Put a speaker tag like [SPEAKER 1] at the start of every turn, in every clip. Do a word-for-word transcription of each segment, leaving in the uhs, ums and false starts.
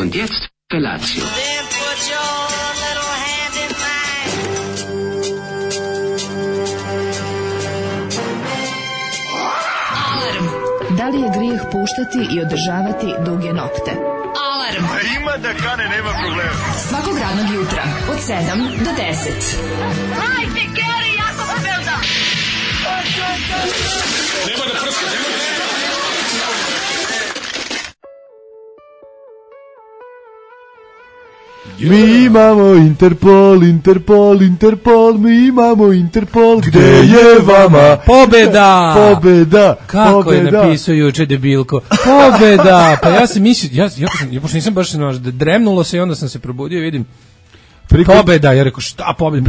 [SPEAKER 1] Und jetzt Felatio.
[SPEAKER 2] Da li je grijeh puštati i održavati duge nokte? Alarm!
[SPEAKER 3] A ima da kane, nema problema.
[SPEAKER 2] Svakog radnog jutra, od sedam do deset.
[SPEAKER 4] Hajde, Geri, jako se velda!
[SPEAKER 3] Nema da prska, nema da prska.
[SPEAKER 5] Mi imamo Interpol, Interpol, Interpol, mi imamo Interpol, gde je vama
[SPEAKER 6] pobeda?
[SPEAKER 5] Pobeda.
[SPEAKER 6] Kako
[SPEAKER 5] pobeda.
[SPEAKER 6] je napisao juče debilko? Pobeda. Pa ja sam mislio, ja ja sam, ja pošto nisam baš znaš, dremnulo se i onda sam se probudio i vidim Preko, pobeda, ja rekao šta pobeda,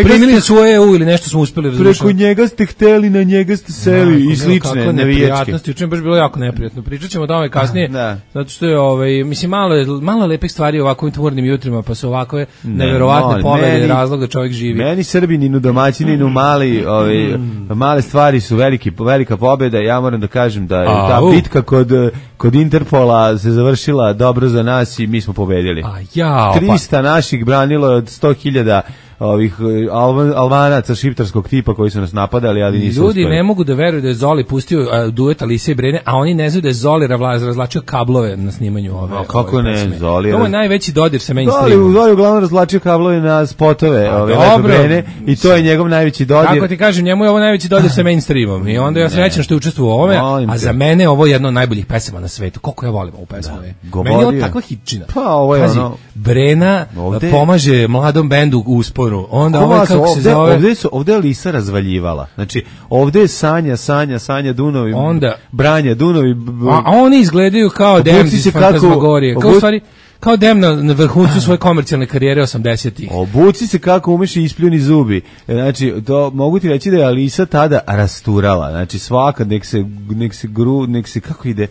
[SPEAKER 6] primili su E U ili nešto smo uspeli razumjeti.
[SPEAKER 5] Preko njega ste hteli, na njega ste seli no, i slične navijačke.
[SPEAKER 6] Juče baš bilo jako neprijatno. Pričat ćemo o tome kasnije, da. Zato što je, ovaj, mislim, malo, malo lepih stvari u ovakvim tvornim jutrima, pa su ovakve ne, neverovatne no, pobede, razlog da čovjek živi.
[SPEAKER 5] Meni Srbininu, domaćininu, mali, ovaj, male stvari su veliki, velika pobeda. Ja moram da kažem da je A, ta uh. bitka kod, kod Interpola se završila dobro za nas i mi smo pobedili.
[SPEAKER 6] A ja,
[SPEAKER 5] trista naših branilo od sto hiljada ovih Alban, Albanaca šiptarskog tipa koji su nas napadali, ali nisu
[SPEAKER 6] ljudi
[SPEAKER 5] uspeli.
[SPEAKER 6] Ne mogu da veruju da je Zoli pustio uh, duet Alise i Brene, a oni ne znaju da je Zoli razvlačio kablove na snimanju ove.
[SPEAKER 5] A kako
[SPEAKER 6] ove
[SPEAKER 5] ne,
[SPEAKER 6] pesme. Zoli. To je
[SPEAKER 5] raz...
[SPEAKER 6] najveći dodir sa mainstreamom.
[SPEAKER 5] Zoli, Zoli uglavnom razvlačio kablove na spotove, a, ove Lepe Brene, i to je njegov najveći dodir.
[SPEAKER 6] Kako ti kažem, njemu je ovo najveći dodir sa mainstreamom i onda ja srećan što je učestvovao u ovome, a za mene ovo je jedno od najboljih pesama na svetu. Koliko ja volim ovu pesmu. Da. Meni je ovo takva hitčina.
[SPEAKER 5] Pa ovo je
[SPEAKER 6] Pazi,
[SPEAKER 5] ono...
[SPEAKER 6] Brena ovde... pomaže mladom bendu u usporu. Onda ovo kako se
[SPEAKER 5] ovde,
[SPEAKER 6] zove...
[SPEAKER 5] ovde, su, ovde je Lisa razvaljivala. Znači, ovde je Sanja, Sanja, Sanja, Dunovi,
[SPEAKER 6] onda,
[SPEAKER 5] Branja, Dunovi... B...
[SPEAKER 6] A, a oni izgledaju kao Dem iz Fantazmagorije. Kao, stvari, kao Dem na, na vrhuncu svoje komercijalne karijere osamdesetih.
[SPEAKER 5] Obuci se kako umeš i ispljuni zubi. Znači, to mogu ti reći da je Alisa tada rasturala. Znači, svaka, nek se, nek se gru, nek se, kako ide...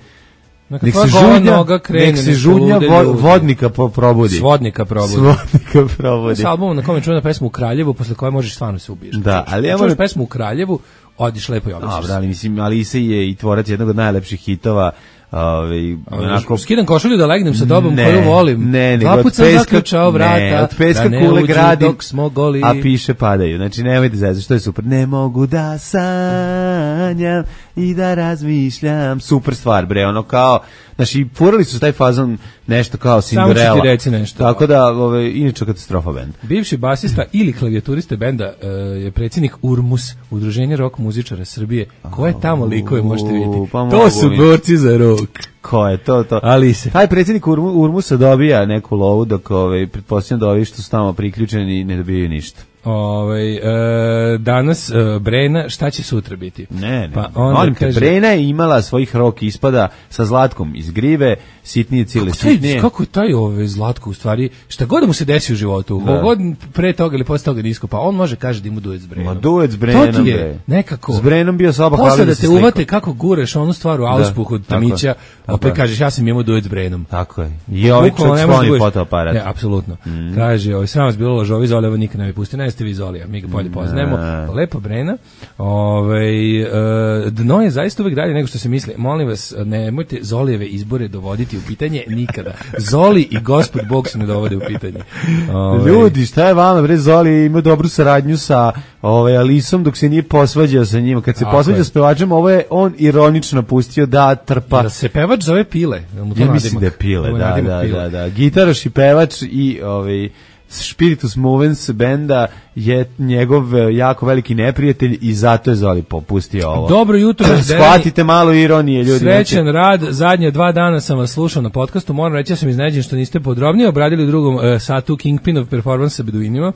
[SPEAKER 5] Nek se žudnja, nek se žudnja vo, vodnika po, probudi.
[SPEAKER 6] Svodnika probudi.
[SPEAKER 5] Svodnika probudi.
[SPEAKER 6] S albumom na kome čuješ pesmu u Kraljevu, posle koje možeš stvarno se ubiješ.
[SPEAKER 5] Da, ali ja
[SPEAKER 6] moram... pesmu u Kraljevu, odiš lepo i običeš.
[SPEAKER 5] Dobro, ali mislim, Alisa je i tvorac jednog od najlepših hitova. Ove, onako...
[SPEAKER 6] Skidam košulju da legnem sa tobom ne, koju volim.
[SPEAKER 5] Ne,
[SPEAKER 6] Dva put sam zaključao vrata,
[SPEAKER 5] ne, od peska
[SPEAKER 6] da
[SPEAKER 5] kule gradi,
[SPEAKER 6] dok smo goli.
[SPEAKER 5] A piše padaju. Znači, nemojte zezati, što je super. Ne mogu da sanjam i da razmišljam. Super stvar, bre, ono kao... Znači, furali su taj fazon nešto kao Cinderella.
[SPEAKER 6] Samo ću ti reći nešto.
[SPEAKER 5] Tako da, ove, inače katastrofa bend.
[SPEAKER 6] Bivši basista ili klavijaturiste benda uh, je predsjednik URMUS, Udruženje rock muzičara Srbije. Ko je tamo likove, možete vidjeti?
[SPEAKER 5] Pa
[SPEAKER 6] to su borci za rock.
[SPEAKER 5] Ko je to, to?
[SPEAKER 6] Alise.
[SPEAKER 5] Taj predsjednik URMUS-a dobija neku lovu, dok ove, pretpostavljam da ovi što su tamo priključeni ne dobijaju ništa.
[SPEAKER 6] Ove, e, danas e, Brena, šta će sutra biti?
[SPEAKER 5] Ne, ne,
[SPEAKER 6] pa onda
[SPEAKER 5] molim
[SPEAKER 6] kaže,
[SPEAKER 5] te, Brena je imala svojih rock ispada sa Zlatkom iz Grive, sitnije cile sitnije.
[SPEAKER 6] Kako je taj ove Zlatko u stvari, šta god mu se desi u životu, da. God pre toga ili posle toga nisko, pa on može kaže da ima duet s Brenom.
[SPEAKER 5] Ma duet s Brenom,
[SPEAKER 6] to ti je nekako.
[SPEAKER 5] S Brenom bio soba hvali
[SPEAKER 6] da,
[SPEAKER 5] da
[SPEAKER 6] se te uvate kako gureš onu stvar u auspuh od Tamića, a opet kažeš ja sam imao duet s Brenom.
[SPEAKER 5] Tako je. I ovaj čovjek skloni fotoaparat.
[SPEAKER 6] Ne, apsolutno. Mm. Kaže, ovaj sram vas bilo lažovi, Zoli, ovo nikad ne bi pustio, ne ste vi Zoli, mi ga bolje poznajemo. Lepa Brena. Ovaj e, dno je zaista uvek dalje nego što se misli. Molim vas, nemojte Zolijeve izbore dovoditi u pitanje nikada. Zoli i Gospod Bog se ne dovode u pitanje.
[SPEAKER 5] Ovaj ljudi, šta je vama, bre? Zoli ima dobru saradnju sa ovaj Alisom dok se nije posvađao sa njima. Kad se posvađao s pevačem, ovo je on ironično pustio da trpa.
[SPEAKER 6] Da se pevač zove Pile.
[SPEAKER 5] Ja mislim da je Pile, da, da, da, da. Gitaraš i pevač i ovaj Spiritus Movens benda je njegov jako veliki neprijatelj i zato je Zoli popustio ovo.
[SPEAKER 6] Dobro jutro,
[SPEAKER 5] shvatite malo ironije, ljudi.
[SPEAKER 6] Srećan rad, zadnje dva dana sam vas slušao na podcastu, moram reći da sam iznenađen što niste podrobnije obradili u drugom uh, satu Kingpinov performans sa Beduinima.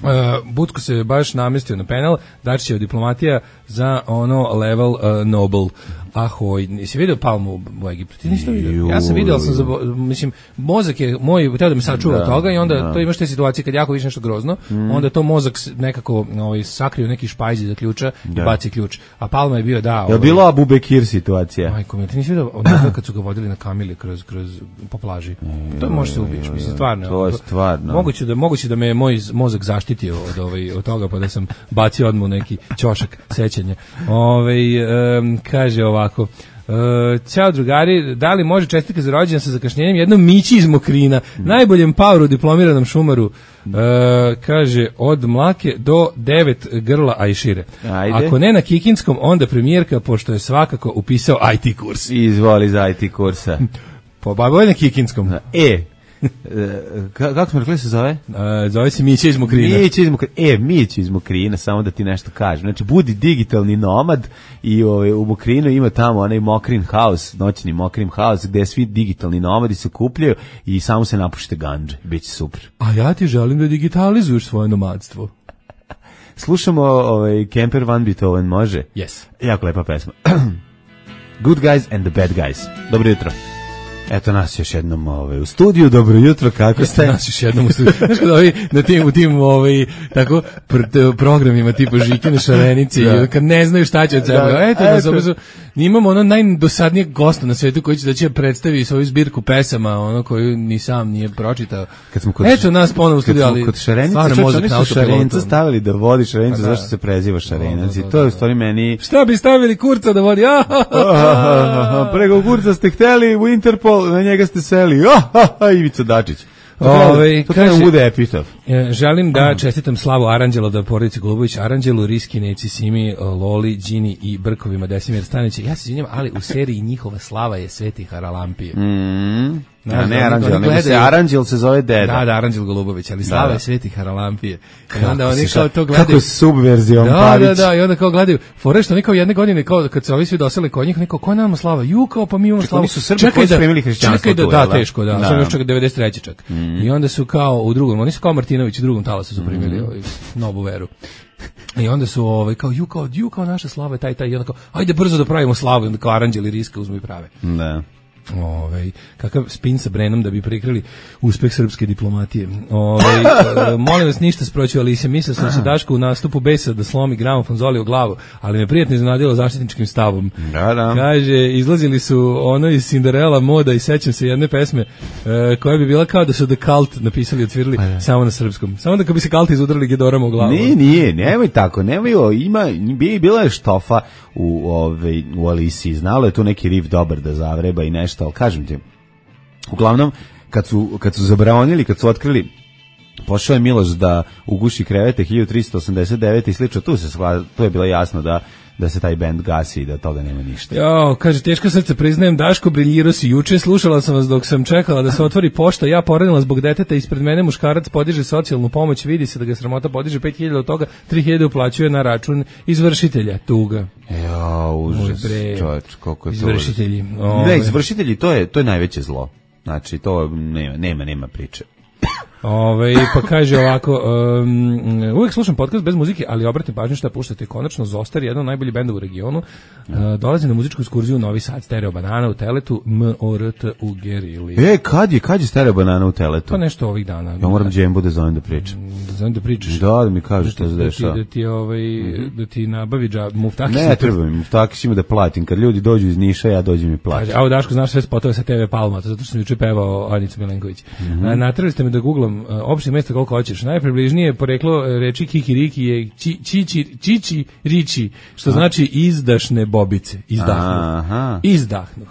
[SPEAKER 6] Uh, Butko se baš namestio na penal, Dačićeva diplomatija za ono level uh, Nobel. Ahoj, nisi vidio Palmu u Egiptu? Ti nisi to vidio? Ja sam vidio, ali sam zabo... mislim, mozak je moj, treba da me sačuva od toga i onda da. To imaš te situacije kad jako više nešto grozno, mm. onda to mozak nekako ovaj, sakrio neki špajzi za ključa da. I baci ključ. A Palma je bio, da...
[SPEAKER 5] Je ovaj, bilo Abu Bekir situacija?
[SPEAKER 6] Majko mi, ti nisi vidio onda kad su ga vodili na kamili kroz, kroz, po plaži? To može se ubiješ, mislim, stvarno.
[SPEAKER 5] To je stvarno.
[SPEAKER 6] Moguće da, moguće da me moj mozak zaštitio od, ovaj, od toga, pa da sam bacio odmah neki ćošak sećanja. Ovaj, um, kaže ovako, Uh, ćao drugari, da li može čestitka za rođendan sa zakašnjenjem jednom Mići iz Mokrina, mm. najboljem pauru diplomiranom šumaru, uh, kaže od Mlake do devet grla a i šire. Ajde. Ako ne na Kikinskom, onda premijerka, pošto je svakako upisao I T kurs.
[SPEAKER 5] Izvoli za I T kursa.
[SPEAKER 6] Po baboj na Kikinskom.
[SPEAKER 5] E, kako smo rekli se zove?
[SPEAKER 6] Uh, zove se Mića iz Mokrina.
[SPEAKER 5] Mića iz Mokrina. E, Mića iz Mokrina, samo da ti nešto kažem. Znači, budi digitalni nomad i ovaj, u Mokrinu ima tamo onaj Mokrin house, noćni Mokrin house, gde svi digitalni nomadi se kupljaju i samo se napušite gandže. Biće super.
[SPEAKER 6] A ja ti želim da digitalizuješ svoje nomadstvo.
[SPEAKER 5] Slušamo ovaj, Kemper Van Beethoven, može?
[SPEAKER 6] Yes.
[SPEAKER 5] Jako lepa pesma. Good Guys and the Bad Guys. Dobro jutro. Eto nas još jednom ovaj, u studiju, dobro jutro, kako ste?
[SPEAKER 6] Eto nas još jednom u studiju. Znaš kada ovi na tim, u tim ovaj, tako, pr programima tipa Žikine Šarenice, da. Kad ne znaju šta će od sebe, da, eto, eto. Da, imamo ono najdosadnijeg gosta na svetu koji će da će predstavi svoju zbirku pesama, ono koju ni sam nije pročitao.
[SPEAKER 5] Kad smo kod,
[SPEAKER 6] eto nas ponovo u studiju, ali
[SPEAKER 5] kod Šarenice, oni su Šarenca stavili da vodi Šarenca, zašto se preziva Šarenac, i to je u stvari meni...
[SPEAKER 6] Šta bi stavili Kurca da vodi?
[SPEAKER 5] Preko Kurca ste hteli u Interpol, na njega ste seli, Ivica Dačić.
[SPEAKER 6] Ove,
[SPEAKER 5] to treba bude epitaf.
[SPEAKER 6] Želim da čestitam slavu Aranđelo, da porodici Golubović, Aranđelu, Riski, Neci, Simi, Loli, Đini i Brkovima, Desimir Stanića. Ja se izvinjam, ali u seriji njihova slava je Sveti Haralampije.
[SPEAKER 5] Mm. Ja, ne Aranđel, nego se Aranđel se zove deda.
[SPEAKER 6] Da, da, Aranđel Golubović, ali slava da, da. je Sveti Haralampije. I onda oni kao to gledaju.
[SPEAKER 5] Kako subverzijom
[SPEAKER 6] da,
[SPEAKER 5] Pavić.
[SPEAKER 6] Da, da, i onda kao gledaju. Fore što oni kao jedne godine, kao kad se ovi svi doseli kod njih, neko, ko nama slava? Ju, kao pa mi imamo slavu.
[SPEAKER 5] Oni su Srbi koji su primili hrišćanstvo.
[SPEAKER 6] Čekaj da, da, teško, da. Samo još čak devedeset treće čak. I onda su kao u drugom, oni su kao Martinović u drugom talasu su primili novu veru. I onda su ovaj kao ju kao ju kao naša slava je taj taj i onda kao ajde brzo da pravimo slavu, onda kao Aranđel i Riska uzmu i prave.
[SPEAKER 5] Da.
[SPEAKER 6] Ovaj kakav spin sa Brenom da bi prikrili uspeh srpske diplomatije. Ovaj molim vas ništa sproći, ali se mislio sam se Daško u nastupu besa da slomi gramofon Zoli u glavu, ali me prijatno iznenadilo zaštitničkim stavom.
[SPEAKER 5] Da, da.
[SPEAKER 6] Kaže izlazili su ono iz Cinderella moda i sećam se jedne pesme e, koja bi bila kao da su The Cult napisali i otvirali pa, samo na srpskom. Samo da kad bi se Cult izudrali Gedorama u glavu.
[SPEAKER 5] Nije, nije, nemoj tako, nemoj, ima bi bila je štofa u ovaj u Alisi, znalo je tu neki riff dobar da zavreba i nešto, ali kažem ti, uglavnom kad su, kad su zabranili, kad su otkrili, pošao je Miloš da uguši krevete hiljadu tristo osamdeset devete i slično, tu se shvala, tu je bilo jasno da da se taj bend gasi i da toga nema ništa.
[SPEAKER 6] Jo, kaže, teško srce, priznajem, Daško, briljirao si juče, slušala sam vas dok sam čekala da se otvori pošta, ja poranila zbog deteta, ispred mene muškarac podiže socijalnu pomoć, vidi se da ga sramota podiže pet hiljada od toga, tri hiljade uplaćuje na račun izvršitelja, tuga.
[SPEAKER 5] Jo, užas, čovječ, koliko je to.
[SPEAKER 6] Izvršitelji.
[SPEAKER 5] Ne, izvršitelji, to je, to je najveće zlo. Znači, to nema, nema, nema priče.
[SPEAKER 6] Ove, pa kaže ovako, um, uvijek slušam podcast bez muzike, ali obratim pažnju šta puštate. Konačno Zostar, jedan od najboljih benda u regionu, uh, dolazi na muzičku ekskurziju u Novi Sad, Stereo Banana u Teletu, M O R T u Gerili.
[SPEAKER 5] E, kad je, kad je Stereo Banana u Teletu?
[SPEAKER 6] Pa nešto ovih dana.
[SPEAKER 5] Ja moram Džembu da zovem da pričam.
[SPEAKER 6] Da zovem da pričaš?
[SPEAKER 5] Da, da mi kažeš šta se dešava.
[SPEAKER 6] Da ti, ovaj, mm-hmm. da ti nabavi džab, Muftakis.
[SPEAKER 5] Ne, treba mi, Muftakis ima da platim. Kad ljudi dođu iz Niša, ja dođem i platim.
[SPEAKER 6] Kaže, a u Daško, znaš sve spotove sa T V Palma, zato što sam juče pevao Anica Milenković. Mm-hmm. Natrali ste me da googlam opšte mesta koliko hoćeš. Najpribližnije poreklo reči kikiriki je či, čiči, čiči riči, što znači izdašne bobice. Izdahnuh. Aha. Izdahnuh.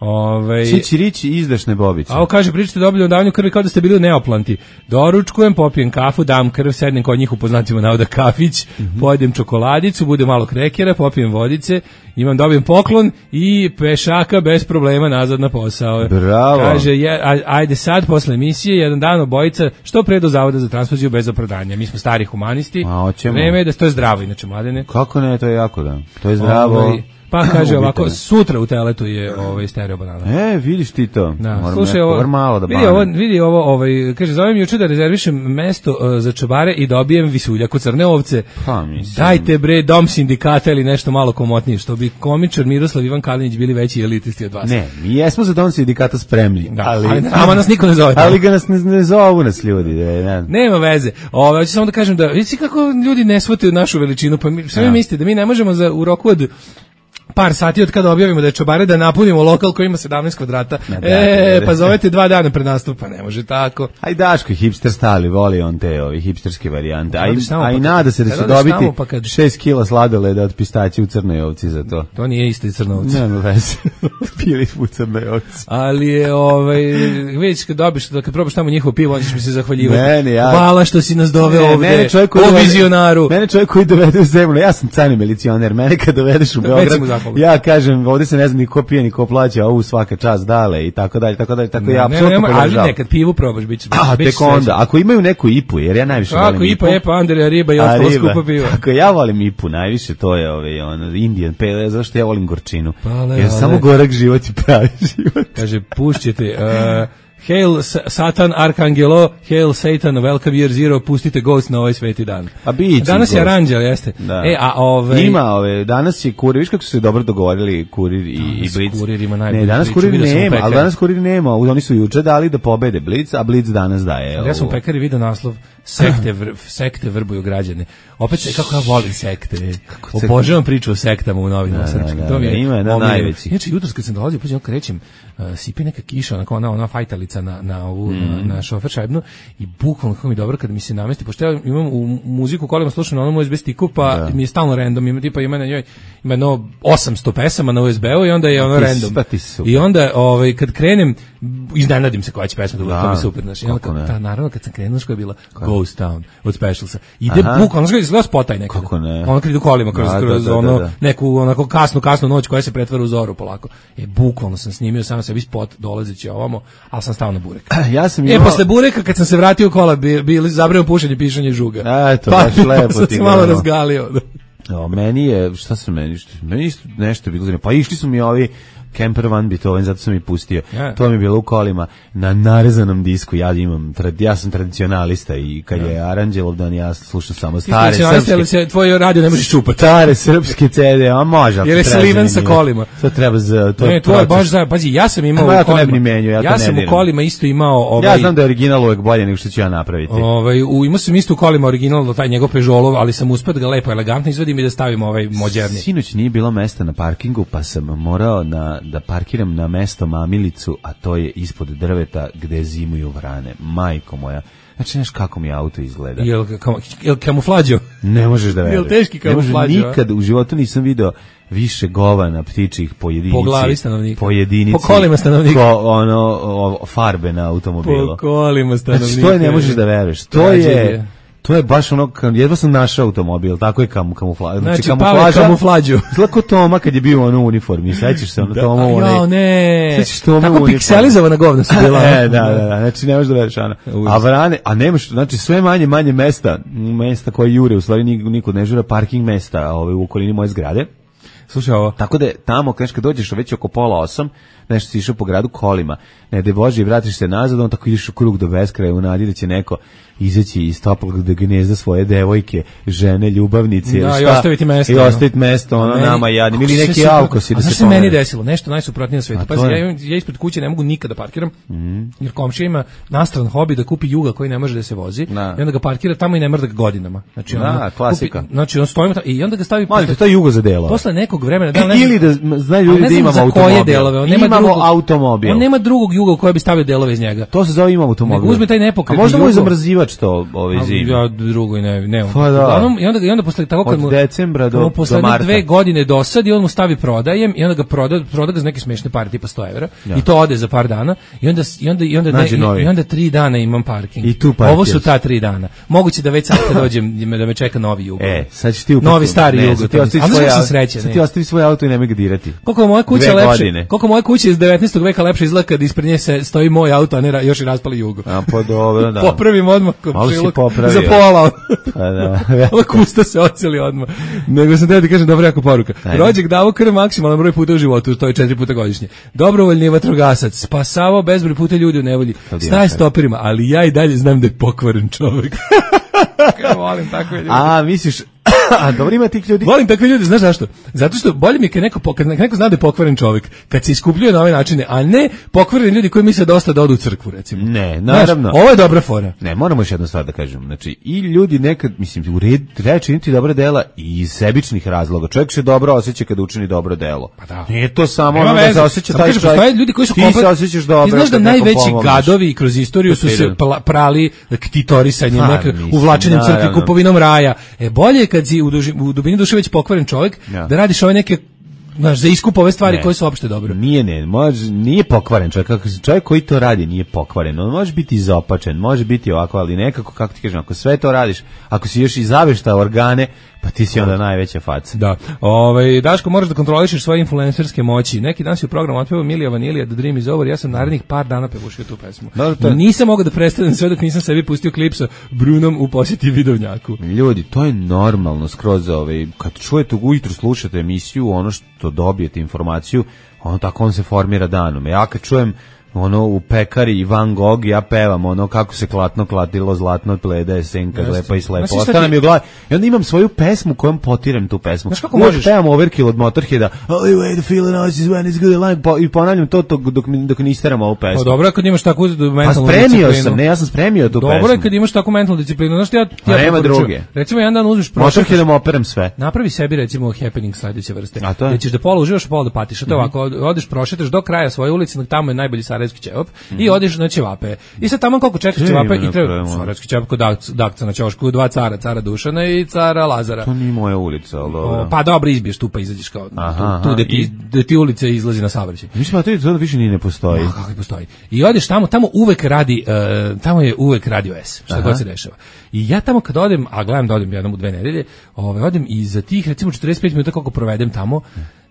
[SPEAKER 6] Ove,
[SPEAKER 5] Čiči riči izdašne bobice.
[SPEAKER 6] A ovo kaže, pričate dobili o davanju krvi kao da ste bili u Neoplanti. Doručkujem, popijem kafu, dam krv, sednem kod njih u poznatima navoda kafić, mm-hmm. pojedem čokoladicu, bude malo krekera, popijem vodice, imam dobijem poklon i pešaka bez problema nazad na posao.
[SPEAKER 5] Bravo.
[SPEAKER 6] Kaže, je, ajde sad, posle emisije, jedan dan obojica, što pre do zavoda za transfuziju bez opravdanja. Mi smo stari humanisti, vreme je da to je zdravo, inače mladene.
[SPEAKER 5] Kako ne, to je jako da. To je zdravo. Ovaj,
[SPEAKER 6] pa kaže ovako, sutra u Teletu je ovaj Stereo Banana.
[SPEAKER 5] E, vidiš ti to.
[SPEAKER 6] Da, slušaj ovo, malo da vidi ovo, vidi ovo, ovaj, kaže, zovem juče da rezervišem mesto uh, za čobare i dobijem visuljak u crne ovce.
[SPEAKER 5] Pa, mislim.
[SPEAKER 6] Dajte bre, dom sindikata ili nešto malo komotnije, što bi komičar Miroslav Ivan Kalinić bili veći elitisti od vas.
[SPEAKER 5] Ne, mi jesmo za dom sindikata spremni.
[SPEAKER 6] Da, ali, ali ama nas niko ne zove.
[SPEAKER 5] Ali ga nas ne, ne zovu nas ljudi. Ne, ne.
[SPEAKER 6] Nema veze. Ovo, hoću samo da kažem da, vidite kako ljudi ne shvataju našu veličinu, pa mi, sve mi mislite da mi ne možemo za, u roku od par sati od kada objavimo da je čobare da napunimo lokal koji ima sedamnaest kvadrata. Na, da, e, da, pa zovete dva dana pred nastup, pa ne može tako.
[SPEAKER 5] Aj Daško, hipster stali, voli on te ovi hipsterske varijante. Aj, aj nada se da će dobiti pa kad... šest kila sladoleda od pistaća u Crnoj Ovci za to.
[SPEAKER 6] To nije isto Crna Ovca.
[SPEAKER 5] Nema veze. Pili u Crnoj Ovci.
[SPEAKER 6] Ali je, ovaj, vidiš kad dobiš, da kad probaš tamo njihovo pivo, on ćeš mi se zahvaljivati.
[SPEAKER 5] Mene, ja...
[SPEAKER 6] Hvala što si nas doveo ne, ovde, mene o vizionaru.
[SPEAKER 5] Mene čovjek koji dovede u zemlju, ja sam cani milicioner, mene kad dovedeš u Beograd, ja kažem, ovdje se ne znam ni ko pije, ni ko plaća, ovu svaka čast dale i tako dalje, tako dalje, tako ne, ja apsolutno
[SPEAKER 6] ne, ali nekad pivu probaš, bit će
[SPEAKER 5] A, tek onda, ako imaju neku ipu, jer ja najviše
[SPEAKER 6] ako
[SPEAKER 5] volim ipu.
[SPEAKER 6] Ako ipa, epa, Andrija, riba i ostalo skupa piva.
[SPEAKER 5] Ako ja volim ipu, najviše to je ovaj, ono, Indian pale, zašto ja volim gorčinu.
[SPEAKER 6] Pale,
[SPEAKER 5] jer
[SPEAKER 6] ale.
[SPEAKER 5] samo gorak život i pravi život.
[SPEAKER 6] Kaže, pušćete, uh, Hail Satan Arcangelo, Hail Satan, Welcome Year Zero, pustite Ghost na ovaj sveti dan.
[SPEAKER 5] A biće
[SPEAKER 6] danas
[SPEAKER 5] Ghost.
[SPEAKER 6] Je aranđel, jeste.
[SPEAKER 5] Da.
[SPEAKER 6] E, a ove...
[SPEAKER 5] Ima ove, danas je Kurir, viš kako su se dobro dogovorili Kurir i, i Blitz.
[SPEAKER 6] Kurir ima najbolji.
[SPEAKER 5] Ne, danas
[SPEAKER 6] priču,
[SPEAKER 5] Kurir nema, ali danas Kurir nema, oni su juče dali da pobede Blitz, a Blitz danas daje.
[SPEAKER 6] Ja sam u Pekari video naslov, sekte, vr, sekte vrbuju građane. Opet, kako ja volim sekte. Obožavam priču o sektama u novinama.
[SPEAKER 5] Da, da, da, to mi je, ima je na najveći.
[SPEAKER 6] Inače, jutros kad sam dolazio, pođem krećem, uh, sipi neka kiša, onako ona, ona fajtalica na, na ovu, mm. na, na šofer šajbnu i bukvalno kako mi dobro kad mi se namesti, pošto ja imam u muziku kolima slušam na onom U S B stiku, pa da. Mi je stalno random, ima tipa ima na njoj, ima no osamsto pesama na U S B-u i onda je ono random. I onda, ovaj, kad krenem, iznenadim se koja će pesma da, to mi super, znači, onda, ta, naravno kad sam krenuo, što je bila Ghost Town od Specialsa. Ide bukvalno, znači, izgleda spotaj nekada.
[SPEAKER 5] Kako ne?
[SPEAKER 6] Ono kad idu kolima kroz,
[SPEAKER 5] da,
[SPEAKER 6] kroz
[SPEAKER 5] da, da,
[SPEAKER 6] ono,
[SPEAKER 5] da, da.
[SPEAKER 6] neku onako kasnu, kasnu noć koja se pretvara u zoru polako. E, bukvalno sam snimio sam sebi spot dolazeći ovamo, ali sam stao na burek.
[SPEAKER 5] Ja sam
[SPEAKER 6] imao...
[SPEAKER 5] E,
[SPEAKER 6] posle bureka, kad sam se vratio u kola, bili bi zabrao pušenje, pišanje žuga.
[SPEAKER 5] Eto,
[SPEAKER 6] pa,
[SPEAKER 5] baš lepo
[SPEAKER 6] sam
[SPEAKER 5] ti
[SPEAKER 6] se malo razgalio.
[SPEAKER 5] O, meni je, šta sam meni, što, meni isto nešto bilo zanimljivo. Pa išli su mi ovi Camper Van Beethoven, zato sam i pustio. Yeah. To mi je bilo u kolima na narezanom disku. Ja imam, ja sam tradicionalista i kad yeah. je Aranđelov dan, ja slušam samo stare srpske. Ali
[SPEAKER 6] se tvoj radio ne možeš čupati.
[SPEAKER 5] Stare srpske ce de, a može.
[SPEAKER 6] Jer je sliven sa kolima.
[SPEAKER 5] To treba za to.
[SPEAKER 6] Ne, to je baš za, pazi, ja sam imao.
[SPEAKER 5] Ma, ja to ne bi ni menio, ja,
[SPEAKER 6] ja
[SPEAKER 5] to
[SPEAKER 6] sam
[SPEAKER 5] ne
[SPEAKER 6] u kolima isto imao ovaj.
[SPEAKER 5] Ja znam da je original uvek bolje nego što ću ja napraviti.
[SPEAKER 6] Ovaj, u imao sam isto u kolima original taj njegov Peugeotov, ali sam uspeo da ga lepo elegantno izvadim i da stavim ovaj moderni.
[SPEAKER 5] Sinoć nije bilo mesta na parkingu, pa sam morao na da parkiram na mesto mamilicu, a to je ispod drveta gde zimuju vrane. Majko moja. Znači, znaš kako mi auto izgleda.
[SPEAKER 6] Jel, kam, jel kamuflađo?
[SPEAKER 5] Ne možeš da veruješ.
[SPEAKER 6] Jel teški kamuflađo?
[SPEAKER 5] Nikad u životu nisam video više govana ptičih po jedinici.
[SPEAKER 6] Po glavi stanovnika.
[SPEAKER 5] Po jedinici.
[SPEAKER 6] Po kolima stanovnika.
[SPEAKER 5] Ko, ono, o, farbe na automobilu.
[SPEAKER 6] Po kolima stanovnika.
[SPEAKER 5] Znači, to je ne možeš da veruješ. To je... To je baš ono, jedva sam našao automobil, tako je kam, kamufla,
[SPEAKER 6] znači, znači kamuflaža. Kamuflađu.
[SPEAKER 5] Zlako Toma kad je bio ono u uniformi, sećaš se ono da, Toma u onaj.
[SPEAKER 6] Jo, ne.
[SPEAKER 5] Sećaš Toma
[SPEAKER 6] tako
[SPEAKER 5] u
[SPEAKER 6] pikselizovana govna su bila.
[SPEAKER 5] E, da, da, da, znači ne možeš da veriš ono. A vrane, a nemaš, znači sve manje, manje mesta, mesta koje jure, u stvari nikud ne žura, parking mesta ove, u okolini moje zgrade.
[SPEAKER 6] Slušaj ovo.
[SPEAKER 5] Tako da tamo, kad dođeš već oko pola osam, nešto si išao po gradu kolima, ne da Bože i vratiš se nazad, on tako ideš u krug do beskraja u nadi da će neko izaći iz toplog da gnezda svoje devojke, žene, ljubavnice,
[SPEAKER 6] da,
[SPEAKER 5] šta,
[SPEAKER 6] i ostaviti mesto.
[SPEAKER 5] I ostaviti mesto, ono, meni, nama jadnim, ili neki alkosi da se pomene. A
[SPEAKER 6] šta se meni desilo? Nešto najsuprotnije na svetu. Pazi, ja, ja ispred kuće ne mogu nikada da parkiram, mm. jer komšija ima nastran hobi da kupi Juga koji ne može da se vozi,
[SPEAKER 5] da.
[SPEAKER 6] I onda ga parkira tamo i ne mrda godinama. Znači,
[SPEAKER 5] da,
[SPEAKER 6] ono,
[SPEAKER 5] klasika.
[SPEAKER 6] Kupi, znači, on stoji i onda ga stavi...
[SPEAKER 5] Malite, to je Jugo za delove.
[SPEAKER 6] Posle nekog vremena... Da,
[SPEAKER 5] ne, ili da znaju ljudi da imamo automobil.
[SPEAKER 6] Delove, on
[SPEAKER 5] nema imamo
[SPEAKER 6] drugog,
[SPEAKER 5] automobil.
[SPEAKER 6] On nema drugog Juga koji bi stavio delove iz njega.
[SPEAKER 5] To se zove imamo automobil.
[SPEAKER 6] Uzme taj nepokretni
[SPEAKER 5] Jugo. A možda mu je zamrzivač to ovaj zim.
[SPEAKER 6] Ja drugo i ne, ne.
[SPEAKER 5] Pa da.
[SPEAKER 6] Uglavnom, i onda i onda posle tako kad mu
[SPEAKER 5] od decembra do,
[SPEAKER 6] posle
[SPEAKER 5] do marta.
[SPEAKER 6] dve godine dosadi, on mu stavi prodajem i onda ga proda, proda ga za neke smešne pare tipa sto evra ja. I to ode za par dana i onda i onda i onda ne, i, i onda tri dana imam parking.
[SPEAKER 5] I tu
[SPEAKER 6] ovo su ta tri dana. Moguće da već sad kad dođem da me čeka novi Jugo.
[SPEAKER 5] E, sad ćeš ti upako,
[SPEAKER 6] novi stari
[SPEAKER 5] ne,
[SPEAKER 6] Jugo.
[SPEAKER 5] Ti ostavi svoj auto,
[SPEAKER 6] srećan,
[SPEAKER 5] ti ostavi svoj auto i nemoj ga dirati.
[SPEAKER 6] Koliko moja kuća lepše, koliko moja kuća iz devetnaestog veka lepše izgleda kad ispred nje se stoji moj auto, a ne još i raspali Jugo.
[SPEAKER 5] A pa dobro, da.
[SPEAKER 6] Popravim odmah komšiluk za pola.
[SPEAKER 5] Pa da.
[SPEAKER 6] Ova kusta se oceli odmah. Nego sam teo ti kažem dobra jako poruka. Rođak davo krv maksimalan broj puta u životu, to je četiri puta godišnje. Dobrovoljni vatrogasac, spasavao bezbroj puta ljudi u nevolji. Staj stoperima, ali ja i dalje znam da je pokvaren čovjek. Kako volim takve ljude.
[SPEAKER 5] A, misliš A dobro ima tih ljudi.
[SPEAKER 6] Volim takve ljude, znaš zašto? Zato što bolje mi je kad neko, kad neko zna da je pokvaren čovjek, kad se iskupljuje na ove načine, a ne pokvareni ljudi koji misle dosta da odu u crkvu, recimo.
[SPEAKER 5] Ne, naravno.
[SPEAKER 6] Znaš, ovo je dobra fora.
[SPEAKER 5] Ne, moramo još jednu stvar da kažem. Znači, i ljudi nekad, mislim, u red, treba činiti dobra dela i iz sebičnih razloga. Čovjek se dobro osjeća kada učini dobro delo.
[SPEAKER 6] Pa da.
[SPEAKER 5] Nije to samo
[SPEAKER 6] Nema
[SPEAKER 5] ono da
[SPEAKER 6] veze.
[SPEAKER 5] se osjeća
[SPEAKER 6] Samo
[SPEAKER 5] taj
[SPEAKER 6] kažem,
[SPEAKER 5] čovjek.
[SPEAKER 6] postoje ljudi koji su
[SPEAKER 5] ti
[SPEAKER 6] komplet...
[SPEAKER 5] se osjećaš dobro.
[SPEAKER 6] Ti znaš da
[SPEAKER 5] kad nekom
[SPEAKER 6] najveći
[SPEAKER 5] pomogneš.
[SPEAKER 6] gadovi kroz istoriju su se pla- prali ktitorisanjem,
[SPEAKER 5] Pa,
[SPEAKER 6] neke,
[SPEAKER 5] mislim,
[SPEAKER 6] uvlačenjem crkve,
[SPEAKER 5] naravno.
[SPEAKER 6] kupovinom raja. E, bolje je kad si u, duži, u dubini duše već pokvaren čovjek,
[SPEAKER 5] Ja.
[SPEAKER 6] da radiš ove neke, znaš, za iskup ove stvari
[SPEAKER 5] Ne.
[SPEAKER 6] koje su opšte dobro.
[SPEAKER 5] Nije, ne, može, nije pokvaren čovjek. Kako se- čovjek koji to radi nije pokvaren. On može biti izopačen, može biti ovako, ali nekako, kako ti kažem, ako sve to radiš, ako si još i zaveštao organe, pa ti si onda najveća faca.
[SPEAKER 6] Da. Ovaj Daško, moraš da kontrolišeš svoje influencerske moći. Neki dan si u programu otpevao Milija Vanilija The Dream is Over. Ja sam narednih par dana pevušio tu pesmu.
[SPEAKER 5] Dobro, to je-
[SPEAKER 6] Nisam mogao da prestanem sve dok nisam sebi pustio klip sa Brunom u posjeti Vidovnjaku.
[SPEAKER 5] Ljudi, to je normalno skroz, ovaj, kad čujete ujutru, slušate emisiju, ono što dobijete informaciju, ono tako on se formira danom. Ja kad čujem ono u pekari i Van Gogh, ja pevam ono kako se klatno klatilo zlatno pleda je senka
[SPEAKER 6] Jeste.
[SPEAKER 5] lepa i slepa.
[SPEAKER 6] Znaš šta
[SPEAKER 5] Ostane
[SPEAKER 6] ti-
[SPEAKER 5] mi u glavi. I onda imam svoju pesmu kojom potirem tu pesmu.
[SPEAKER 6] Znaš kako
[SPEAKER 5] Uvek
[SPEAKER 6] možeš?
[SPEAKER 5] pevam Overkill od Motorheada. Only way to feel it is when it's good line. Po, I ponavljam to, to dok, mi- dok ne isteram ovu pesmu.
[SPEAKER 6] Pa dobro je kad imaš takvu
[SPEAKER 5] Pa
[SPEAKER 6] mentalnu
[SPEAKER 5] spremio
[SPEAKER 6] disciplinu.
[SPEAKER 5] sam, ne, ja sam spremio tu
[SPEAKER 6] Dobro
[SPEAKER 5] pesmu.
[SPEAKER 6] je kad imaš takvu mentalnu disciplinu. Znaš što ja,
[SPEAKER 5] A
[SPEAKER 6] ja
[SPEAKER 5] nema
[SPEAKER 6] preporučujem?
[SPEAKER 5] druge.
[SPEAKER 6] Recimo jedan dan uzmeš prošetaš,
[SPEAKER 5] Motorheadom operem sve.
[SPEAKER 6] napravi sebi recimo happening sledeće vrste.
[SPEAKER 5] A to je?
[SPEAKER 6] Gde ćeš da pola uživaš, a pola da patiš. A to je ovako, od- odeš prošetaš do kraja svoje ulice, tamo je najbolji sarajevski ćevap i odeš na ćevape. I sad tamo koliko čekaš
[SPEAKER 5] Gde
[SPEAKER 6] ćevape
[SPEAKER 5] ima
[SPEAKER 6] i treba
[SPEAKER 5] napravimo?
[SPEAKER 6] sarajevski ćevap kod Dak- Dakca na ćošku, dva cara, cara Dušana i cara Lazara.
[SPEAKER 5] To nije moja ulica, ali dobro.
[SPEAKER 6] O, pa dobro, izbiješ tu pa izađeš kao
[SPEAKER 5] Aha,
[SPEAKER 6] tu, tu gde
[SPEAKER 5] aha,
[SPEAKER 6] ti,
[SPEAKER 5] i-
[SPEAKER 6] gde ti ulica izlazi na saobraćaj.
[SPEAKER 5] Mislim, a to je- to više ni ne postoji.
[SPEAKER 6] Ma, kako i postoji. I odeš tamo, tamo uvek radi, uh, tamo je uvek radio S, šta
[SPEAKER 5] Aha.
[SPEAKER 6] god se dešava. I ja tamo kad odem, a gledam da odem jednom u dve nedelje, ovaj, odem i za tih recimo četrdeset pet minuta koliko provedem tamo,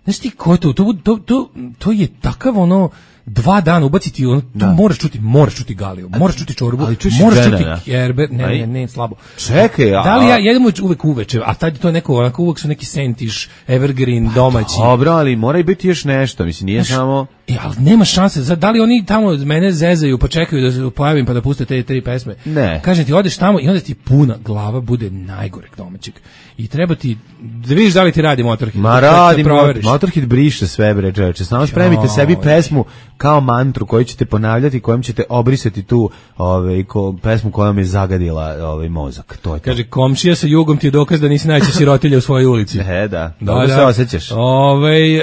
[SPEAKER 6] znaš ti ko je to, to, to, to, to je takav ono, dva dana ubaciti, ono, tu moraš čuti, moraš čuti Galiju, moraš čuti čorbu,
[SPEAKER 5] ali čuješ
[SPEAKER 6] moraš
[SPEAKER 5] žena,
[SPEAKER 6] čuti
[SPEAKER 5] da?
[SPEAKER 6] Kerber, ne,
[SPEAKER 5] Aj.
[SPEAKER 6] ne, ne, slabo.
[SPEAKER 5] Čekaj, a...
[SPEAKER 6] Da li ja jedemo uvek uveče, a tad to je neko, onako uvek su neki sentiš, evergreen, domaći.
[SPEAKER 5] Dobro, ali mora i biti još nešto, mislim, nije samo...
[SPEAKER 6] E, ali nema šanse, za, da li oni tamo mene zezaju pa čekaju da se pojavim pa da puste te tri pesme?
[SPEAKER 5] Ne.
[SPEAKER 6] Kažem ti, odeš tamo i onda ti puna glava bude najgoreg domaćeg. I treba ti, da vidiš da li ti radi Motorhead.
[SPEAKER 5] Ma
[SPEAKER 6] da- da
[SPEAKER 5] radi,
[SPEAKER 6] proveriš.
[SPEAKER 5] Motorhead briše sve, bre, čoveče. Samo spremite sebi pesmu kao mantru koju ćete ponavljati, kojom ćete obrisati tu ove, ko, pesmu kojom je zagadila ovaj mozak. To je to.
[SPEAKER 6] Kaže, komšija sa jugom ti je dokaz da nisi najveća sirotilja u svojoj ulici.
[SPEAKER 5] E, da, dobro se osjećaš.
[SPEAKER 6] Ovaj,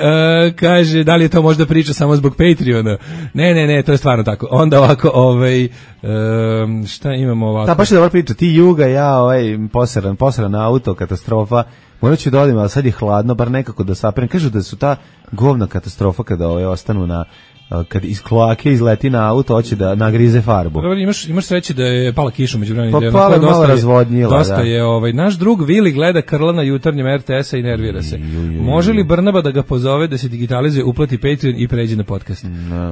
[SPEAKER 6] e, kaže, da li je to možda priča samo zbog Patreona? Ne, ne, ne, to je stvarno tako. Onda ovako, ovaj, e, šta imamo ovako?
[SPEAKER 5] Da, baš je dobra priča. Ti juga, ja, ovaj, posran, posran auto, katastrofa. Morat ću da odim, ali sad je hladno, bar nekako da saperem. Kažu da su ta govna katastrofa kada ove ostanu na, kad iz kloake izleti na auto, hoće da nagrize farbu.
[SPEAKER 6] Dobro, imaš, imaš sreće da je pala kiša među vremenom.
[SPEAKER 5] Pa
[SPEAKER 6] da je
[SPEAKER 5] pala
[SPEAKER 6] onako
[SPEAKER 5] je malo
[SPEAKER 6] dosta je-
[SPEAKER 5] razvodnila,
[SPEAKER 6] Dosta
[SPEAKER 5] da.
[SPEAKER 6] je, ovaj, naš drug Vili gleda Krla na jutarnjem R T S-a i nervira se. Može li Brnaba da ga pozove da se digitalizuje, uplati Patreon i pređe na podcast?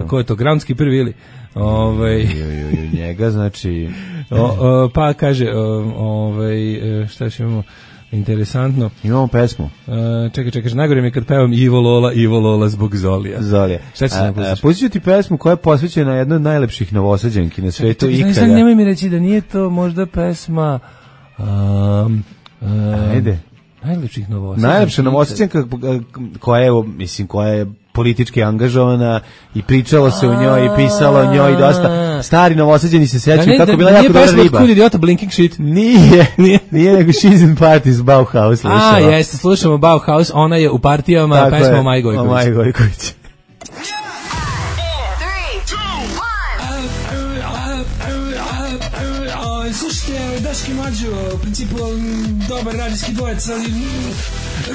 [SPEAKER 6] Ko je to? Groundskeeper Vili. Ovaj,
[SPEAKER 5] Ju, ju, ju, njega, znači...
[SPEAKER 6] o, o, pa kaže, o, ovaj, e, šta još imamo? Interesantno.
[SPEAKER 5] Imamo pesmu.
[SPEAKER 6] E, čekaj, čekaj, najgore mi je kad pevam Ivo Lola, Ivo Lola zbog Zolija.
[SPEAKER 5] Zolija.
[SPEAKER 6] Šta ćeš nam pustiš?
[SPEAKER 5] Pustit ću ti pesmu koja je posvećena jednoj od najlepših novosađenki na svetu
[SPEAKER 6] Čekaj,
[SPEAKER 5] ikada.
[SPEAKER 6] sad nemoj mi reći da nije to možda pesma um, um,
[SPEAKER 5] Ajde.
[SPEAKER 6] najlepših novosađenki.
[SPEAKER 5] Najlepša novosađenka koja je, mislim, koja je politički angažovana i pričalo se o njoj i pisalo o njoj dosta. Stari novosađeni se
[SPEAKER 6] Da
[SPEAKER 5] sećaju
[SPEAKER 6] ne,
[SPEAKER 5] kako
[SPEAKER 6] da,
[SPEAKER 5] bila
[SPEAKER 6] da
[SPEAKER 5] jako
[SPEAKER 6] nije
[SPEAKER 5] dobra
[SPEAKER 6] pesma od
[SPEAKER 5] riba.
[SPEAKER 6] Kud idiota Blinking Shit.
[SPEAKER 5] Nije, nije, nije nego She's in Parties Bauhaus.
[SPEAKER 6] A,
[SPEAKER 5] slušala.
[SPEAKER 6] jeste, slušamo Bauhaus, ona je u partijama
[SPEAKER 5] Tako
[SPEAKER 6] pesma
[SPEAKER 5] je,
[SPEAKER 6] o Maji Gojković.
[SPEAKER 5] O Maji Gojković.
[SPEAKER 1] Slušajte, Daški Mađo, u principu m, dobar radijski dvojec, ali m,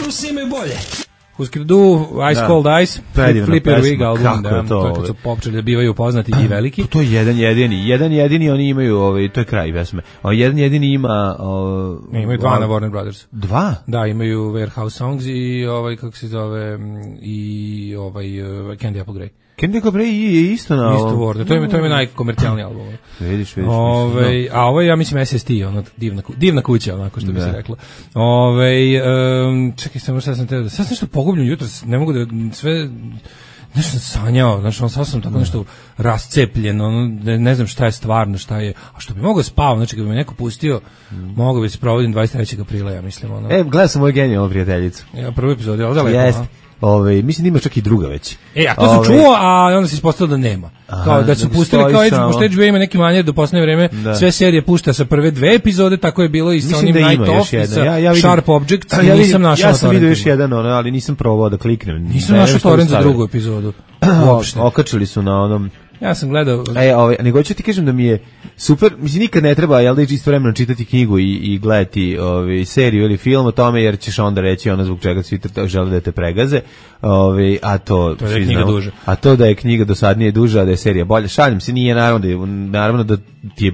[SPEAKER 1] Rusi imaju bolje.
[SPEAKER 6] Husker Du, Ice
[SPEAKER 5] Da.
[SPEAKER 6] Cold Ice,
[SPEAKER 5] Predivna
[SPEAKER 6] Flip Your
[SPEAKER 5] pesma,
[SPEAKER 6] Wig album,
[SPEAKER 5] kako
[SPEAKER 6] da,
[SPEAKER 5] je to,
[SPEAKER 6] to je kad
[SPEAKER 5] ovaj.
[SPEAKER 6] su počeli da bivaju poznati i veliki.
[SPEAKER 5] To je jedan jedini, jedan jedini oni imaju, ovaj, to je kraj pesme. A jedan jedini ima... O,
[SPEAKER 6] Imaju dva na Warner Brothers.
[SPEAKER 5] Dva?
[SPEAKER 6] Da, imaju Warehouse Songs i ovaj, kako se zove, m, i ovaj uh, Candy Apple Grey.
[SPEAKER 5] Candy Apple Grey je isto na...
[SPEAKER 6] Isto Word, to je, to je najkomercijalniji album.
[SPEAKER 5] Vidiš, vidiš.
[SPEAKER 6] Ove, a ovo je, ja mislim, S S T, ono, divna, ku- divna kuća, onako što bi
[SPEAKER 5] Da.
[SPEAKER 6] se reklo. Ove, um, čekaj, samo šta sam teo da... Sad sam nešto pogubljen jutro, ne mogu da sve... nešto sam sanjao, znači on sad sam tako nešto rascepljen, ono, ne, ne znam šta je stvarno, šta je, a što bi mogao spavam, znači kad bi me neko pustio, mm. mogao bi se provodim dvadeset trećeg aprila, ja mislim. Ono.
[SPEAKER 5] E, gledao sam moju genijalnu prijateljicu.
[SPEAKER 6] Ja, prvi epizod, je li da lepo?
[SPEAKER 5] Jeste. Ove, mislim da ima čak i druga već.
[SPEAKER 6] E, a to sam Ove, čuo, a onda se ispostavilo da nema. Aha, kao da su da pustili, kao Edge, pošto H B O ima neki manjer do poslednje vreme, da. Sve serije pušta sa prve dve epizode, tako je bilo i sa onim da Night Off, i sa ja, ja vidim, Sharp Objects, ja, ja nisam našao
[SPEAKER 5] ja sam vidio još jedan, ono, ali nisam probao da kliknem.
[SPEAKER 6] Nisam našao torrent za drugu epizodu. Uopšte.
[SPEAKER 5] Okačili su na onom...
[SPEAKER 6] Ja sam gledao...
[SPEAKER 5] E, ovaj, nego ću ti kažem da mi je super, mislim, nikad ne treba, jel da istovremeno čitati knjigu i, i gledati ovaj, seriju ili film o tome, jer ćeš onda reći ono zbog čega svi žele da te pregaze, ovaj, a to,
[SPEAKER 6] to je knjiga duža.
[SPEAKER 5] A to da je knjiga dosadnije duža, a da je serija bolja, šalim se, nije naravno da, naravno da ti je,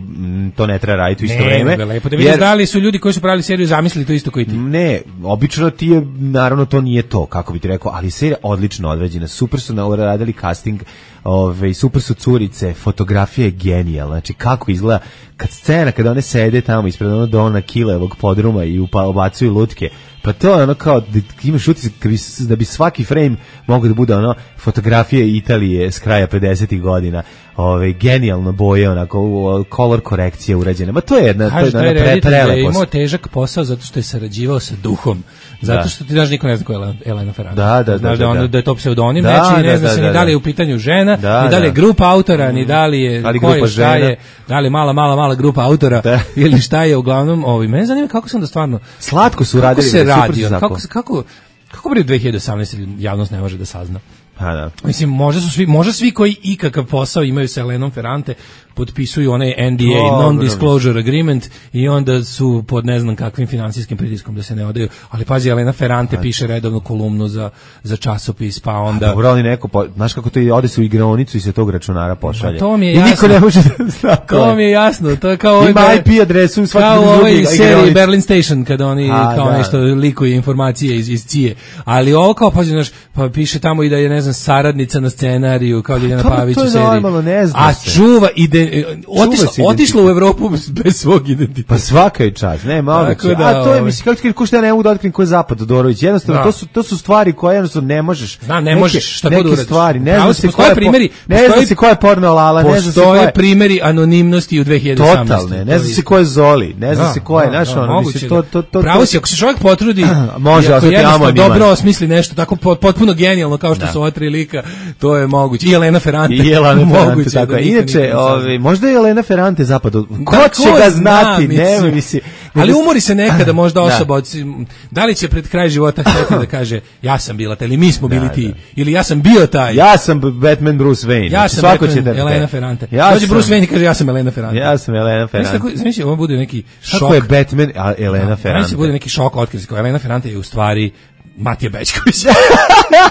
[SPEAKER 5] to ne treba raditi u isto
[SPEAKER 6] ne,
[SPEAKER 5] vreme.
[SPEAKER 6] Ne, lepo da vidiš jer, da li su ljudi koji su pravili seriju zamislili to isto koji ti.
[SPEAKER 5] Ne, obično ti je, naravno to nije to, kako bi ti rekao, ali serija odlično određena, super su radili casting, ove, super su curice, fotografija je genijalna, znači kako izgleda kad scena, kada one sede tamo ispred ono Dona Kilevog podruma i ubacuju lutke, pa to je ono kao da imaš utisak da bi svaki frame mogao da bude ono fotografije Italije s kraja pedesetih godina, ove, genijalno boje, onako color korekcija urađena, ma to je jedna,
[SPEAKER 6] Kaži,
[SPEAKER 5] to je jedna pre,
[SPEAKER 6] prelepost. Je imao težak posao zato što je sarađivao sa duhom, zato
[SPEAKER 5] da.
[SPEAKER 6] Što ti znaš, niko ne zna ko je Elena Ferrante.
[SPEAKER 5] Da, da,
[SPEAKER 6] znaš
[SPEAKER 5] da,
[SPEAKER 6] da,
[SPEAKER 5] da,
[SPEAKER 6] ono, da je to pseudonim,
[SPEAKER 5] da,
[SPEAKER 6] neči, ne
[SPEAKER 5] da,
[SPEAKER 6] zna
[SPEAKER 5] da,
[SPEAKER 6] se
[SPEAKER 5] da,
[SPEAKER 6] ni da li je u pitanju žena,
[SPEAKER 5] da,
[SPEAKER 6] ni da li je
[SPEAKER 5] da.
[SPEAKER 6] grupa autora, ni da li je
[SPEAKER 5] ali
[SPEAKER 6] ko je, šta
[SPEAKER 5] žena.
[SPEAKER 6] je, da li je mala, mala, mala grupa autora, da. Ili šta je, uglavnom, ovi, mene zanima kako sam da stvarno...
[SPEAKER 5] Slatko su radili.
[SPEAKER 6] Kako se radi, kako, kako, kako bi u dve hiljade osamnaeste javnost ne može da sazna?
[SPEAKER 5] Pa da.
[SPEAKER 6] Mislim, možda su svi, možda svi koji ikakav posao imaju sa Elenom Ferrante potpisuju onaj N D A, non-disclosure agreement, i onda su pod ne znam kakvim finansijskim pritiskom da se ne odaju. Ali pazi, Elena Ferrante a, piše redovnu kolumnu za, za časopis, pa onda... A
[SPEAKER 5] dobro, ali neko, po, znaš kako to ode se u igronicu i se tog računara pošalje.
[SPEAKER 6] Pa to mi je
[SPEAKER 5] i
[SPEAKER 6] jasno.
[SPEAKER 5] Niko ne može da zna.
[SPEAKER 6] To mi je jasno. To je kao
[SPEAKER 5] ima ovaj, I P adresu svaki
[SPEAKER 6] kao
[SPEAKER 5] drugi
[SPEAKER 6] ovaj seriji Berlin
[SPEAKER 5] Station
[SPEAKER 6] Station, kada oni a, kao
[SPEAKER 5] da.
[SPEAKER 6] nešto likuju informacije iz, iz C I E. Ali ovo kao, pazi, znaš, pa piše tamo i da je, ne znam, saradnica na scenariju, kao Ljiljana Pavić u seriji.
[SPEAKER 5] Normalno, ne zna
[SPEAKER 6] a
[SPEAKER 5] se.
[SPEAKER 6] čuva ide, otišla, otišla u Evropu bez svog identiteta.
[SPEAKER 5] Pa svaka je čast, ne, malo da, a to je, mislim, kako ti kažeš, ja ne mogu da otkrim ko je Zapad Todorović, jednostavno, to su, to su stvari koje jednostavno ne možeš.
[SPEAKER 6] Zna, ne možeš, šta god uradiš.
[SPEAKER 5] Stvari, ne zna se
[SPEAKER 6] koje primjeri,
[SPEAKER 5] ne zna se ko je porno lala, ne zna se ko je
[SPEAKER 6] primjeri anonimnosti u dve hiljade osamnaeste.
[SPEAKER 5] Totalne, ne zna se ko je Zoli, ne zna se ko je, znaš, ono, mislim, to, to, to.
[SPEAKER 6] Pravo si, ako se čovjek potrudi,
[SPEAKER 5] može,
[SPEAKER 6] ako jednostavno dobro osmisli nešto tako potpuno genijalno kao što su ova tri lika, to je moguće. I Elena Ferrante.
[SPEAKER 5] I Elena Ferrante, tako je. Inače, ovaj, možda je Elena Ferrante Zapadu. Ko će ga znati, nema mi se.
[SPEAKER 6] Ali umori se nekada možda osoba, od, da li će pred kraj života htjeti da kaže ja sam bila taj, ili mi smo bili da, ti, da. Ili ja sam bio taj.
[SPEAKER 5] Ja sam Batman Bruce Wayne.
[SPEAKER 6] Ja sam
[SPEAKER 5] svako
[SPEAKER 6] Batman
[SPEAKER 5] će da
[SPEAKER 6] Elena Ferrante.
[SPEAKER 5] Ja
[SPEAKER 6] dođe Bruce Wayne i kaže ja sam Elena Ferrante.
[SPEAKER 5] Ja sam Elena Ferrante.
[SPEAKER 6] Znači, ovo bude neki šok.
[SPEAKER 5] Kako je Batman, a Elena Ferrante?
[SPEAKER 6] Znači, bude neki šok otkrić kao Elena Ferrante je u stvari Matija Bećković.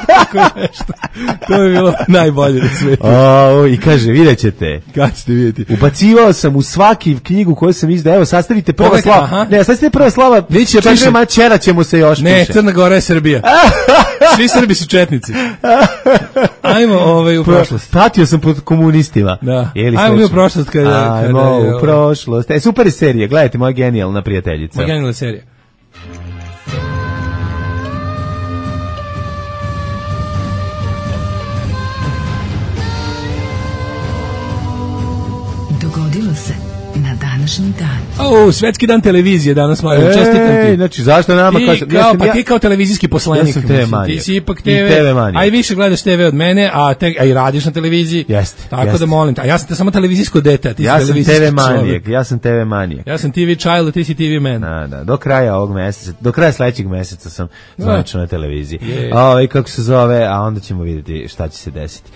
[SPEAKER 6] Tako nešto. To je bilo najbolje na svijetu.
[SPEAKER 5] O, i kaže, vidjet ćete.
[SPEAKER 6] Kad ćete vidjeti?
[SPEAKER 5] Ubacivao sam u svaki knjigu koju sam izdao. Evo, sastavite prva Pogledaj, slava. Aha. Ne, sastavite prva slava.
[SPEAKER 6] Viće,
[SPEAKER 5] Čekaj, mačera ćemo se još
[SPEAKER 6] ne,
[SPEAKER 5] piše.
[SPEAKER 6] Crna Gora je Srbija. Svi Srbi su četnici. Ajmo ovaj, u prošlost.
[SPEAKER 5] Patio sam pod komunistima.
[SPEAKER 6] Da. Ajmo mi u prošlost. Kada,
[SPEAKER 5] Ajmo kada, u prošlost. E, super je serija. Gledajte, moja genijalna prijateljica.
[SPEAKER 6] Moja genijalna serija.
[SPEAKER 2] Dogodilo se na današnji dan.
[SPEAKER 6] O, svetski dan televizije danas, mlađe, čestitam ti.
[SPEAKER 5] Znači, zašto nama...
[SPEAKER 6] Ti
[SPEAKER 5] kao,
[SPEAKER 6] kao, pa ja, ti kao televizijski poslanik.
[SPEAKER 5] Ja sam te V manijak.
[SPEAKER 6] Ti si ipak te ve, a i više gledaš te ve od mene, a, te, a i radiš na televiziji.
[SPEAKER 5] Jeste.
[SPEAKER 6] Tako
[SPEAKER 5] jeste.
[SPEAKER 6] Da molim te. A ja sam te samo televizijsko dete, a ti
[SPEAKER 5] ja
[SPEAKER 6] si televizijski
[SPEAKER 5] te ve manijak, ja sam te ve manijak.
[SPEAKER 6] Ja sam T V child, a ti si T V man.
[SPEAKER 5] Da, da, do kraja ovog meseca, do kraja sledećeg meseca sam zvanično na televiziji.
[SPEAKER 6] Yeah.
[SPEAKER 5] Ovaj kako se zove, a onda ćemo vidjeti šta će se desiti.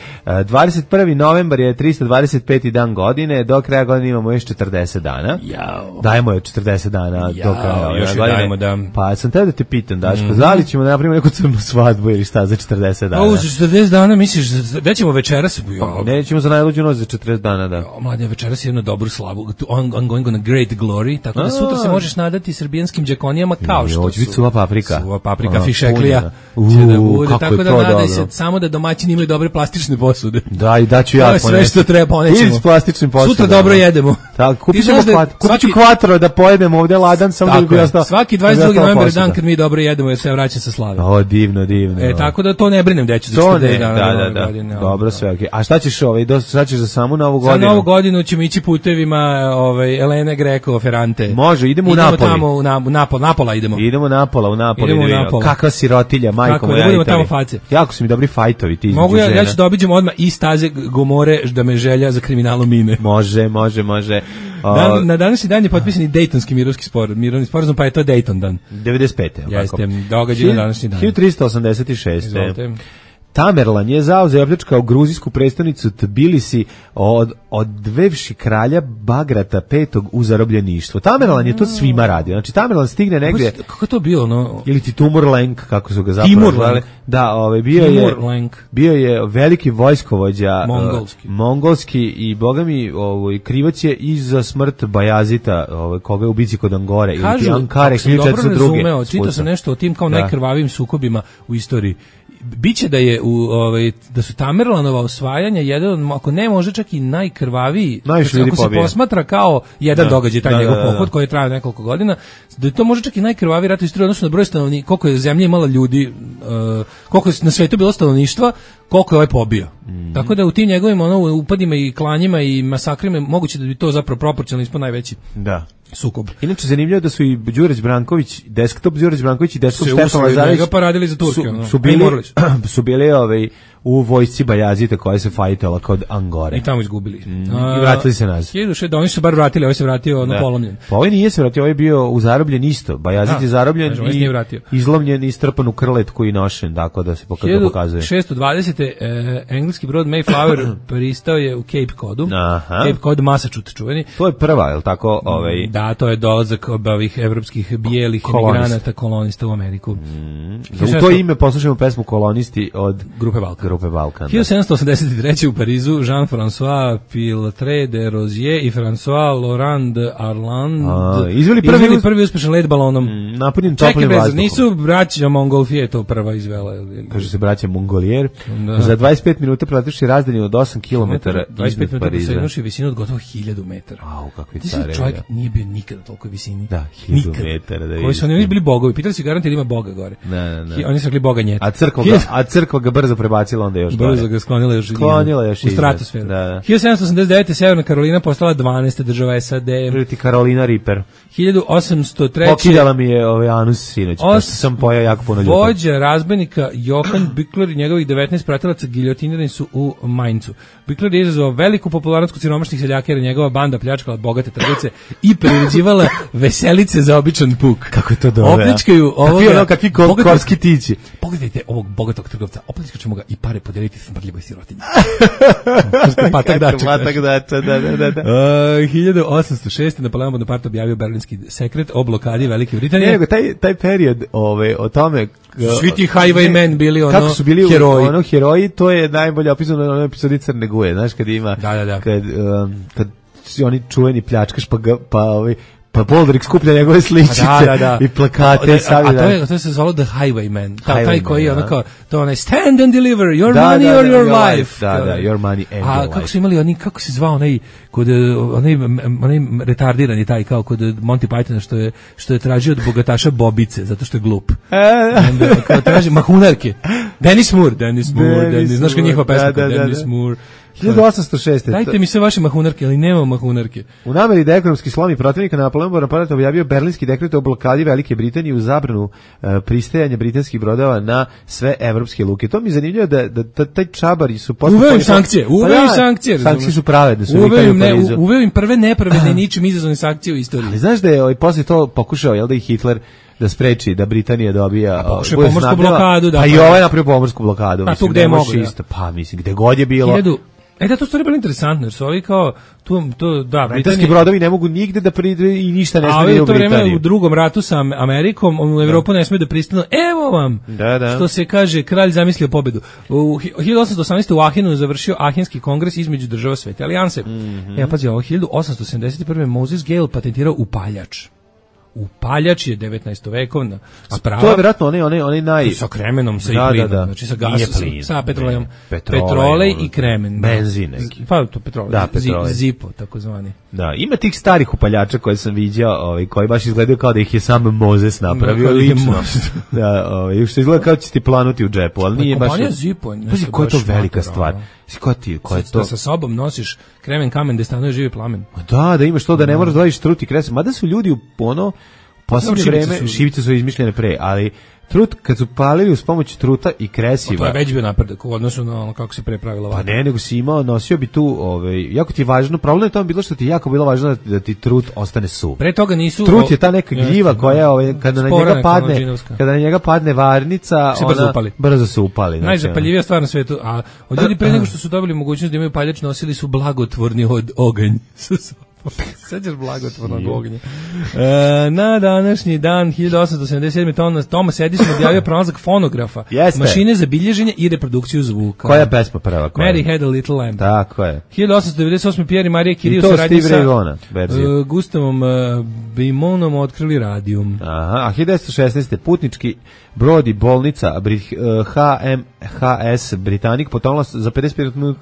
[SPEAKER 5] dvadeset prvi novembar je tristo dvadeset peti dan godine, do kraja godine imamo još četrdeset dana.
[SPEAKER 6] Jao.
[SPEAKER 5] Dajmo je četrdeset dana
[SPEAKER 6] Jao,
[SPEAKER 5] do kraja.
[SPEAKER 6] Još godine. Dajmo da.
[SPEAKER 5] Pa sam te da te pitam, Daško, mm-hmm. da li ćemo da napravimo neku crnu svadbu ili šta za četrdeset dana?
[SPEAKER 6] O, za četrdeset dana misliš, da ćemo večeras?
[SPEAKER 5] Ja. Nećemo za najluđu noć za četrdeset dana, da.
[SPEAKER 6] O, mladine, večeras je jednu dobru slavu. On, on going on a great glory, tako da sutra se možeš nadati srbijanskim džakonijama kao što
[SPEAKER 5] su. Hoće suva paprika.
[SPEAKER 6] Suva paprika, fišeklija. Će da bude, tako da nadaj se samo da domaćini imaju dobre plastične posude.
[SPEAKER 5] Da, i daću ja.
[SPEAKER 6] To je sve što treba, ponećemo.
[SPEAKER 5] Ili s plastičnim posudama.
[SPEAKER 6] Sutra dobro jedemo.
[SPEAKER 5] Tako, kupit ćemo kvatro. Kupit ću kvatro da pojedemo ovde ladan, samo da bi bio ostao.
[SPEAKER 6] Svaki dvadeset drugi novembar je dan kad mi dobro jedemo jer se vraća sa slave.
[SPEAKER 5] O, divno, divno.
[SPEAKER 6] E, tako da to ne brinem deću za četrdeset dana.
[SPEAKER 5] Da, da, da. Godine, dobro, sve okej. Okay. A šta ćeš ovaj, šta ćeš za samu novu godinu?
[SPEAKER 6] Za novu godinu ćemo ići putevima ovaj, Elene Greco, Ferrante.
[SPEAKER 5] Može, idemo u Napoli.
[SPEAKER 6] Idemo tamo u na, Napol, Napola idemo.
[SPEAKER 5] Idemo Napola, u Napoli.
[SPEAKER 6] Idemo u Napola.
[SPEAKER 5] Kakva sirotilja, majko moja.
[SPEAKER 6] Da budemo tamo face.
[SPEAKER 5] Jako su mi dobri fajtovi ti.
[SPEAKER 6] Mogu ja, ja ću da obiđem odmah i staze Gomore da me želja za kriminalom mine.
[SPEAKER 5] Može, može, može.
[SPEAKER 6] Dan, na današnji dan je potpisan i Dejtonski mirovski spor, mirovni sporazum, pa je to Dejton dan.
[SPEAKER 5] devedeset pete.
[SPEAKER 6] Jeste, događaj na današnji dan.
[SPEAKER 5] hiljadu trista osamdeset šeste. Tamerlan je zauzeo i opljačkao gruzijsku prestonicu Tbilisi od odvevši kralja Bagrata petog u zarobljeništvo. Tamerlan je to svima radio. Znači Tamerlan stigne negdje.
[SPEAKER 6] Kako to bilo, no?
[SPEAKER 5] Ili ti Timur-Lenk, kako su ga zapravo zvali. Da, ovaj bio je bio je veliki vojskovođa
[SPEAKER 6] mongolski.
[SPEAKER 5] Uh, mongolski i bogami ovaj krivac je i za smrt Bajazita, ovaj koga je u bici kod Angore ili ti Ankare hiljadu četiristo druge.
[SPEAKER 6] Čitao sam nešto o tim kao najkrvavijim sukobima u istoriji. Biće da je u ovaj da su Tamerlanova osvajanja jedan, ako ne može čak i najkrvaviji, ako se posmatra kao jedan da, događaj taj da, njegov da, da, pohod koji je trajao nekoliko godina, da je to može čak i najkrvaviji rat u istoriji odnosno na broj stanovnika, koliko je zemlja imala ljudi, uh, koliko je na svetu bilo stanovništva, koliko je ovaj pobio. Mm. Tako da u tim njegovim ono upadima i klanjima i masakrima moguće da bi to zapravo proporcionalno ispod najveći. Da. Sukob.
[SPEAKER 5] Inače zanimljivo da su i Đurić Branković, desktop Đurić Branković i desktop Stefan Lazarević
[SPEAKER 6] pa radili za Turke,
[SPEAKER 5] su, su bili su bili ovaj u vojsci Bajazita koja se fajtala kod Angore.
[SPEAKER 6] I tamo izgubili.
[SPEAKER 5] Mm, I vratili se nazad.
[SPEAKER 6] hiljadu šest, oni su bar vratili, ovaj se vratio ono polomljen.
[SPEAKER 5] Pa ovaj nije se vratio, ovaj je bio u zarobljen isto. Bajazit je zarobljen i izlomljen i strpan u krletku i nošen, tako da se pokazuje.
[SPEAKER 6] hiljadu šeststo dvadesete. Eh, engleski brod Mayflower pristao je u Cape Codu. Aha. Cape Cod, Massachusetts čuveni.
[SPEAKER 5] To je prva, je li tako? Ovaj...
[SPEAKER 6] Da, to je dolazak ovih evropskih bijelih emigranata kolonista u Ameriku.
[SPEAKER 5] Mm. U to ime poslušajmo pesmu Kolonisti od
[SPEAKER 6] Grupe Balkan.
[SPEAKER 5] Grupe Balkan.
[SPEAKER 6] hiljadu sedamsto osamdeset treće. u Parizu Jean-François Piltre de Rozier i François Laurent de Arland
[SPEAKER 5] A, izveli prvi,
[SPEAKER 6] izveli prvi uspešan let balonom.
[SPEAKER 5] Mm, napunjen toplim vazduhom.
[SPEAKER 6] Nisu braća Montgolfier to prva izvela.
[SPEAKER 5] Kaže se braća Mongolier. Da. Za dvadeset pet minuta preletiš razdalju od osam kilometara
[SPEAKER 6] dvadeset pet minuta sa jednom visinu od gotovo hiljadu metara.
[SPEAKER 5] Au, kakvi care.
[SPEAKER 6] Čovjek nije bio nikada toliko visini.
[SPEAKER 5] Da, hiljadu metara. Da
[SPEAKER 6] koji su oni bili bogovi. Pitali se garant da ima boga gore.
[SPEAKER 5] Ne, ne, ne.
[SPEAKER 6] Oni su rekli boga njeta.
[SPEAKER 5] A crkva ga, a crkva ga brzo prebacila onda još
[SPEAKER 6] brzo ga sklonila još
[SPEAKER 5] sklonila još
[SPEAKER 6] u stratosferu.
[SPEAKER 5] Da, da.
[SPEAKER 6] hiljadu sedamsto osamdeset devete. Severna Karolina postala dvanaesta država S A D.
[SPEAKER 5] Priti Karolina Reaper.
[SPEAKER 6] hiljadu osamsto treće.
[SPEAKER 5] Pokidala mi je ovaj anus sinoć, pa sam pojao jako puno ljubav.
[SPEAKER 6] Vođa razbojnika Johann Bückler i njegovih devetnaest pratilaca giljotinirani su u Mainzu. Bückler je izazvao veliku popularnost kod siromašnih seljaka jer njegova banda pljačkala bogate trgovce i priređivala veselice za običan puk.
[SPEAKER 5] Kako je to dobro?
[SPEAKER 6] Opljačkaju ovoga.
[SPEAKER 5] Kakvi ono, kakvi korski tići.
[SPEAKER 6] Pogledajte ovog bogatog trgovca, opljačkaćemo ga i pare podeliti smrdljivoj sirotinji. Patak dačak.
[SPEAKER 5] Patak dačak, da, da, da. da.
[SPEAKER 6] Uh, hiljadu osamsto šeste. Napoleon Bonaparte objavio Berlinski sekret o blokadi Velike Britanije.
[SPEAKER 5] Ne, taj, taj period ove, o tome...
[SPEAKER 6] Svi ti highwaymen bili ono
[SPEAKER 5] kako su bili
[SPEAKER 6] heroji.
[SPEAKER 5] Ono heroji, to je najbolje opisano na onoj epizodi Crne Guje, znaš, kad ima...
[SPEAKER 6] Da, da, da.
[SPEAKER 5] Kad, um, kad si oni čuveni pljačkaš, pa, ga, pa ovaj... Pa Boldrik skuplja njegove sličice da, da, da. i plakate.
[SPEAKER 6] A, a, a to, je, to se zvalo The Highwayman. Ta, taj koji je ono kao, to onaj stand and deliver your da, money da, or da, your, your life.
[SPEAKER 5] Da, da, your money and
[SPEAKER 6] a,
[SPEAKER 5] your life.
[SPEAKER 6] A kako su imali oni, kako se zvao onaj, kod, onaj, onaj retardirani taj kao kod Monty Pythona što je, što je tražio od bogataša bobice, zato što je glup. Onda, kao traži mahunarke. Dennis Moore, Dennis Moore, Dennis, Dennis znaš kao njihova pesma, da, da, Dennis da, da. Moore.
[SPEAKER 5] hiljadu osamsto šeste.
[SPEAKER 6] Dajte mi sve vaše mahunarke, ali nema mahunarke.
[SPEAKER 5] U nameri da ekonomski slomi protivnika Napoleon Bonaparte objavio Berlinski dekret o blokadi Velike Britanije u zabranu uh, pristajanja britanskih brodova na sve evropske luke. To mi je zanimljivo da, da, da taj čabari su...
[SPEAKER 6] Uveo im sankcije, uveo im pa sankcije.
[SPEAKER 5] Sankcije su pravedne. Su
[SPEAKER 6] uveo im, ne, uveo im prve nepravedne ničim izazvane sankcije u istoriji.
[SPEAKER 5] Ali znaš da je ovaj, posle to pokušao, jel da i Hitler da spreči da Britanija dobija
[SPEAKER 6] pomorsku blokadu, da.
[SPEAKER 5] Pa i ovaj napravio pomorsku blokadu,
[SPEAKER 6] pa, mislim, gde može
[SPEAKER 5] isto, pa mislim gde god je bilo.
[SPEAKER 6] Hiljadu, e da, to stvari bilo interesantno, jer su ovi kao tu, to, da,
[SPEAKER 5] britanski brodovi ne mogu nigde da pridu i ništa ne smije u Britaniju. A to vreme
[SPEAKER 6] u drugom ratu sa Amerikom, u Evropu da. Ne smije da pristanu, evo vam,
[SPEAKER 5] da, da.
[SPEAKER 6] Što se kaže, kralj zamislio pobedu. U hiljadu osamsto osamnaeste. u Ahenu završio Ahenski kongres između država Svete alijanse. Mm -hmm. Ja pazi, ovo hiljadu osamsto sedamdeset prve. Moses Gale patentirao upaljač. upaljač je devetnaestovekovna sprava.
[SPEAKER 5] To je vjerojatno onaj onaj onaj naj
[SPEAKER 6] sa kremenom, sa
[SPEAKER 5] da,
[SPEAKER 6] i plinom,
[SPEAKER 5] da, da.
[SPEAKER 6] znači sa gasom,
[SPEAKER 5] plin,
[SPEAKER 6] sa petrolejom,
[SPEAKER 5] petrolej,
[SPEAKER 6] petrolej i kremen,
[SPEAKER 5] benzin neki.
[SPEAKER 6] Pa to petrolej,
[SPEAKER 5] da, petrolej.
[SPEAKER 6] Zipo takozvani.
[SPEAKER 5] Da, ima tih starih upaljača koje sam viđao, ovaj koji baš izgledaju kao da ih je sam Mozes napravio
[SPEAKER 6] da,
[SPEAKER 5] lično. Da, ovaj što izgleda kao da će ti planuti u džepu, ali nije baš.
[SPEAKER 6] Kompanija Zipo,
[SPEAKER 5] pazi koja je to velika stvar. Koja ti, koja je to?
[SPEAKER 6] Sa sobom nosiš kremen kamen gde stanuje živi plamen.
[SPEAKER 5] Da, da imaš to da ne moraš da vadiš trut i kres. Mada su ljudi u ono poslednje vreme su... šibice su izmišljene pre, ali trut kad su palili uz pomoć truta i kresiva.
[SPEAKER 6] To je već bio napredak u odnosu na ono kako se pre pravila vada.
[SPEAKER 5] Pa ne, nego si imao, nosio bi tu, ovaj, jako ti je važno, problem je tamo bilo što ti jako bilo važno da, da ti trut ostane suv.
[SPEAKER 6] Pre toga nisu...
[SPEAKER 5] Trut je ta neka gljiva koja, ovaj, kada na njega padne, kada na njega padne varnica,
[SPEAKER 6] se
[SPEAKER 5] ona
[SPEAKER 6] brzo upali.
[SPEAKER 5] Brzo se upali. Znači,
[SPEAKER 6] najzapaljivija stvar na svetu, a od ljudi pre nego što su dobili mogućnost da imaju paljač, nosili su blagotvorni od oganj. Sećaš blagotvornog ognja. E, na današnji dan hiljadu osamsto sedamdeset sedme. Thomas Edison objavio pronalazak fonografa,
[SPEAKER 5] Jeste.
[SPEAKER 6] mašine za bilježenje i reprodukciju zvuka.
[SPEAKER 5] Koja pesma prva? Koja?
[SPEAKER 6] Mary Had a Little Lamb.
[SPEAKER 5] Tako je.
[SPEAKER 6] hiljadu osamsto devedeset osme. Pierre i Maria Curie
[SPEAKER 5] u saradnji sa uh,
[SPEAKER 6] Gustavom uh, Bimonom otkrili radijum.
[SPEAKER 5] Aha, a hiljadu devetsto šesnaeste. putnički brod i bolnica Brit, uh, H M H S Britanik potonula za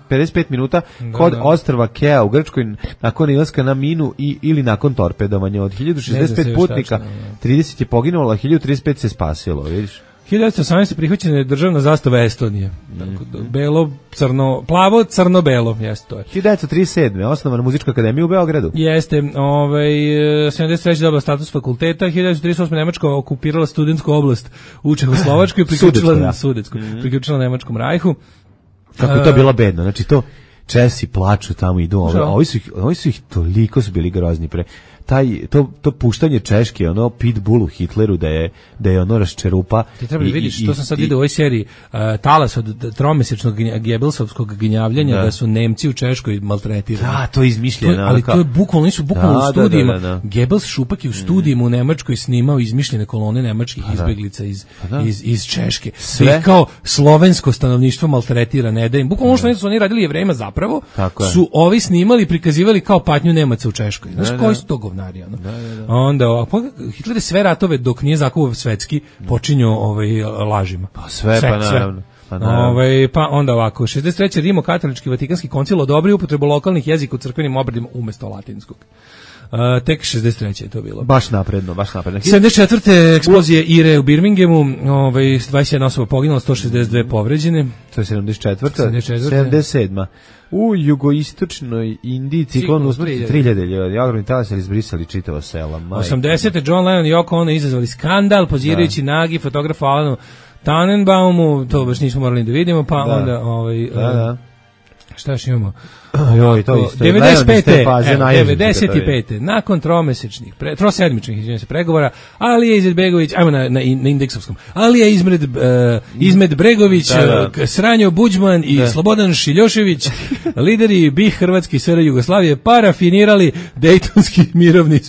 [SPEAKER 5] pedeset pet minuta da, kod da. ostrva Kea u Grčkoj nakon ilaska na minu i ili nakon torpedovanja. Od hiljadu šezdeset pet putnika tačno, trideset je poginulo, a hiljadu trideset pet se spasilo, vidiš?
[SPEAKER 6] hiljadu devetsto osamnaeste. prihvaćena je državna zastava Estonije. Mm. Belo, crno, plavo, crno, belo, jeste to je.
[SPEAKER 5] hiljadu devetsto trideset sedme. osnovana Muzička akademija u Beogradu.
[SPEAKER 6] Jeste, ovaj, sedamdeset treće. dobila status fakulteta, hiljadu devetsto trideset osme. Nemačka okupirala studentsku oblast u Čehoslovačkoj i priključila, ja. Sudetsku, mm. priključila Nemačkom rajhu.
[SPEAKER 5] Kako je to bilo bedno, znači to Česi plaču tamo idu, ovi, ovi, su ih, ovi su ih toliko su bili grozni pre. Taj, to, to puštanje Češke, ono Pitbullu Hitleru da je, da je ono raščerupa.
[SPEAKER 6] Ti treba da vidiš, to sam sad vidio u ovoj seriji, uh, talas od tromesečnog Gebelsovskog gnjavljanja da. da su Nemci u Češkoj maltretirani.
[SPEAKER 5] Da, to je izmišljeno.
[SPEAKER 6] To, ali to je bukvalno, nisu bukvalno da, u studijima. Da, da, da, da. Gebels Šupak je u studijima u Nemačkoj snimao izmišljene kolone nemačkih da. izbeglica iz, da. iz, iz Češke. Sve kao slovensko stanovništvo maltretira, ne da im. Bukvalno što su oni radili Jevrejima zapravo, su ovi snimali, prikazivali kao patnju Nemaca u Češkoj. Znaš, da, koji su to govnari? Da, da, da. Onda ovako, Hitler je sve ratove dok nije zakuo svetski počinio ovaj lažima.
[SPEAKER 5] Pa sve, sve pa naravno. Pa,
[SPEAKER 6] ovaj, pa onda ovako, šezdeset treće. Rimokatolički Vatikanski koncil odobrio upotrebu lokalnih jezika u crkvenim obredima umesto latinskog. Uh, tek šezdeset treće je to bilo.
[SPEAKER 5] Baš napredno, baš napredno.
[SPEAKER 6] sedamdeset četvrte. eksplozije Ire u Birminghamu, ovaj dvadeset jedna osoba poginula, sto šezdeset dve povređene.
[SPEAKER 5] To je sedamdeset četvrta. sedamdeset sedma. U jugoistočnoj Indiji ciklon usmrti tri hiljade ljudi. Ogromni talas izbrisali čitava sela.
[SPEAKER 6] osamdesete. John Lennon i Yoko Ono izazvali skandal pozirajući da. nagi fotografa Alanu Tannenbaumu, to baš nismo morali da vidimo, pa da. onda ovaj
[SPEAKER 5] da, da.
[SPEAKER 6] Šta još imamo?
[SPEAKER 5] Joj, to isto.
[SPEAKER 6] devedeset pete. devedeset pete. Nakon tromesečnih, pre, trosedmičnih, izvinjavam se, pregovora, Alija Izetbegović, ajmo na, na, na indeksovskom, Alija Izmed, uh, Izmed Bregović, da, da. Sranjo Buđman i da. Slobodan Šiljošević, lideri BiH, Hrvatske i S R Jugoslavije, parafinirali Dejtonski mirovni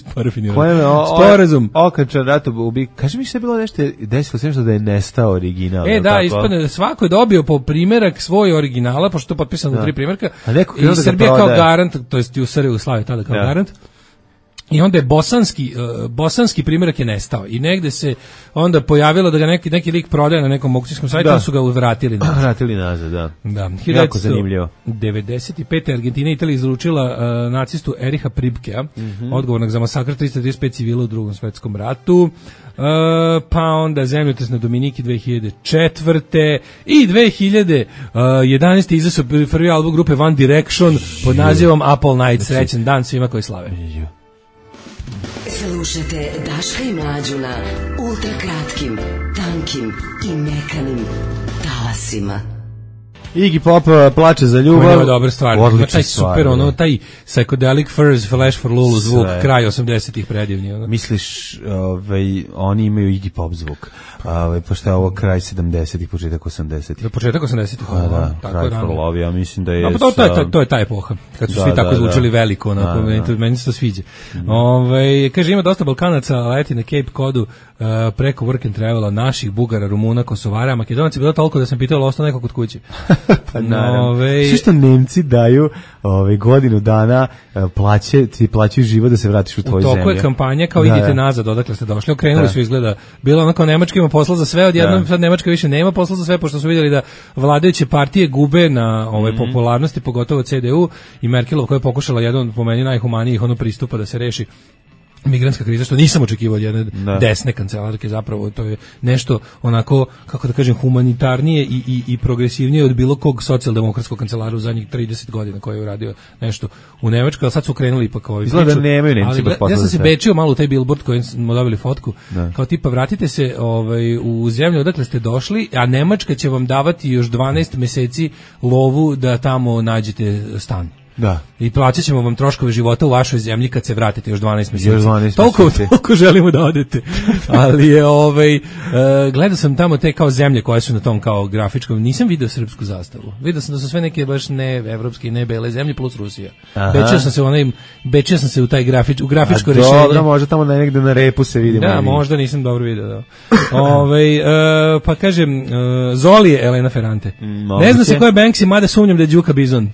[SPEAKER 6] sporazum.
[SPEAKER 5] Okačan rato ubi. Kaži mi što je bilo nešto, desilo se nešto da je nestao original.
[SPEAKER 6] E, da, ispadne, svako je dobio po primjerak svoj originala, pošto je to potpisano u tri primjerka.
[SPEAKER 5] A neko
[SPEAKER 6] i Srbija kao garant, to jest u S R Jugoslaviji tada kao ja. garant. I onda je bosanski uh, bosanski primjerak je nestao i negde se onda pojavilo da ga neki neki lik prodaje na nekom aukcijskom sajtu, da su ga vratili nazad.
[SPEAKER 5] Vratili nazad, da.
[SPEAKER 6] Da,
[SPEAKER 5] jako zanimljivo.
[SPEAKER 6] devedeset pete. Argentina i Italija izručila uh, nacistu Eriha Pribkea, mm-hmm. odgovornog za masakr tristo trideset pet civila u Drugom svetskom ratu. Uh, pa onda zemljotres na Dominiki dve hiljade četvrte. i dve hiljade jedanaeste. izašao prvi album grupe One Direction pod nazivom Apple Night. Srećan dan svima koji slave.
[SPEAKER 7] Slušajte Daška i Mlađu na ultra kratkim, tankim i mekanim talasima.
[SPEAKER 5] Iggy Pop plače za ljubav.
[SPEAKER 6] Ovo je dobra stvar. Odlična taj stvar, super, ono, taj psychedelic furs, Flash for Lulu zvuk, sve. Kraj osamdesetih predivni. Ono.
[SPEAKER 5] Misliš, ovaj, oni imaju Iggy Pop zvuk, ovaj, pošto je ovo kraj sedamdesetih, početak osamdesetih.
[SPEAKER 6] Do početak osamdesetih.
[SPEAKER 5] Pa da, Cry for Love, ja mislim da je...
[SPEAKER 6] No, pa to, to, je, to, to je ta epoha, kad su da, svi tako da, zvučali da. veliko, onako, da, da. meni se to sviđa. Mm. Ove, kaže, ima dosta Balkanaca, leti na Cape Codu, uh, preko work and travela, naših Bugara, Rumuna, Kosovara, Makedonaca, bilo toliko da sam pitao, ostao neko kod kuće.
[SPEAKER 5] Pa naravno.
[SPEAKER 6] Ove...
[SPEAKER 5] Sve što Nemci daju ove, godinu dana plaće, ti plaćaju život da se vratiš u tvoju zemlju.
[SPEAKER 6] U toku je kampanja kao da, idite da. nazad, odakle ste došli. Okrenuli da. su izgleda. Bilo ono kao Nemačka ima posla za sve, odjednom da. sad Nemačka više nema posla za sve, pošto su vidjeli da vladajuće partije gube na ove, mm-hmm. popularnosti, pogotovo C D U i Merkelov koja je pokušala jedan po meni najhumanijih ono pristupa da se reši migrantska kriza, što nisam očekivao od jedne da. desne kancelarke, zapravo to je nešto onako, kako da kažem, humanitarnije i, i, i progresivnije od bilo kog socijaldemokratskog kancelara u zadnjih trideset godina koji je uradio nešto u Nemačkoj, ali sad su krenuli ipak ovaj
[SPEAKER 5] Izgleda da nemaju Nemci baš posla.
[SPEAKER 6] Ja sam se bečio malo u taj billboard koji smo dobili fotku, da. kao tipa vratite se ovaj, u zemlju odakle ste došli, a Nemačka će vam davati još dvanaest meseci lovu da tamo nađete stan.
[SPEAKER 5] Da.
[SPEAKER 6] I plaćat ćemo vam troškove života u vašoj zemlji kad se vratite još dvanaest mjeseci.
[SPEAKER 5] Još dvanaest
[SPEAKER 6] toliko,
[SPEAKER 5] mjeseci.
[SPEAKER 6] Toliko želimo da odete. Ali je ovaj uh, gledao sam tamo te kao zemlje koje su na tom kao grafičkom. Nisam video srpsku zastavu. Video sam da su sve neke baš ne evropske i ne bele zemlje plus Rusija. Bečio sam se u onaj bečio sam se u taj grafič u grafičko rješenje.
[SPEAKER 5] Dobro, možda tamo negde na repu se vidi.
[SPEAKER 6] Da, možda nisam dobro video, da. Ovaj uh, pa kažem uh, Zoli je Elena Ferrante. Mm, ne znam se ko je Banksy, mada sumnjam da je Đuka Bizon.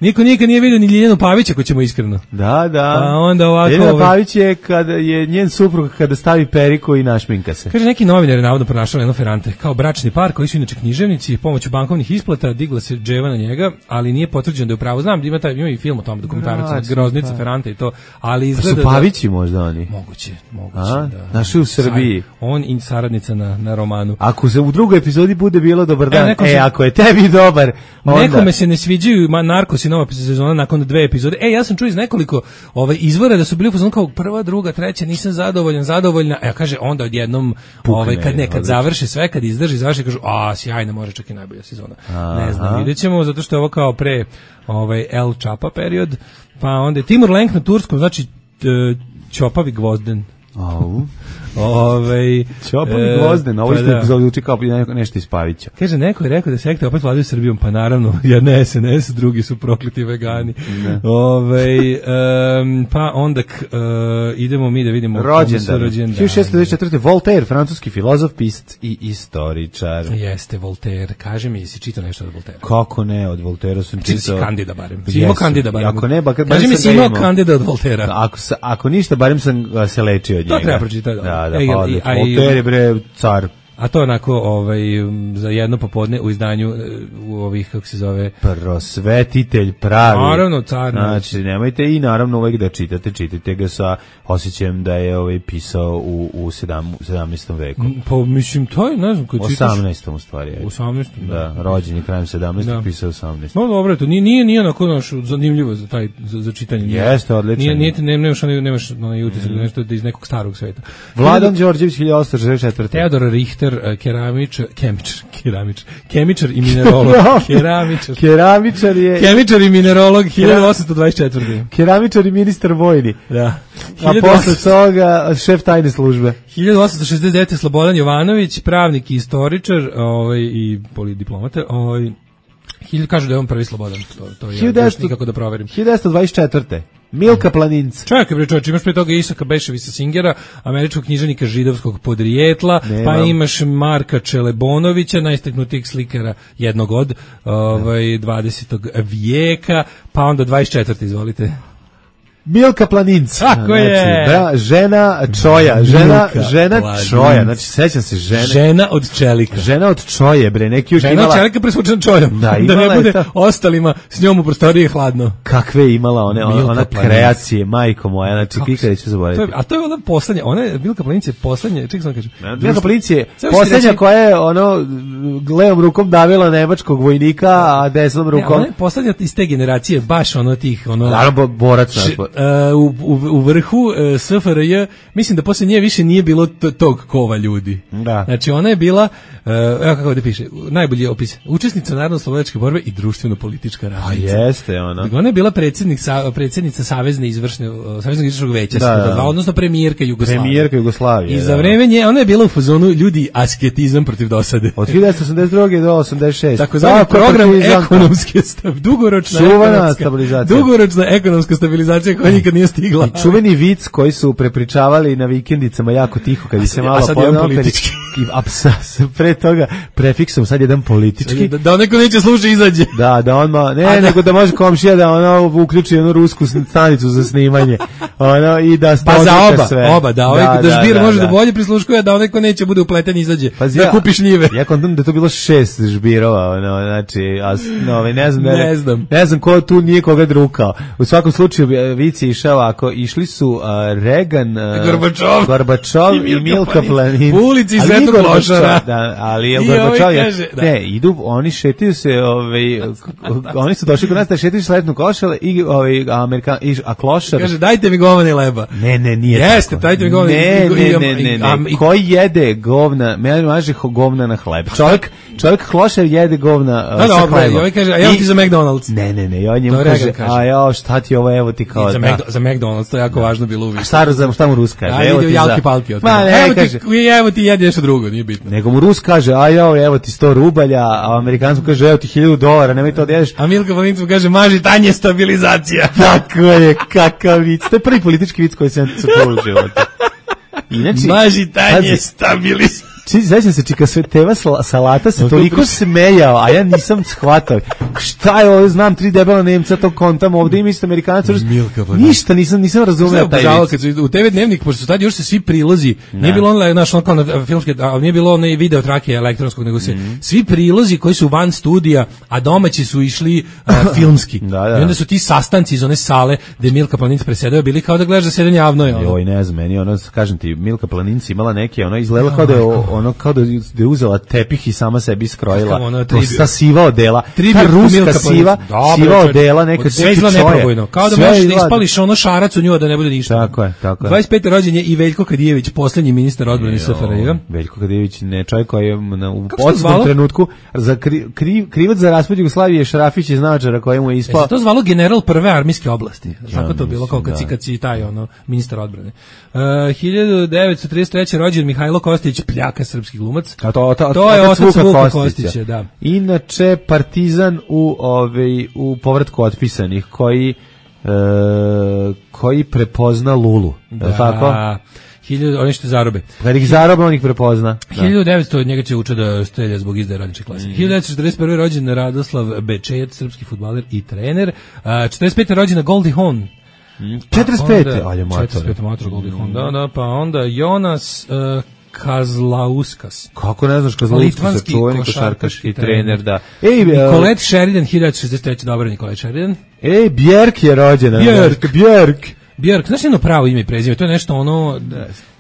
[SPEAKER 6] Niko nikad nije vidio ni Ljiljanu Pavić, ako ćemo iskreno.
[SPEAKER 5] Da, da.
[SPEAKER 6] Pa onda ovako...
[SPEAKER 5] Ljiljana ovaj... Pavić je, kada je njen suprug kada stavi periku i našminka se.
[SPEAKER 6] Kaže, neki novinar je navodno pronašao Elenu Ferrante. Kao bračni par koji su inače književnici, pomoću bankovnih isplata digla se dževa na njega, ali nije potvrđeno da je u pravu. Znam, ima, taj, ima i film o tom dokumentarac, Groznica Ferrante i to, ali izgleda...
[SPEAKER 5] Pa su Pavići možda oni?
[SPEAKER 6] Moguće, moguće,
[SPEAKER 5] a?
[SPEAKER 6] da.
[SPEAKER 5] Naši u Srbiji.
[SPEAKER 6] On i saradnica na, na romanu.
[SPEAKER 5] Ako se u drugoj epizodi bude bilo dobar dan, e, e
[SPEAKER 6] se...
[SPEAKER 5] ako je tebi dobar, onda...
[SPEAKER 6] Nekome se ne sviđaju Narcos i nova sezona nakon dve epizode. E, ja sam čuo iz nekoliko ovaj, izvora da su bili u fazonu kao prva, druga, treća, nisam zadovoljan, zadovoljna. E, kaže, onda odjednom, ovaj, kad nekad završi sve, kad izdrži, završi, kažu, a, sjajna, može čak i najbolja sezona. Aha. Ne znam, vidjet ćemo, zato što je ovo kao pre ovaj, El Čapa period, pa onda je Timur Lenk na turskom, znači Ćopavi Gvozden.
[SPEAKER 5] Au.
[SPEAKER 6] Ovaj
[SPEAKER 5] Ćopavi Gvozden, ovo isto pa zvuči kao nešto iz Pavića.
[SPEAKER 6] Kaže, neko je rekao da sekte opet vladaju Srbijom, pa naravno, jedna S N S, drugi su prokleti vegani. Ovaj um, pa onda k, uh, idemo mi da vidimo
[SPEAKER 5] rođendan. hiljadu šessto devedeset četvrte Voltaire, francuski filozof, pisac i istoričar.
[SPEAKER 6] Jeste Voltaire. Kaže mi, jesi čitao nešto od Voltaire?
[SPEAKER 5] Kako ne, od Voltaire sam čitao.
[SPEAKER 6] Si Kandida barem. Si imao Kandida barem.
[SPEAKER 5] Ako ne, bakar
[SPEAKER 6] kaže mi, si imao Kandida od Voltaire.
[SPEAKER 5] Ako ako ništa, barem sam se lečio od njega.
[SPEAKER 6] To treba pročitati.
[SPEAKER 5] Da, da, pa, Voltaire bre car.
[SPEAKER 6] A to onako ovaj, za jedno popodne u izdanju u ovih, kako se zove...
[SPEAKER 5] Prosvetitelj pravi.
[SPEAKER 6] Naravno, car.
[SPEAKER 5] Znači, nemojte i naravno uvek da čitate, čitajte ga sa osjećajem da je ovaj pisao u, u sedamnaestom veku.
[SPEAKER 6] Pa mislim, to je, ne znam, koji čitaš...
[SPEAKER 5] osamnaestom u stvari. Je.
[SPEAKER 6] U osamnaestom, da.
[SPEAKER 5] Da, rođen je krajem sedamnaestog, da. Pisao u osamnaestom.
[SPEAKER 6] No dobro, to nije, nije, nije onako naš, zanimljivo za, taj, za, za čitanje.
[SPEAKER 5] Jeste, odlično.
[SPEAKER 6] Nije, nije, ne, nemaš onaj, nemaš onaj utisak, mm. nešto iz nekog starog sveta.
[SPEAKER 5] Vladan Đorđević, hiljadu osamsto šezdeset četvrte
[SPEAKER 6] Teodor Richter, keramičar, kemičar, keramičar, kemičar i minerolog. keramičar.
[SPEAKER 5] Keramičar je...
[SPEAKER 6] Kemičar i minerolog, hiljadu osamsto dvadeset četvrte
[SPEAKER 5] Keramičar i ministar vojni.
[SPEAKER 6] Da.
[SPEAKER 5] A posle toga šef tajne službe.
[SPEAKER 6] hiljadu osamsto šezdeset devete Slobodan Jovanović, pravnik i istoričar, ovaj, i diplomata, ovaj, kažu da je on prvi Slobodan, to, to je još nikako da proverim.
[SPEAKER 5] hiljadu devetsto dvadeset četvrte Milka Planinc.
[SPEAKER 6] Čekaj bre čovječe, imaš pre toga Isaka Beševića Singera, američkog književnika židovskog podrijetla, Nemam. pa imaš Marka Čelebonovića, najistaknutijeg slikara jednog od ovaj, dvadesetog vijeka, pa onda dvadeset četvrte izvolite.
[SPEAKER 5] Milka Planinc.
[SPEAKER 6] Tako
[SPEAKER 5] znači,
[SPEAKER 6] je.
[SPEAKER 5] Bra, žena Čoja, žena, žena Planinc. Čoja, znači sećam se žene.
[SPEAKER 6] Žena od čelika.
[SPEAKER 5] Žena od Čoje, bre, neki još
[SPEAKER 6] žena
[SPEAKER 5] imala.
[SPEAKER 6] Žena od čelika presvučena čojom.
[SPEAKER 5] Da,
[SPEAKER 6] da ne bude
[SPEAKER 5] ta...
[SPEAKER 6] ostalima s njom u prostoriji hladno.
[SPEAKER 5] Kakve je imala one, ona, ona kreacije, majko moja, znači kikada ću zaboraviti.
[SPEAKER 6] A to je ona poslednja, ona je, Milka Planinc je poslednja, čekaj sam kažem.
[SPEAKER 5] Milka Planinc je poslednja koja je, ono, levom rukom davila nemačkog vojnika, a desnom rukom...
[SPEAKER 6] Ne, ona je poslednja iz te generacije, baš ono tih, ono...
[SPEAKER 5] Naravno, borac.
[SPEAKER 6] U, u, u vrhu uh, S F R J, mislim da posle nje više nije bilo t- tog kova ljudi.
[SPEAKER 5] Da.
[SPEAKER 6] Znači ona je bila, uh, evo kako ovdje piše, najbolji opis, učesnica narodno-slobodačke borbe i društveno-politička radnica.
[SPEAKER 5] A jeste ona.
[SPEAKER 6] Ona je bila predsjednik, sa, predsjednica Savezne izvršne, uh, Saveznog izvršnog veća, da, da. Dva, odnosno premijerka Jugoslavije.
[SPEAKER 5] Premijerka Jugoslavije,
[SPEAKER 6] I za
[SPEAKER 5] da.
[SPEAKER 6] vreme nje, ona je bila u fazonu ljudi asketizam protiv dosade.
[SPEAKER 5] Od hiljadu devetsto osamdeset druge do osamdeset šeste
[SPEAKER 6] Tako zvani program ekonomske stav, dugoročna
[SPEAKER 5] ekonomska,
[SPEAKER 6] dugoročna ekonomska stabilizacija koja nikad nije stigla.
[SPEAKER 5] I čuveni vic koji su prepričavali na vikendicama jako tiho kad bi se malo
[SPEAKER 6] a sad jedan politički.
[SPEAKER 5] A sa, pre toga prefiksom sad jedan politički.
[SPEAKER 6] Da, da neko neće slušati izađe.
[SPEAKER 5] Da, da on ma, ne, a, nego da može komšija da ono uključi jednu rusku stanicu za snimanje. Ono i da
[SPEAKER 6] pa za oba,
[SPEAKER 5] sve.
[SPEAKER 6] oba, da, ovaj da, da žbir da, može da, da bolje prisluškuje, da onaj ko neće bude upleten izađe. Pa da kupi šljive.
[SPEAKER 5] Ja kontam da to bilo šest žbirova, ono, znači, a no, ne znam,
[SPEAKER 6] ne, ne znam.
[SPEAKER 5] Ne znam ko tu nije koga drukao. U svakom slučaju vici je išao ako išli su uh, Reagan, uh,
[SPEAKER 6] Gorbačov,
[SPEAKER 5] Gorbačov i, i Milka Planinc.
[SPEAKER 6] U ulici Svetog Klošara.
[SPEAKER 5] Da, ali je Gorbačov je, ne, idu, oni šetaju se, ovaj, oni su došli kod nas da šetaju sletnu košale i ovaj Amerikan, i, a Klošar.
[SPEAKER 6] Kaže, dajte mi govna i leba.
[SPEAKER 5] Ne, ne, nije
[SPEAKER 6] Jeste,
[SPEAKER 5] tako.
[SPEAKER 6] dajte mi govna.
[SPEAKER 5] Ne, ne, ne, ne, ne. Koji jede govna, meni maže govna na hleb. Čovjek, čovjek Klošar jede govna uh, sa hlebom.
[SPEAKER 6] Ovaj kaže, a ja ti za McDonald's.
[SPEAKER 5] Ne, ne, ne, on njemu kaže, a ja, šta ti ovo, evo ti kao
[SPEAKER 6] za, da. za McDonald's, to je jako važno bilo uvijek.
[SPEAKER 5] Šta, za, šta mu Rus kaže?
[SPEAKER 6] A, evo ti jalki palki.
[SPEAKER 5] Ma, ne,
[SPEAKER 6] evo,
[SPEAKER 5] kaže,
[SPEAKER 6] ti, evo ti jedi nešto drugo, nije bitno.
[SPEAKER 5] Nego mu Rus kaže, a ja, evo ti sto rubalja, a Amerikancu kaže, evo ti hiljadu dolara, nemoj to da jedeš.
[SPEAKER 6] A Milka Planinc mu kaže, maži tanje stabilizacija.
[SPEAKER 5] Tako je, kakav vic. To je prvi politički vic koji sam čuo u životu. Inači,
[SPEAKER 6] maži tanje stabilizacija.
[SPEAKER 5] Či, znači se čika sve teva salata se toliko smejao, a ja nisam shvatao. Šta je ovo, znam tri debela Nemca to kontam ovdje ima isto Amerikanac. Ništa nisam nisam razumeo taj vic.
[SPEAKER 6] Kad su u te ve dnevnik, pošto su tad još se svi prilozi, ne. nije bilo on naš on na filmske, ali nije bilo onaj video trake elektronskog, nego se mm. svi prilozi koji su van studija, a domaći su išli uh, filmski. Da, da. I onda su ti sastanci iz one sale gde Milka Planinc presedao bili kao da gledaš zasedanje javno je.
[SPEAKER 5] Joj, ne znam, meni ono, kažem ti, Milka Planinc imala neke, ono izgledalo kao da je ono kao da je uzela tepih i sama sebi skrojila. Ta siva odela, ta ruska siva, siva odela, neka
[SPEAKER 6] sve izgleda neprobojno. Kao da možeš da ispališ ono šarac u nju da ne bude ništa.
[SPEAKER 5] Tako je, tako je.
[SPEAKER 6] dvadeset peti rođen je i Veljko Kadijević, poslednji ministar odbrane S F R J.
[SPEAKER 5] Veljko Kadijević, ne čovjek koji je na, u podsnom trenutku za kri, kri, krivac za raspad Jugoslavije Šarafić iz Nađara koji mu je ispao.
[SPEAKER 6] E, to zvalo general prve armijske oblasti. Tako to bilo kao kad si, kad si taj ono, ministar odbrane. Uh, hiljadu devetsto trideset treće rođen Mihajlo Kostić, pljaka srpski glumac.
[SPEAKER 5] A to, to,
[SPEAKER 6] to je otac Vuka Kostića. Kostića, da.
[SPEAKER 5] Inače Partizan u ovaj u povratku otpisanih koji e, koji prepozna Lulu.
[SPEAKER 6] Da.
[SPEAKER 5] Tako?
[SPEAKER 6] hiljadu oni što zarobe.
[SPEAKER 5] Kad ih zarobe, on ih prepozna.
[SPEAKER 6] hiljadu devetsto od njega će uče da strelja zbog izdaje radničke klase. Mm. hiljadu devetsto četrdeset prve rođen Radoslav Bečejac, srpski fudbaler i trener. četrdeset pete rođena Goldie Hawn.
[SPEAKER 5] Mm. četrdeset pete, ajde mator.
[SPEAKER 6] četrdeset pete mator Goldie Hawn. Da, da, pa onda Jonas uh, Kazlauskas.
[SPEAKER 5] Kako ne znaš Kazlauskas, čuveni košarkaški trener, da.
[SPEAKER 6] Ej, Nicolette Sheridan, hiljadu šezdeset treće dobro Nicolette Sheridan.
[SPEAKER 5] Ej, Björk je rođena.
[SPEAKER 6] Björk,
[SPEAKER 5] Björk.
[SPEAKER 6] Björk, znaš jedno pravo ime i prezime, to je nešto ono,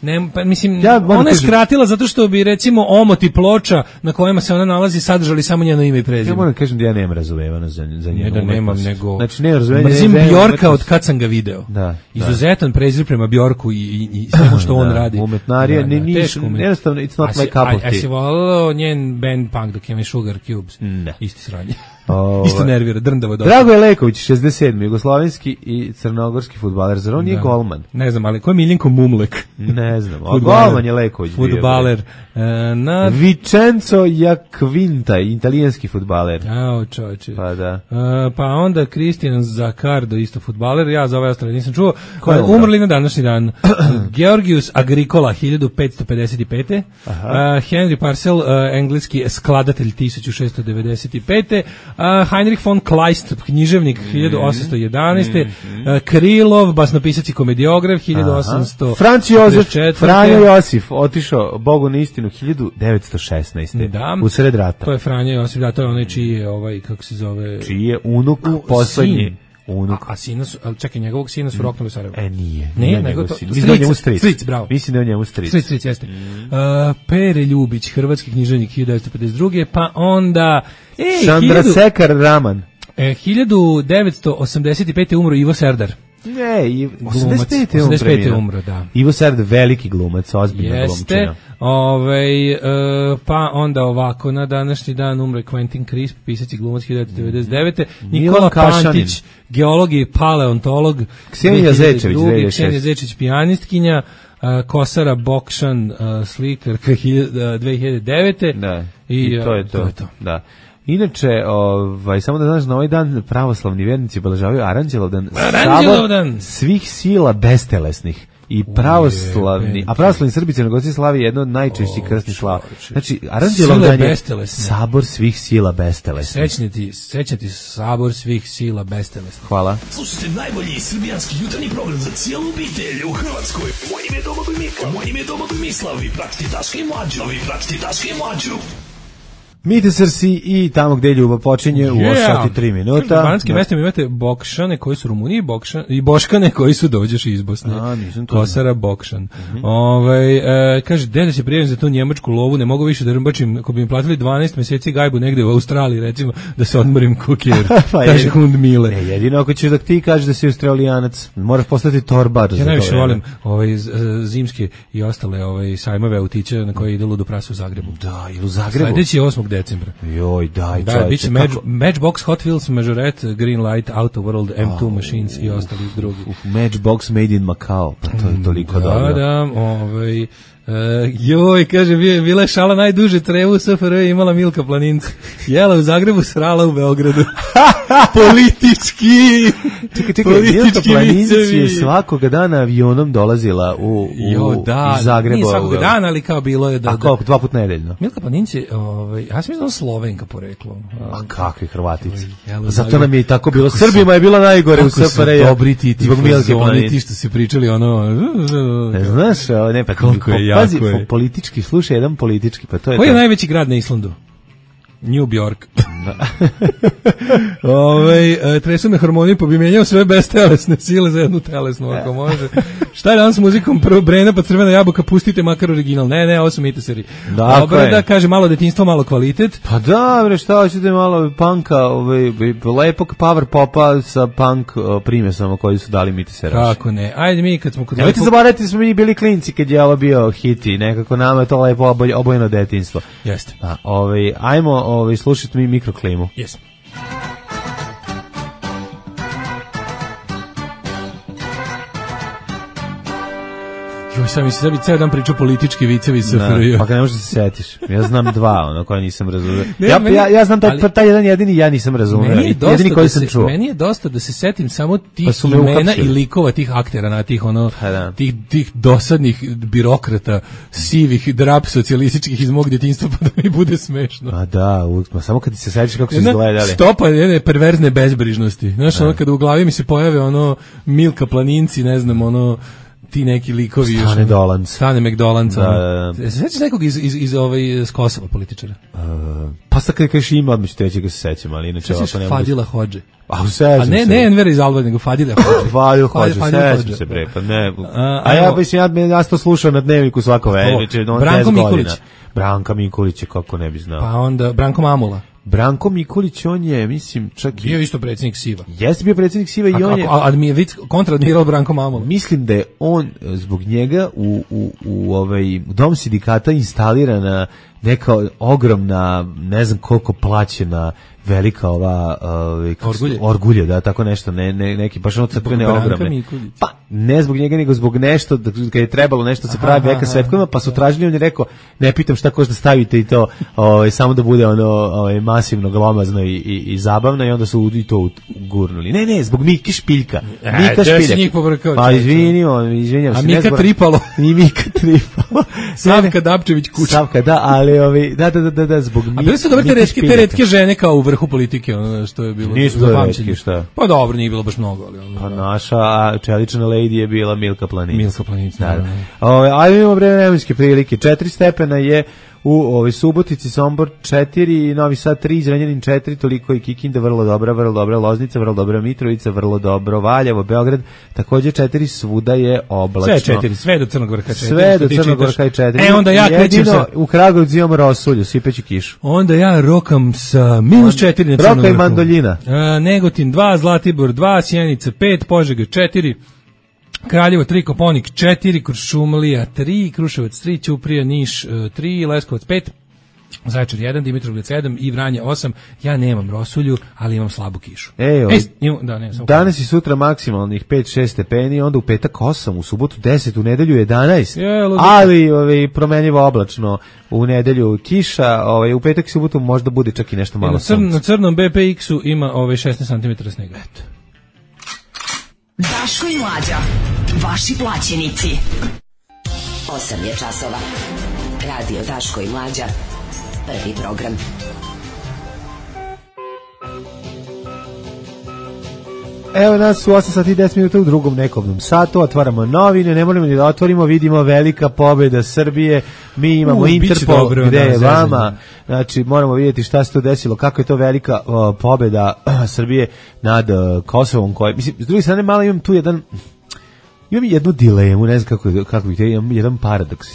[SPEAKER 6] ne, pa, mislim, ja, ona je skratila zato što bi recimo omoti ploča na kojima se ona nalazi sadržali samo njeno ime i prezime.
[SPEAKER 5] Ja moram kažem da ja nemam razumevano za, za njenu.
[SPEAKER 6] Ne da nemam, nego,
[SPEAKER 5] znači, ne razumevano.
[SPEAKER 6] Mrzim Bjorka od kad sam ga video.
[SPEAKER 5] Da,
[SPEAKER 6] izuzetan prezir prema Bjorku i, i, i svemu što on
[SPEAKER 5] da,
[SPEAKER 6] radi.
[SPEAKER 5] Umetnarija, ne, niš, jednostavno, it's not my cup of tea.
[SPEAKER 6] A si volao njen band punk dok ima Sugar Cubes?
[SPEAKER 5] Ne.
[SPEAKER 6] Isti sranje. O, isto nervira, drndavo dobro.
[SPEAKER 5] Dragoje Leković, šezdeset sedmi jugoslovenski i crnogorski fudbaler. Zar on nije golman?
[SPEAKER 6] Ne znam, ali ko je Miljenko Mumlek?
[SPEAKER 5] Ne znam, a golman je Leković.
[SPEAKER 6] Fudbaler. E, na...
[SPEAKER 5] Vicenzo Jacquinta, italijanski fudbaler.
[SPEAKER 6] Ao, čoče.
[SPEAKER 5] Pa da.
[SPEAKER 6] E, pa onda Cristian Zaccardo, isto fudbaler. Ja za ovaj ostale nisam čuo. Ko je umrli na današnji dan? Georgius Agricola, hiljadu petsto pedeset pete. Uh, Henry Parcel, uh, engleski skladatelj, tisuću šessto devedeset pete. Uh, Heinrich von Kleist, književnik, hiljadu osamsto jedanaeste. Uh, Krilov, basnopisac i komediograf, hiljadu osamsto
[SPEAKER 5] Franc Jozef, Franjo Josif, otišao Bogu na istinu, hiljadu devetsto šesnaeste.
[SPEAKER 6] Da.
[SPEAKER 5] U sred rata.
[SPEAKER 6] To je Franjo Josif, da, to je onaj čiji je, ovaj, kako se zove...
[SPEAKER 5] Čiji je unuk, poslednji. Unuk.
[SPEAKER 6] A, a sina su, ali čekaj, njegovog sina su roknuli u Sarajevo.
[SPEAKER 5] E, nije.
[SPEAKER 6] Ne,
[SPEAKER 5] nije
[SPEAKER 6] nego to...
[SPEAKER 5] Mislim da je njemu stric.
[SPEAKER 6] Stric, bravo.
[SPEAKER 5] Mislim da je njemu stric.
[SPEAKER 6] Stric, stric, jeste. Mm. Uh, Pere Ljubić, hrvatski književnik, hiljadu devetsto pedeset druge. Pa onda... Ej,
[SPEAKER 5] Sandra Sekar Raman.
[SPEAKER 6] E, hiljadu devetsto osamdeset pete umro Ivo Serdar.
[SPEAKER 5] Ne, i
[SPEAKER 6] osamdeset pete umro, da.
[SPEAKER 5] Ivo Serdar, veliki glumac, ozbiljna glumčina.
[SPEAKER 6] Jeste, ovaj, uh, pa onda ovako, na današnji dan umre Quentin Crisp, pisac i glumac, hiljadu devetsto devedeset devete. Nikola Pantić, geolog i paleontolog.
[SPEAKER 5] Ksenija Zečević,
[SPEAKER 6] Ksenija Zečević, pijanistkinja. Uh, Kosara Bokšan, uh, slikarka, uh, dve hiljade devete.
[SPEAKER 5] Da, i, i to je to.
[SPEAKER 6] to, je to.
[SPEAKER 5] Da. Inače, ovaj, samo da znaš, na ovaj dan pravoslavni vernici obeležavaju Aranđelovdan,
[SPEAKER 6] Aranđelovdan
[SPEAKER 5] svih sila bestelesnih. I pravoslavni, a pravoslavni Srbi Crnogorci slavi jedno od najčešćih krstnih slava. Znači, Aranđelovdan je sabor svih sila bestelesnih.
[SPEAKER 6] Sećati, sećati sabor svih sila bestelesnih.
[SPEAKER 5] Hvala.
[SPEAKER 8] Slušajte najbolji srbijanski jutarnji program za cijelu obitelj u Hrvatskoj. Moje ime je Domagoj Mikla, moje ime je Domagoj Mislav. Vi pratite Daška i Mlađu, vi pratite Daška i Mlađu.
[SPEAKER 5] Mitesarsi i tamo gde ljubav počinje u
[SPEAKER 6] yeah.
[SPEAKER 5] osam sati i tri minuta.
[SPEAKER 6] U bananskim mestima imate Bokšane koji su Rumuniji Bokšan, i Boškane koji su dođeš iz Bosne.
[SPEAKER 5] A, nisam to.
[SPEAKER 6] Kosara Bokšan. Mm-hmm. Ovaj e, kaže, dede se prijavim za tu njemačku lovu, ne mogu više da rmbačim, ako bi mi platili dvanaest meseci gajbu negde u Australiji, recimo, da se odmorim kukijer. Pa kaže Hund Mile.
[SPEAKER 5] Ne, jedino ako ćeš da ti kažeš da si Australijanac, moraš postati torbar.
[SPEAKER 6] Ja najviše volim ovaj, zimske i ostale ovaj, sajmove autića na koje ide ludo prasa u Zagrebu.
[SPEAKER 5] Da, ili u Zagrebu.
[SPEAKER 6] Sledeći je osmog decembra.
[SPEAKER 5] Joj, daj,
[SPEAKER 6] da,
[SPEAKER 5] čovječe.
[SPEAKER 6] Biće Match, Matchbox, Hot Wheels, Majorette, Greenlight, Auto World, M two oh, Machines i ostali drugi.
[SPEAKER 5] Matchbox made in Macau, pa to je toliko
[SPEAKER 6] da,
[SPEAKER 5] dobro.
[SPEAKER 6] Da, da, ovaj... Uh, joj, kaže, bila je šala najduže trevu u S F R J imala Milka Planinca. Jela u Zagrebu, srala u Beogradu. Politički!
[SPEAKER 5] Čekaj, čekaj, Milka Planinci je svakoga dana avionom dolazila u, u
[SPEAKER 6] jo, da,
[SPEAKER 5] iz Zagreba.
[SPEAKER 6] Nije svakoga dana, ali kao bilo je da...
[SPEAKER 5] A koliko, dva put nedeljno?
[SPEAKER 6] Milka Planinci, ovaj, ja sam mislim Slovenka poreklom.
[SPEAKER 5] A kakvi Hrvatici? Zato nam je i tako bilo. Srbima je bila najgore u S F R J.
[SPEAKER 6] Kako su dobri ti, ti fazoni, ti što si pričali ono...
[SPEAKER 5] Ne znaš, ne, pa
[SPEAKER 6] koliko je
[SPEAKER 5] pazi, politički, slušaj, jedan politički, pa to je...
[SPEAKER 6] Koji je najveći grad na Islandu? New York. Ove, tresu me harmoniju, pa bi menjao sve bestelesne sile za jednu telesnu, ako može. Šta je danas s muzikom? Prvo Brena, pa Crvena jabuka, pustite makar original. Ne, ne, ovo su miteseri. Dobro da kaže malo detinjstvo, malo kvalitet.
[SPEAKER 5] Pa da, bre, šta hoćete malo punka, ovaj, lepog power popa sa punk primjesama koji su dali miteseraši.
[SPEAKER 6] Kako ne? Ajde mi kad smo kod...
[SPEAKER 5] Nemojte zaboraviti smo mi bili klinci kad je ovo bio hit i nekako nama je to lepo oboj, obojeno detinjstvo.
[SPEAKER 6] Jeste.
[SPEAKER 5] A, ovaj, ajmo ovaj, slušajte mi mikroklimu.
[SPEAKER 6] Jesmo. Joj, sam mi se sebi ceo dan pričao politički vicevi S F R J.
[SPEAKER 5] Pa kad ne možeš da se setiš. Ja znam dva, ono koje nisam razumio. Ja, ja, ja znam taj, ali, taj jedan jedini ja nisam razumio. Jedini koji sam čuo.
[SPEAKER 6] Meni je dosta da se setim samo tih pa imena i likova tih aktera, na tih, ono, da. tih, tih dosadnih birokrata, sivih, drap socijalističkih iz mog djetinjstva, pa da mi bude smešno.
[SPEAKER 5] A da, uvijek, samo kad ti se setiš kako su izgledali.
[SPEAKER 6] Stopa jedne perverzne bezbrižnosti. Znaš, ono, kada u glavi mi se pojave ono Milka Planinci, ne znam, ono, ti neki likovi
[SPEAKER 5] Stane Dolanc.
[SPEAKER 6] Stane McDolanc.
[SPEAKER 5] Da, da,
[SPEAKER 6] da. Se sećaš nekog iz, iz, iz, ovaj, iz Kosova političara?
[SPEAKER 5] Uh, pa sad kada kažeš ima, odmah ću teći ga se sećam, ali inače...
[SPEAKER 6] Sećaš Fadila Hodže?
[SPEAKER 5] A, sećam
[SPEAKER 6] A ne,
[SPEAKER 5] se.
[SPEAKER 6] ne Enver iz Alba, nego Fadila Hodže.
[SPEAKER 5] Fadil Hodže, sećam se bre, pa ne. A, a ja mislim, ja, ja to slušam na dnevniku svako večer, on
[SPEAKER 6] Branko Mikulić.
[SPEAKER 5] Branka Mikulić, kako ne bi znao.
[SPEAKER 6] Pa onda Branko Mamula.
[SPEAKER 5] Branko Mikulić, on je, mislim, čak i...
[SPEAKER 6] Bio isto predsjednik Siva.
[SPEAKER 5] Jeste bio predsjednik Siva i on je...
[SPEAKER 6] A, a, je kontradmiral Branko Mamula.
[SPEAKER 5] Mislim da je on, zbog njega, u, u, u ovaj dom sindikata instalirana neka ogromna, ne znam koliko plaćena, velika ova... Ovaj,
[SPEAKER 6] orgulje.
[SPEAKER 5] Orgulje, da, tako nešto, ne, ne, neki, baš ono crkvene ogromne. Pa, ne zbog njega, nego zbog nešto, da, kad je trebalo nešto se pravi veka svetkovima, pa su tražili, on je rekao, ne pitam šta košta stavite i to, ovaj, samo da bude ono, ovaj, masivno, glomazno i, i, i zabavno, i onda su i to gurnuli. Ne, ne, zbog Mike Špiljka. Mika Špiljak. Pa, izvini, on, izvinjam se.
[SPEAKER 6] A Mika Tripalo.
[SPEAKER 5] I Mika Tripalo.
[SPEAKER 6] Savka Dapčević Kuča.
[SPEAKER 5] Savka, da, ali, ovaj, da, da, da, da, zbog Mika.
[SPEAKER 6] A bili su dobre te retke, te retke žene kao u vrhu politike, ono što je bilo.
[SPEAKER 5] Nisu to retke, šta?
[SPEAKER 6] Pa dobro, nije bilo baš mnogo, ali ono.
[SPEAKER 5] Pa naša čelična lady je bila Milka Planinc.
[SPEAKER 6] Milka Planinc, da.
[SPEAKER 5] da. Ove, ajde imamo vremenske prilike. Četiri stepena je u ovoj Subotici, Sombor četiri, Novi Sad tri, Zrenjanin četiri, toliko i Kikinda, vrlo dobra, vrlo dobra Loznica, vrlo dobra Mitrovica, vrlo dobro Valjevo, Beograd, takođe četiri, svuda je oblačno.
[SPEAKER 6] Sve četiri, sve do Crnog Vrha četiri.
[SPEAKER 5] Sve do Crnog Vrha i četiri.
[SPEAKER 6] E, onda ja krećem sa...
[SPEAKER 5] U Kragujevcu imamo rosulju, sipeću kišu.
[SPEAKER 6] Onda ja rokam sa minus četiri na Crnog Vrhu.
[SPEAKER 5] Roka i mandoljina.
[SPEAKER 6] E, Negotin dva, Zlatibor dva, Sjenica pet, Požega četiri, Kraljevo tri, Koponik četiri, Kuršumlija tri, Kruševac tri, Ćuprija, Niš tri, Leskovac pet, Zaječar jedan, Dimitrovgrad sedam i Vranje osam. Ja nemam rosulju, ali imam slabu kišu.
[SPEAKER 5] Ej,
[SPEAKER 6] Ej, imam, da, ne,
[SPEAKER 5] danas i sutra maksimalnih pet šest stepeni, onda u petak osam, u subotu deset, u nedelju jedanaest.
[SPEAKER 6] Je,
[SPEAKER 5] ali ovaj, promenljivo oblačno. U nedelju kiša, ovaj, u petak i subotu možda bude čak i nešto malo
[SPEAKER 6] na, crn, na crnom B P X-u ima ovaj šesnaest centimetara snega. Eto.
[SPEAKER 7] Daško i Mlađa, vaši plaćenici. osam je časova. Radio Daško i Mlađa. Prvi program.
[SPEAKER 5] Evo nas u osam sati i deset minuta u drugom nekobnom satu, otvaramo novine, ne moramo ni da otvorimo, vidimo velika pobjeda Srbije, mi imamo uh, Interpol, dobro, gde da, je vama, znači moramo vidjeti šta se to desilo, kako je to velika uh, pobjeda uh, Srbije nad uh, Kosovom, koje, mislim, s druge strane malo imam tu jedan, imam jednu dilemu, ne znam kako, kako bih te, imam jedan paradoks,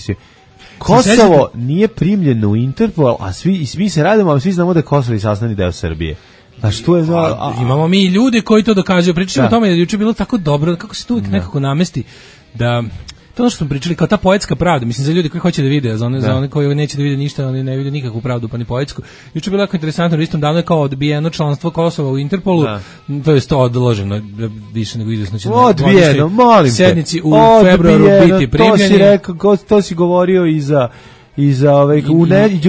[SPEAKER 5] Kosovo nije primljeno u Interpol, a svi, svi se radimo, a svi znamo da je Kosovo i sastavni deo Srbije. A što je za, a,
[SPEAKER 6] a, imamo mi ljude koji to dokazuju. Pričamo o tome da je juče bilo tako dobro, kako se to uvijek nekako namesti da to ono što smo pričali kao ta poetska pravda, mislim za ljudi koji hoće da vide, za one, za one koji neće da vide ništa, oni ne vide nikakvu pravdu pa ni poetsku. Juče je bilo jako interesantno, u istom danu je kao odbijeno članstvo Kosova u Interpolu, da. To je to odloženo više nego izvesno će
[SPEAKER 5] odbijeno, molim te.
[SPEAKER 6] Sednici u odbijeno, februaru biti primljeni.
[SPEAKER 5] To si rekao, to si govorio i za i za ovaj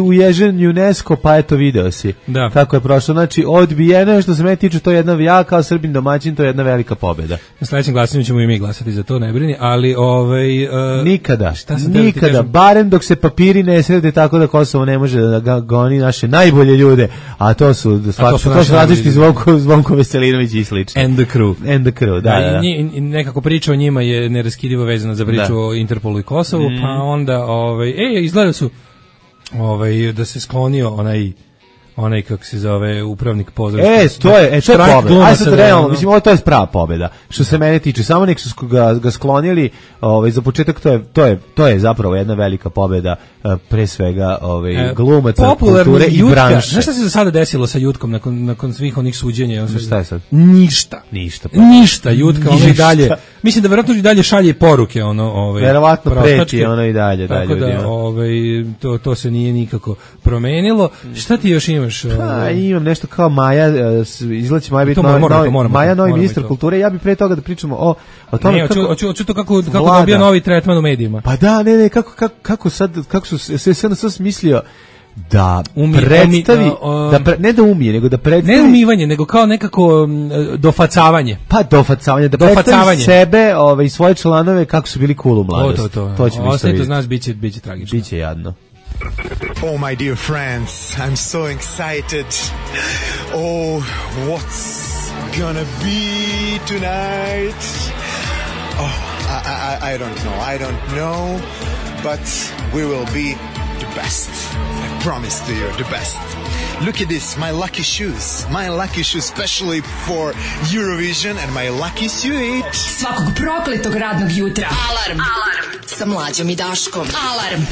[SPEAKER 5] uježen UNESCO, pa eto video si
[SPEAKER 6] da.
[SPEAKER 5] Kako je prošlo, znači odbijeno je, što se mene tiče, to je jedna, ja kao Srbin domaćin, to je jedna velika pobjeda.
[SPEAKER 6] Na sledećem glasanju ćemo i mi glasati za to, ne brini, ali ovaj uh,
[SPEAKER 5] nikada, nikada, barem dok se papiri ne srede tako da Kosovo ne može da ga goni naše najbolje ljude, a to su svakako, to su, to su različiti Zvonko, Zvonko Veselinović i slično.
[SPEAKER 6] And the crew.
[SPEAKER 5] And the crew, da, da, da.
[SPEAKER 6] I, nekako priča o njima je neraskidivo vezana za priču da. O Interpolu i Kosovu, mm. pa onda ovaj, ej, izgleda su ovaj, da se sklonio onaj onaj kako se zove upravnik pozorišta.
[SPEAKER 5] E, to je, e, to je pobjeda. Aj sad realno, mislim, ovo to je prava pobjeda. Što se mene tiče, samo nek su ga, ga sklonili, ovaj, za početak to je, to je, to je zapravo jedna velika pobjeda, pre svega ovaj, e, glumaca, kulture i branše.
[SPEAKER 6] Znaš šta se za sada desilo sa Jutkom nakon, nakon svih onih suđenja?
[SPEAKER 5] Šta je sad?
[SPEAKER 6] Ništa.
[SPEAKER 5] Ništa.
[SPEAKER 6] Pa. Ništa, Jutka, ono i dalje. Mislim da verovatno i dalje šalje poruke, ono, ovaj.
[SPEAKER 5] Verovatno preti ono i dalje, dalje.
[SPEAKER 6] Tako da, ovaj, to, to se nije nikako promenilo. Šta ti još imaš?
[SPEAKER 5] Pa, imam nešto kao Maja, izlači Maja biti novi, novi, moramo, Maja novi ministar kulture. Ja bih pre toga da pričamo o, o tome
[SPEAKER 6] ne,
[SPEAKER 5] kako...
[SPEAKER 6] Ne, hoću, hoću to kako, kako dobija novi tretman u medijima.
[SPEAKER 5] Pa da, ne, ne, kako, kako, kako sad, kako su se sve na sve smislio da
[SPEAKER 6] umije,
[SPEAKER 5] predstavi,
[SPEAKER 6] umije, uh,
[SPEAKER 5] da pre, ne da umije, nego da predstavi...
[SPEAKER 6] Ne umivanje, nego kao nekako um, dofacavanje.
[SPEAKER 5] Pa dofacavanje, da dofacavanje. Predstavi sebe ovaj, i svoje članove kako su bili cool u mladosti.
[SPEAKER 6] To, to, to.
[SPEAKER 5] To će mi
[SPEAKER 6] ostaje to znaš, bit će, bit će tragično.
[SPEAKER 5] Biće jadno.
[SPEAKER 9] Oh, my dear friends, I'm so excited. Oh, what's gonna be tonight? Oh, I, I, I don't know, I don't know, but we will be the best. I promise to you, the best. Look at this, my lucky shoes. My lucky shoes specially for Eurovision and my lucky suit.
[SPEAKER 7] Svakog prokletog radnog jutra. Alarm. Alarm. Sa Mlađom i Daškom. Alarm.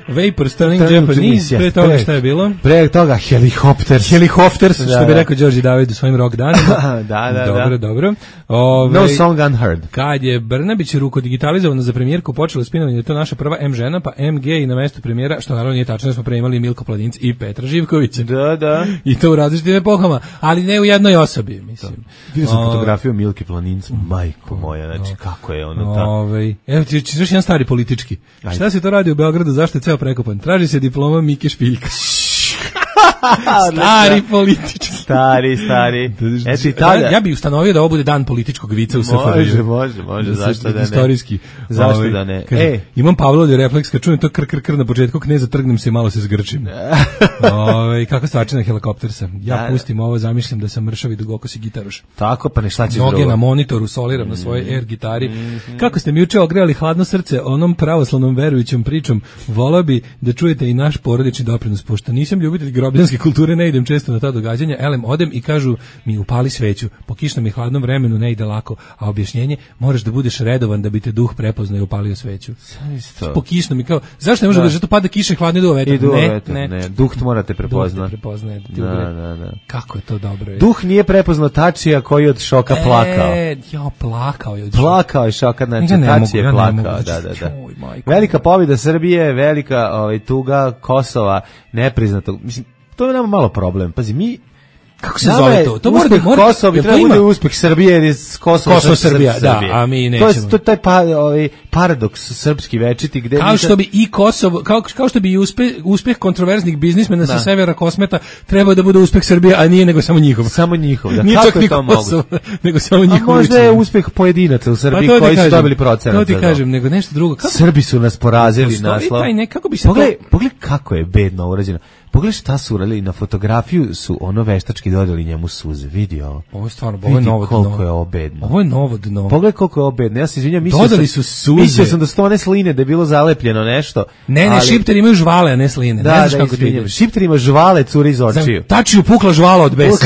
[SPEAKER 6] Vapor Stunning Japanese, pre toga šta je bilo?
[SPEAKER 5] Pre toga Helicopters.
[SPEAKER 6] Helicopters, što da, bi rekao Đorđe David u svojim rock danima.
[SPEAKER 5] da, da,
[SPEAKER 6] dobro,
[SPEAKER 5] da.
[SPEAKER 6] Dobro, Ove,
[SPEAKER 5] no song unheard.
[SPEAKER 6] Kad je Brnabić rukodigitalizovana za premijerku, počelo spinovanje da je to naša prva M žena, pa M G i na mestu premijera, što naravno nije tačno, da smo pre imali Milko Planinc i Petra Živkovića.
[SPEAKER 5] Da, da.
[SPEAKER 6] I to u različitim epohama, ali ne u jednoj osobi, mislim.
[SPEAKER 5] Vidio sam fotografiju Milke Planinc, majko moja, znači kako je ono tako.
[SPEAKER 6] Ove, evo ti ćeš jedan stari politički. Ajde. Šta se to radi u Beogradu, zašto je ceo prekopan? Traži se diploma Mike Špiljka. Stari politički.
[SPEAKER 5] Stari, stari. Eto i tada.
[SPEAKER 6] Ja bih ustanovio da ovo bude dan političkog vica u S F R J.
[SPEAKER 5] Može, može, može, zašto da ne.
[SPEAKER 6] Istorijski.
[SPEAKER 5] Zašto ovaj, da ne.
[SPEAKER 6] Kaže, e. Imam Pavlovljev refleks, kad čujem to kr, kr, kr na početku kneza, trgnem se i malo se zgrčim. Ovaj kako stvačina Helikoptersa. Ja da, pustim ovo, zamišljam da sam mršav i dugokosi gitaruš.
[SPEAKER 5] Tako, pa ne šta ćeš
[SPEAKER 6] drugo.
[SPEAKER 5] Noge
[SPEAKER 6] na monitoru, soliram mm. na svojoj air gitari. Mm -hmm. Kako ste mi juče ogrejali hladno srce onom pravoslavnom verujućom pričom, volao bi da čujete i naš porodični doprinos, pošto nisam ljubitelj grobljanske kulture ne idem često na ta događanja, elem odem i kažu mi upali sveću, po kišnom i hladnom vremenu ne ide lako, a objašnjenje moraš da budeš redovan da bi te duh prepoznao i upalio sveću. Po kišnom i kao, zašto ne može da, da to pada kiše hladno i duva vetar? Ne,
[SPEAKER 5] vetar, ne, ne, duh te morate prepoznati.
[SPEAKER 6] Prepoznaje,
[SPEAKER 5] da, da, da.
[SPEAKER 6] Kako je to dobro. Je.
[SPEAKER 5] Duh nije prepoznao Tačija koji od šoka
[SPEAKER 6] e,
[SPEAKER 5] plakao.
[SPEAKER 6] Ja, plakao je od
[SPEAKER 5] šoka. Plakao je šoka, znači Tači je plakao. Da, da, da. Velika pobjeda Srbije, velika ovaj, tuga Kosova, nepriznato. Mislim, to je nama malo problem. Pazi, mi
[SPEAKER 6] kako se zove to? To mora
[SPEAKER 5] da Kosovo bi trebalo bude uspeh Srbije jer je Kosovo,
[SPEAKER 6] Kosovo Srbija, da, a mi nećemo.
[SPEAKER 5] To je to taj pa, ovaj paradoks srpski večiti gde
[SPEAKER 6] kao što bi i Kosovo kao kao što bi i uspeh uspeh kontroverznih biznismena sa severa Kosmeta trebao da bude uspeh Srbije, a nije nego samo njihov.
[SPEAKER 5] Samo njihov. Da.
[SPEAKER 6] Nije
[SPEAKER 5] kako
[SPEAKER 6] je to moguće? Nego samo njihov.
[SPEAKER 5] A možda je uspeh pojedinaca u Srbiji pa koji su dobili procenat.
[SPEAKER 6] To ti kažem, nego nešto drugo.
[SPEAKER 5] Kako? Srbi su nas porazili naslov.
[SPEAKER 6] Taj ne, kako bi se
[SPEAKER 5] Pogledaj, pogledaj kako je bedno urađeno. Pogledaj šta su uradili, na fotografiju su ono veštački dodali njemu suze, vidi ovo.
[SPEAKER 6] Ovo je stvarno, ovo je novo dno.
[SPEAKER 5] Koliko je ovo bedno.
[SPEAKER 6] Ovo je novo dno.
[SPEAKER 5] Pogledaj koliko je ovo bedno, ja se izvinjam, mislio
[SPEAKER 6] dodali
[SPEAKER 5] sam,
[SPEAKER 6] su suze.
[SPEAKER 5] Mislio sam da su to one sline, da je bilo zalepljeno nešto.
[SPEAKER 6] Ne, ne, ali šipteri imaju žvale, a ne sline.
[SPEAKER 5] Da,
[SPEAKER 6] ne znaš
[SPEAKER 5] da,
[SPEAKER 6] kako ti ide.
[SPEAKER 5] Šipteri ima žvale, curi iz očiju.
[SPEAKER 6] Tačiju pukla žvala od besa.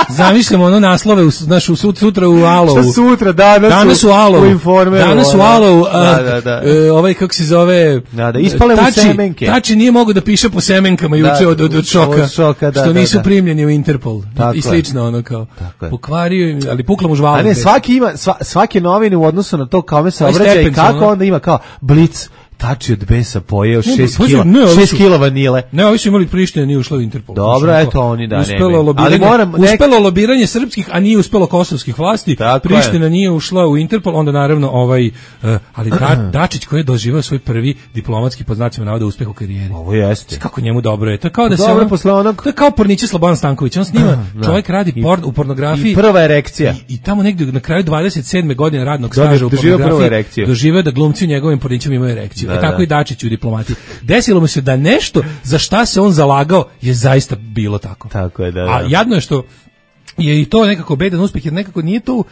[SPEAKER 6] Zamišljamo ono naslove u našu sutra u Alovu.
[SPEAKER 5] Šta sutra? Danas,
[SPEAKER 6] danas u Alovu.
[SPEAKER 5] U Informeru.
[SPEAKER 6] Danas u Alovu.
[SPEAKER 5] Da, da, da.
[SPEAKER 6] Uh, ovaj kako se zove?
[SPEAKER 5] Da, da, ispale mu semenke.
[SPEAKER 6] Tači nije mogao da piše po semenkama juče od, od, od šoka.
[SPEAKER 5] Od šoka da,
[SPEAKER 6] što nisu
[SPEAKER 5] da, da.
[SPEAKER 6] primljeni u Interpol.
[SPEAKER 5] Tako
[SPEAKER 6] i slično ono kao. Pokvario im, ali pukla mu žvala.
[SPEAKER 5] A ne, svaki ima sva, svake novine u odnosu na to kome se obraća i kako onda ima kao Blic Tači od besa pojeo šest kila, šest kila vanile.
[SPEAKER 6] Ne, ovi su imali Priština, nije ušla u Interpol.
[SPEAKER 5] Dobro, znači, eto oni da
[SPEAKER 6] uspelo
[SPEAKER 5] ne.
[SPEAKER 6] Lobiranje, ali moram nek... uspelo lobiranje srpskih, a nije uspelo kosovskih vlasti. Tako Priština je. Nije ušla u Interpol, onda naravno ovaj uh, ali da, Dačić koji je doživio svoj prvi diplomatski pod znacima navoda uspeh u karijeri.
[SPEAKER 5] Ovo jeste.
[SPEAKER 6] Kako njemu dobro je. To je kao da
[SPEAKER 5] dobro
[SPEAKER 6] se on,
[SPEAKER 5] posle onog...
[SPEAKER 6] to je kao Porniće Slobodan Stanković. On snima, čovjek radi porn u pornografiji.
[SPEAKER 5] I prva erekcija.
[SPEAKER 6] I, i tamo negdje na kraju dvadeset sedme godine radnog staža u pornografiji doživio da glumci u njegovim Pornićima imaju erekciju. E tako i Dačić u diplomati. Desilo mu se da nešto za šta se on zalagao je zaista bilo tako.
[SPEAKER 5] Tako je, da, da.
[SPEAKER 6] A jadno je što je i to nekako bedan uspeh, jer nekako nije to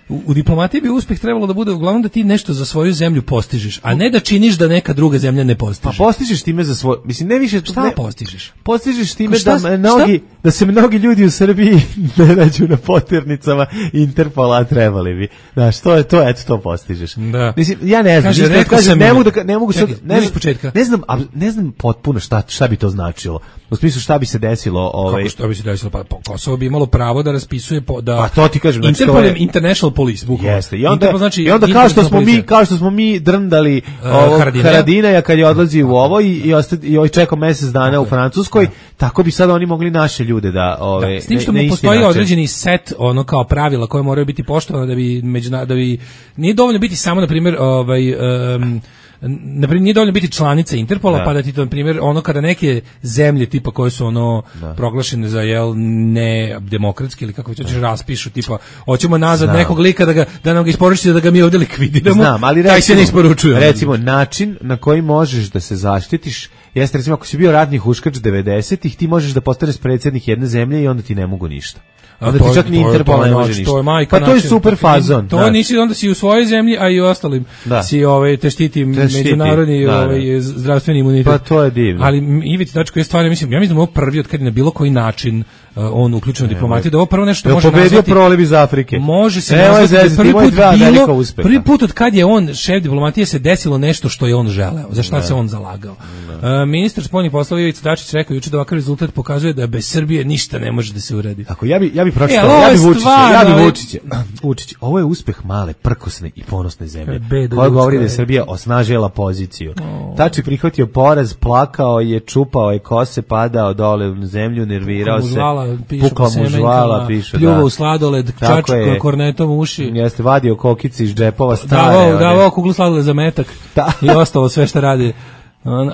[SPEAKER 6] u, u diplomatiji bi uspeh trebalo da bude uglavnom da ti nešto za svoju zemlju postižeš, a ne da činiš da neka druga zemlja ne postiže.
[SPEAKER 5] Pa postižeš time za svoj, mislim ne više
[SPEAKER 6] šta
[SPEAKER 5] ne,
[SPEAKER 6] postižeš?
[SPEAKER 5] Postižeš time šta, da mnogi šta? Da se mnogi ljudi u Srbiji ne nađu na poternicama Interpola, a trebali bi. Znaš, to je to, eto to postižeš.
[SPEAKER 6] Da.
[SPEAKER 5] Mislim, ja ne znam,
[SPEAKER 6] Kaže,
[SPEAKER 5] kažem, kažem, ne mogu da ne mogu
[SPEAKER 6] sad,
[SPEAKER 5] ne,
[SPEAKER 6] ne, početka.
[SPEAKER 5] ne znam, ne znam potpuno šta šta bi to značilo. U smislu šta bi se desilo, ovaj
[SPEAKER 6] kako što bi se desilo, pa Kosovo bi imalo pravo da raspisuje po, da
[SPEAKER 5] pa to ti kažem, znači
[SPEAKER 6] Interpol je International Police book.
[SPEAKER 5] Jeste. I onda
[SPEAKER 6] Interpol znači
[SPEAKER 5] i onda kao što smo mi kao što smo mi drndali
[SPEAKER 6] uh,
[SPEAKER 5] ovo
[SPEAKER 6] Haradinaja.
[SPEAKER 5] Haradinaja kad je odlazi u ovo i i osta, i ovaj čekao mjesec dana u Francuskoj, da. Tako bi sad oni mogli naše ljude da ovaj
[SPEAKER 6] da, s tim što mu postoji način. Određeni set ono kao pravila koje moraju biti poštovane da bi međuna, da bi nije dovoljno biti samo na primjer ovaj um, na primjer nije dovoljno biti članica Interpola, da. Pa da ti to na primjer ono kada neke zemlje tipa koje su ono da. Proglašene za jel ne demokratski ili kako hoćeš raspišu tipa hoćemo nazad Znam. Nekog lika da ga da nam ga isporučite da ga mi ovdje likvidiramo.
[SPEAKER 5] Znam, ali
[SPEAKER 6] taj se ne isporučuje.
[SPEAKER 5] Recimo način na koji možeš da se zaštitiš jeste recimo ako si bio ratni huškač devedesetih ti možeš da postaneš predsjednik jedne zemlje i onda ti ne mogu ništa. Onda ti čak ni Interpol ne može ništa. Pa to je super fazon.
[SPEAKER 6] To nisi onda si u svojoj zemlji, a i u ostalim da. Si ovaj te štiti međunarodni da, ovaj da. Zdravstveni imunitet.
[SPEAKER 5] Pa to je divno.
[SPEAKER 6] Ali Ivica Dačić je stvarno mislim, ja mislim da ovo prvi od kad je na bilo koji način uh, on uključen u diplomatiju, da ovo prvo nešto može nazvati.
[SPEAKER 5] Pobedio proliv iz Afrike.
[SPEAKER 6] Može se nazvati prvi put bilo, prvi put od kad je on šef diplomatije se desilo nešto što je on želeo, za šta se on zalagao. Uh, ministar spoljnih poslova Ivica Dačić rekao juče da ovakav rezultat pokazuje da bez Srbije ništa ne može da se uradi.
[SPEAKER 5] Tako ja bi ja bi pročitao, ja bi Vučića, ja bi Vučića. Vučić, ovo je uspeh male, prkosne i ponosne zemlje. Koja govori da je Srbija osnažila poziciju. Oh. Tači prihvatio poraz, plakao je, čupao je kose, padao dole u zemlju, nervirao se. Pukla mu žvala, piše.
[SPEAKER 6] Pljuvao u sladoled, čačko kornetom u uši.
[SPEAKER 5] Jeste vadio kokice iz džepova stare.
[SPEAKER 6] Davao, davao kuglu sladoled za metak i ostalo sve što radi.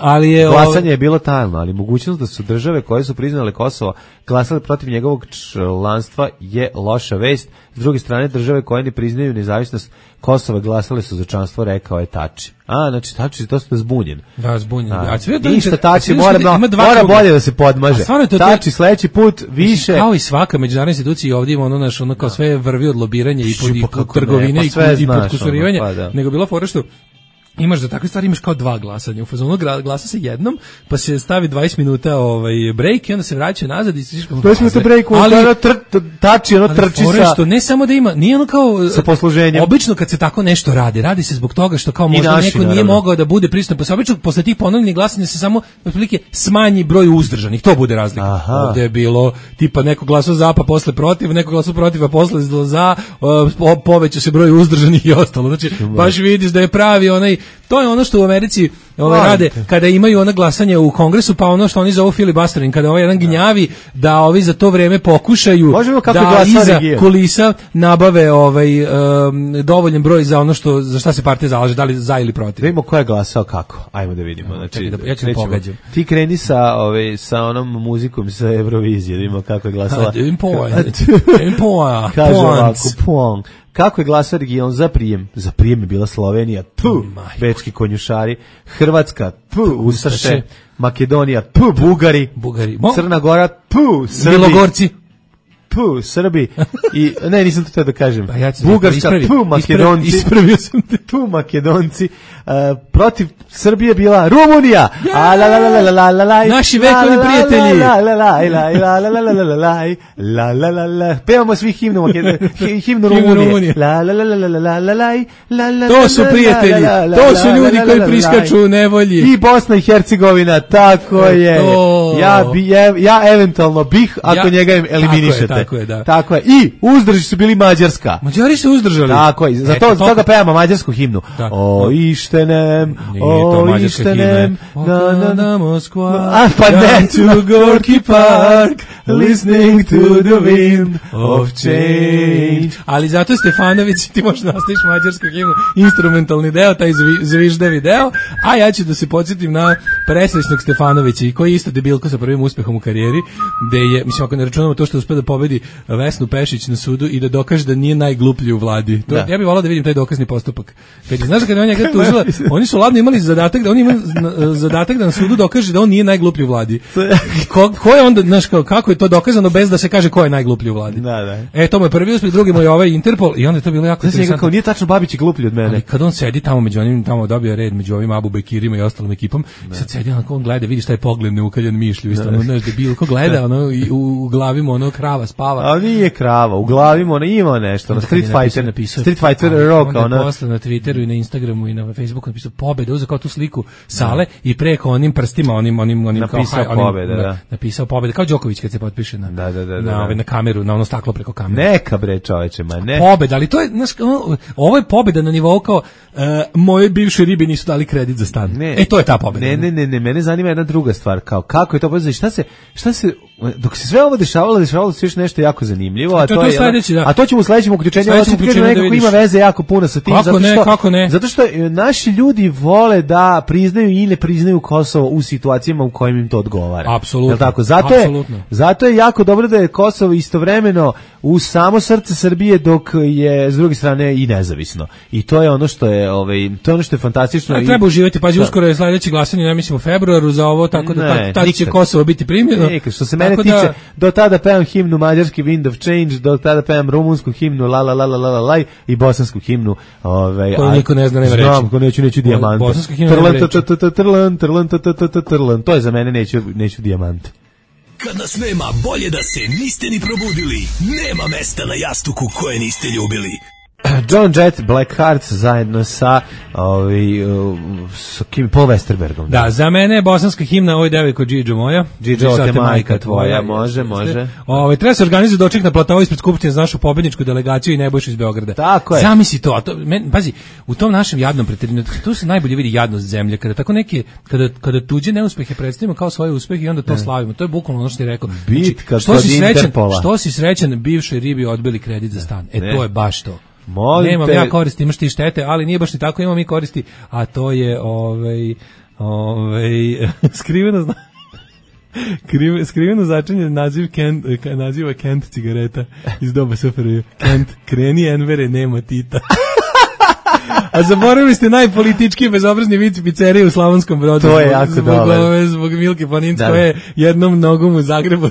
[SPEAKER 6] Ali je
[SPEAKER 5] glasanje je bilo tajno, ali mogućnost da su države koje su priznale Kosovo glasale protiv njegovog članstva je loša vest. S druge strane, države koje ne priznaju nezavisnost Kosova glasale su za članstvo, rekao je Tači. A, znači Tači je dosta zbunjen.
[SPEAKER 6] Da, zbunjen. A,
[SPEAKER 5] a sve ništa Tači mora, no, mora bolje da se podmaže. To Tači sledeći put više.
[SPEAKER 6] Kao i svaka međunarodna institucija ovdje ima ono naš ono kao sve vrvi od lobiranja i pod trgovine i, i podkusurivanja. Pa, nego bilo fora što imaš da takve stvari imaš kao dva glasanja. U fazonu glasa se jednom, pa se stavi dvadeset minuta ovaj break i onda se vraća nazad i se tiška.
[SPEAKER 5] dvadeset minuta break, ali ono tači, ono trči sa.
[SPEAKER 6] Što ne samo da ima, nije ono kao
[SPEAKER 5] sa posluženjem.
[SPEAKER 6] Obično kad se tako nešto radi, radi se zbog toga što kao možda naši, neko nije naravno. mogao da bude prisutan, pa se obično posle tih ponovljenih glasanja se samo otprilike smanji broj uzdržanih. To bude razlika.
[SPEAKER 5] Aha.
[SPEAKER 6] Ovde je bilo tipa neko glasao za, pa posle protiv, neko glasao protiv, pa posle za, poveća se broj uzdržanih i ostalo. Znači baš vidiš da je pravi onaj. To je ono što u Americi ove rade kada imaju ona glasanje u Kongresu, pa ono što oni zovu filibustering, kada ovaj jedan gnjavi da ovi za to vreme pokušaju da iza kulisa nabave ovaj um, dovoljan broj za ono što za šta se partija zalaže, da li za ili protiv.
[SPEAKER 5] Vidimo ko je glasao kako. Ajmo da vidimo. Znači,
[SPEAKER 6] da, ja ću pogađam.
[SPEAKER 5] Ti kreni sa ovaj sa onom muzikom sa Eurovizije, da vidimo kako je glasala. Kaže ovako, pong. Kako je glasao region za prijem? Za prijem je bila Slovenija, tu, bečki konjušari, Hrvatska, tu, Ustaše, Makedonija, tu, Bugari,
[SPEAKER 6] Bugari.
[SPEAKER 5] Crna Gora, tu, Srbi,
[SPEAKER 6] Milogorci,
[SPEAKER 5] tu, Srbi, i, ne, nisam to teo da kažem,
[SPEAKER 6] pa ja
[SPEAKER 5] Bugarska, tu, Makedonci,
[SPEAKER 6] ispravio sam te.
[SPEAKER 5] Tu, Makedonci, uh, protiv Srbije bila Rumunija, a la la la la la la la,
[SPEAKER 6] naši vekovni prijatelji,
[SPEAKER 5] la la la la la la la la la la la la la la, pevamo svi himnu Makedonije, himnu Rumunije, la la la la la la la la la,
[SPEAKER 6] to su prijatelji, to su ljudi koji priskaču u nevolji,
[SPEAKER 5] i Bosna i Hercegovina, tako je, ja bi, ja eventualno bih, ako njega eliminišete.
[SPEAKER 6] Tako je, da.
[SPEAKER 5] Tako je. I uzdrži su bili Mađarska.
[SPEAKER 6] Mađari su uzdržali.
[SPEAKER 5] Tako je. Zato to toga pevamo mađarsku himnu. Da. O ištenem, o ištenem, na na na Moskva. A pa ne
[SPEAKER 6] to Gorki Park, listening to the wind of change. Ali zato Stefanović ti možeš nastaviš mađarsku himnu, instrumentalni deo, taj zviždevi deo, a ja ću da se podsjetim na presrećnog Stefanovića, koji je isto debilko sa prvim uspehom u karijeri, gde je, mislim, ako ne računamo to što je uspeo da pobedi Vesnu Pešić na sudu i da dokaže da nije najgluplji u vladi. To, ja bih volao da vidim taj dokazni postupak. Kad je, znaš da kada on njega tužila, oni su ladno imali zadatak da on ima zadatak da na sudu dokaže da on nije najgluplji u vladi. Ko, ko je onda, znaš, kako je to dokazano bez da se kaže ko je najgluplji u vladi?
[SPEAKER 5] Da, da.
[SPEAKER 6] E, to mu je prvi uspeh, drugi mu je ovaj Interpol i onda je to bilo jako
[SPEAKER 5] interesantno. Znači, kao nije tačno Babić je gluplji od mene.
[SPEAKER 6] Ali kad on sedi tamo među onim, tamo dobio red među ovim Abu Bekirima i ostalom ekipom, sad sedi onako, on gleda, vidiš taj pogled neukaljan mišlju, isto, ono, znaš, debilko gleda, ono, i u, u glavi mu ono krava spava.
[SPEAKER 5] A nije krava, u glavi mu ono ima nešto, ono, Street Fighter, napisao, Street Fighter Rock, ono.
[SPEAKER 6] Onda je posle na Twitteru i na Instagramu i na Facebooku napisao pobeda, uzeo kao tu sliku sale i preko onim prstima, onim, onim, onim,
[SPEAKER 5] napisao
[SPEAKER 6] kao,
[SPEAKER 5] pobeda,
[SPEAKER 6] onim,
[SPEAKER 5] da.
[SPEAKER 6] Napisao pobeda, kao Đoković kad se potpiše na,
[SPEAKER 5] da, da, da, da,
[SPEAKER 6] na, ove, na kameru, na ono staklo preko kamere.
[SPEAKER 5] Neka bre čoveče, ma ne.
[SPEAKER 6] Pobeda, ali to je, znaš, ovo je pobeda na nivou kao, uh, moje bivše ribe nisu dali kredit za stan. Ne. E, to je ta pobeda.
[SPEAKER 5] Ne, ne, ne, ne, mene zanima jedna druga stvar, kao kako je to pobeda, šta se, šta se, dok se sve ovo dešavalo, dešavalo se još nešto jako zanimljivo, a, a to, to je,
[SPEAKER 6] sledeći, da.
[SPEAKER 5] A to ćemo u sledećem uključenju, ovo ćemo da nekako ima veze jako puno sa tim,
[SPEAKER 6] kako
[SPEAKER 5] zato
[SPEAKER 6] ne,
[SPEAKER 5] što,
[SPEAKER 6] kako ne?
[SPEAKER 5] zato što naši ljudi vole da priznaju i ne priznaju Kosovo u situacijama u kojim im to odgovara.
[SPEAKER 6] Apsolutno.
[SPEAKER 5] Jel tako? Zato
[SPEAKER 6] Apsolutno.
[SPEAKER 5] je, zato je jako dobro da je Kosovo istovremeno u samo srce Srbije, dok je s druge strane i nezavisno. I to je ono što je, ovaj, to je ono što je fantastično.
[SPEAKER 6] A, treba uživati, pazi, uskoro je sledeće glasanje, ja mislim u februaru za ovo, tako da ne, tada će Kosovo biti primljeno.
[SPEAKER 5] Nikad, što se mene tiče, da, do tada pevam himnu mađarski Wind of Change, do tada pevam rumunsku himnu la la la la la la i bosansku himnu, ovaj,
[SPEAKER 6] koju niko ne zna, nema reći.
[SPEAKER 5] Znam, ko neću, neću dijamante.
[SPEAKER 6] Bosanska himna nema reći.
[SPEAKER 5] Trlan, trlan, trlan, to je za mene, neću, neću dijamante.
[SPEAKER 8] Kad nas nema, bolje da se niste ni probudili. Nema mesta na jastuku koje niste ljubili.
[SPEAKER 5] John Jett, Black Hearts zajedno sa ovaj uh, sa Kim Paul Westerbergom.
[SPEAKER 6] Da, za mene je bosanska himna Oj devojko Džidžo moja.
[SPEAKER 5] Džidžo te majka tvoja, može, može.
[SPEAKER 6] Ovaj treba se organizuje doček na platovu ispred skupštine za našu pobedničku delegaciju i Nebojšu iz Beograda.
[SPEAKER 5] Tako je.
[SPEAKER 6] Zamisli to, a to men, pazi, u tom našem jadnom preterenju, tu se najbolje vidi jadnost zemlje, kada tako neke kada kada tuđe neuspehe predstavimo kao svoje uspehe i onda to ne. slavimo. To je bukvalno ono što ti rekao.
[SPEAKER 5] Bitka
[SPEAKER 6] što si srećan, što si srećan bivšoj ribi odbili kredit za stan. E ne. To je baš to.
[SPEAKER 5] Molim
[SPEAKER 6] Nemam
[SPEAKER 5] te.
[SPEAKER 6] ja koristi, imaš ti štete, ali nije baš ni tako, imamo mi koristi, a to je ovaj ovaj skriveno zna skriveno značenje naziv Kent, naziva Kent cigareta iz doba S F R J. Kent, kreni Envere, nema Tita. A zaboravili ste najpolitički bezobrazni vic pizzerije u Slavonskom Brodu.
[SPEAKER 5] To je jako
[SPEAKER 6] zbog,
[SPEAKER 5] dobro.
[SPEAKER 6] Zbog, zbog Milke Planinc koja je jednom nogom u Zagrebu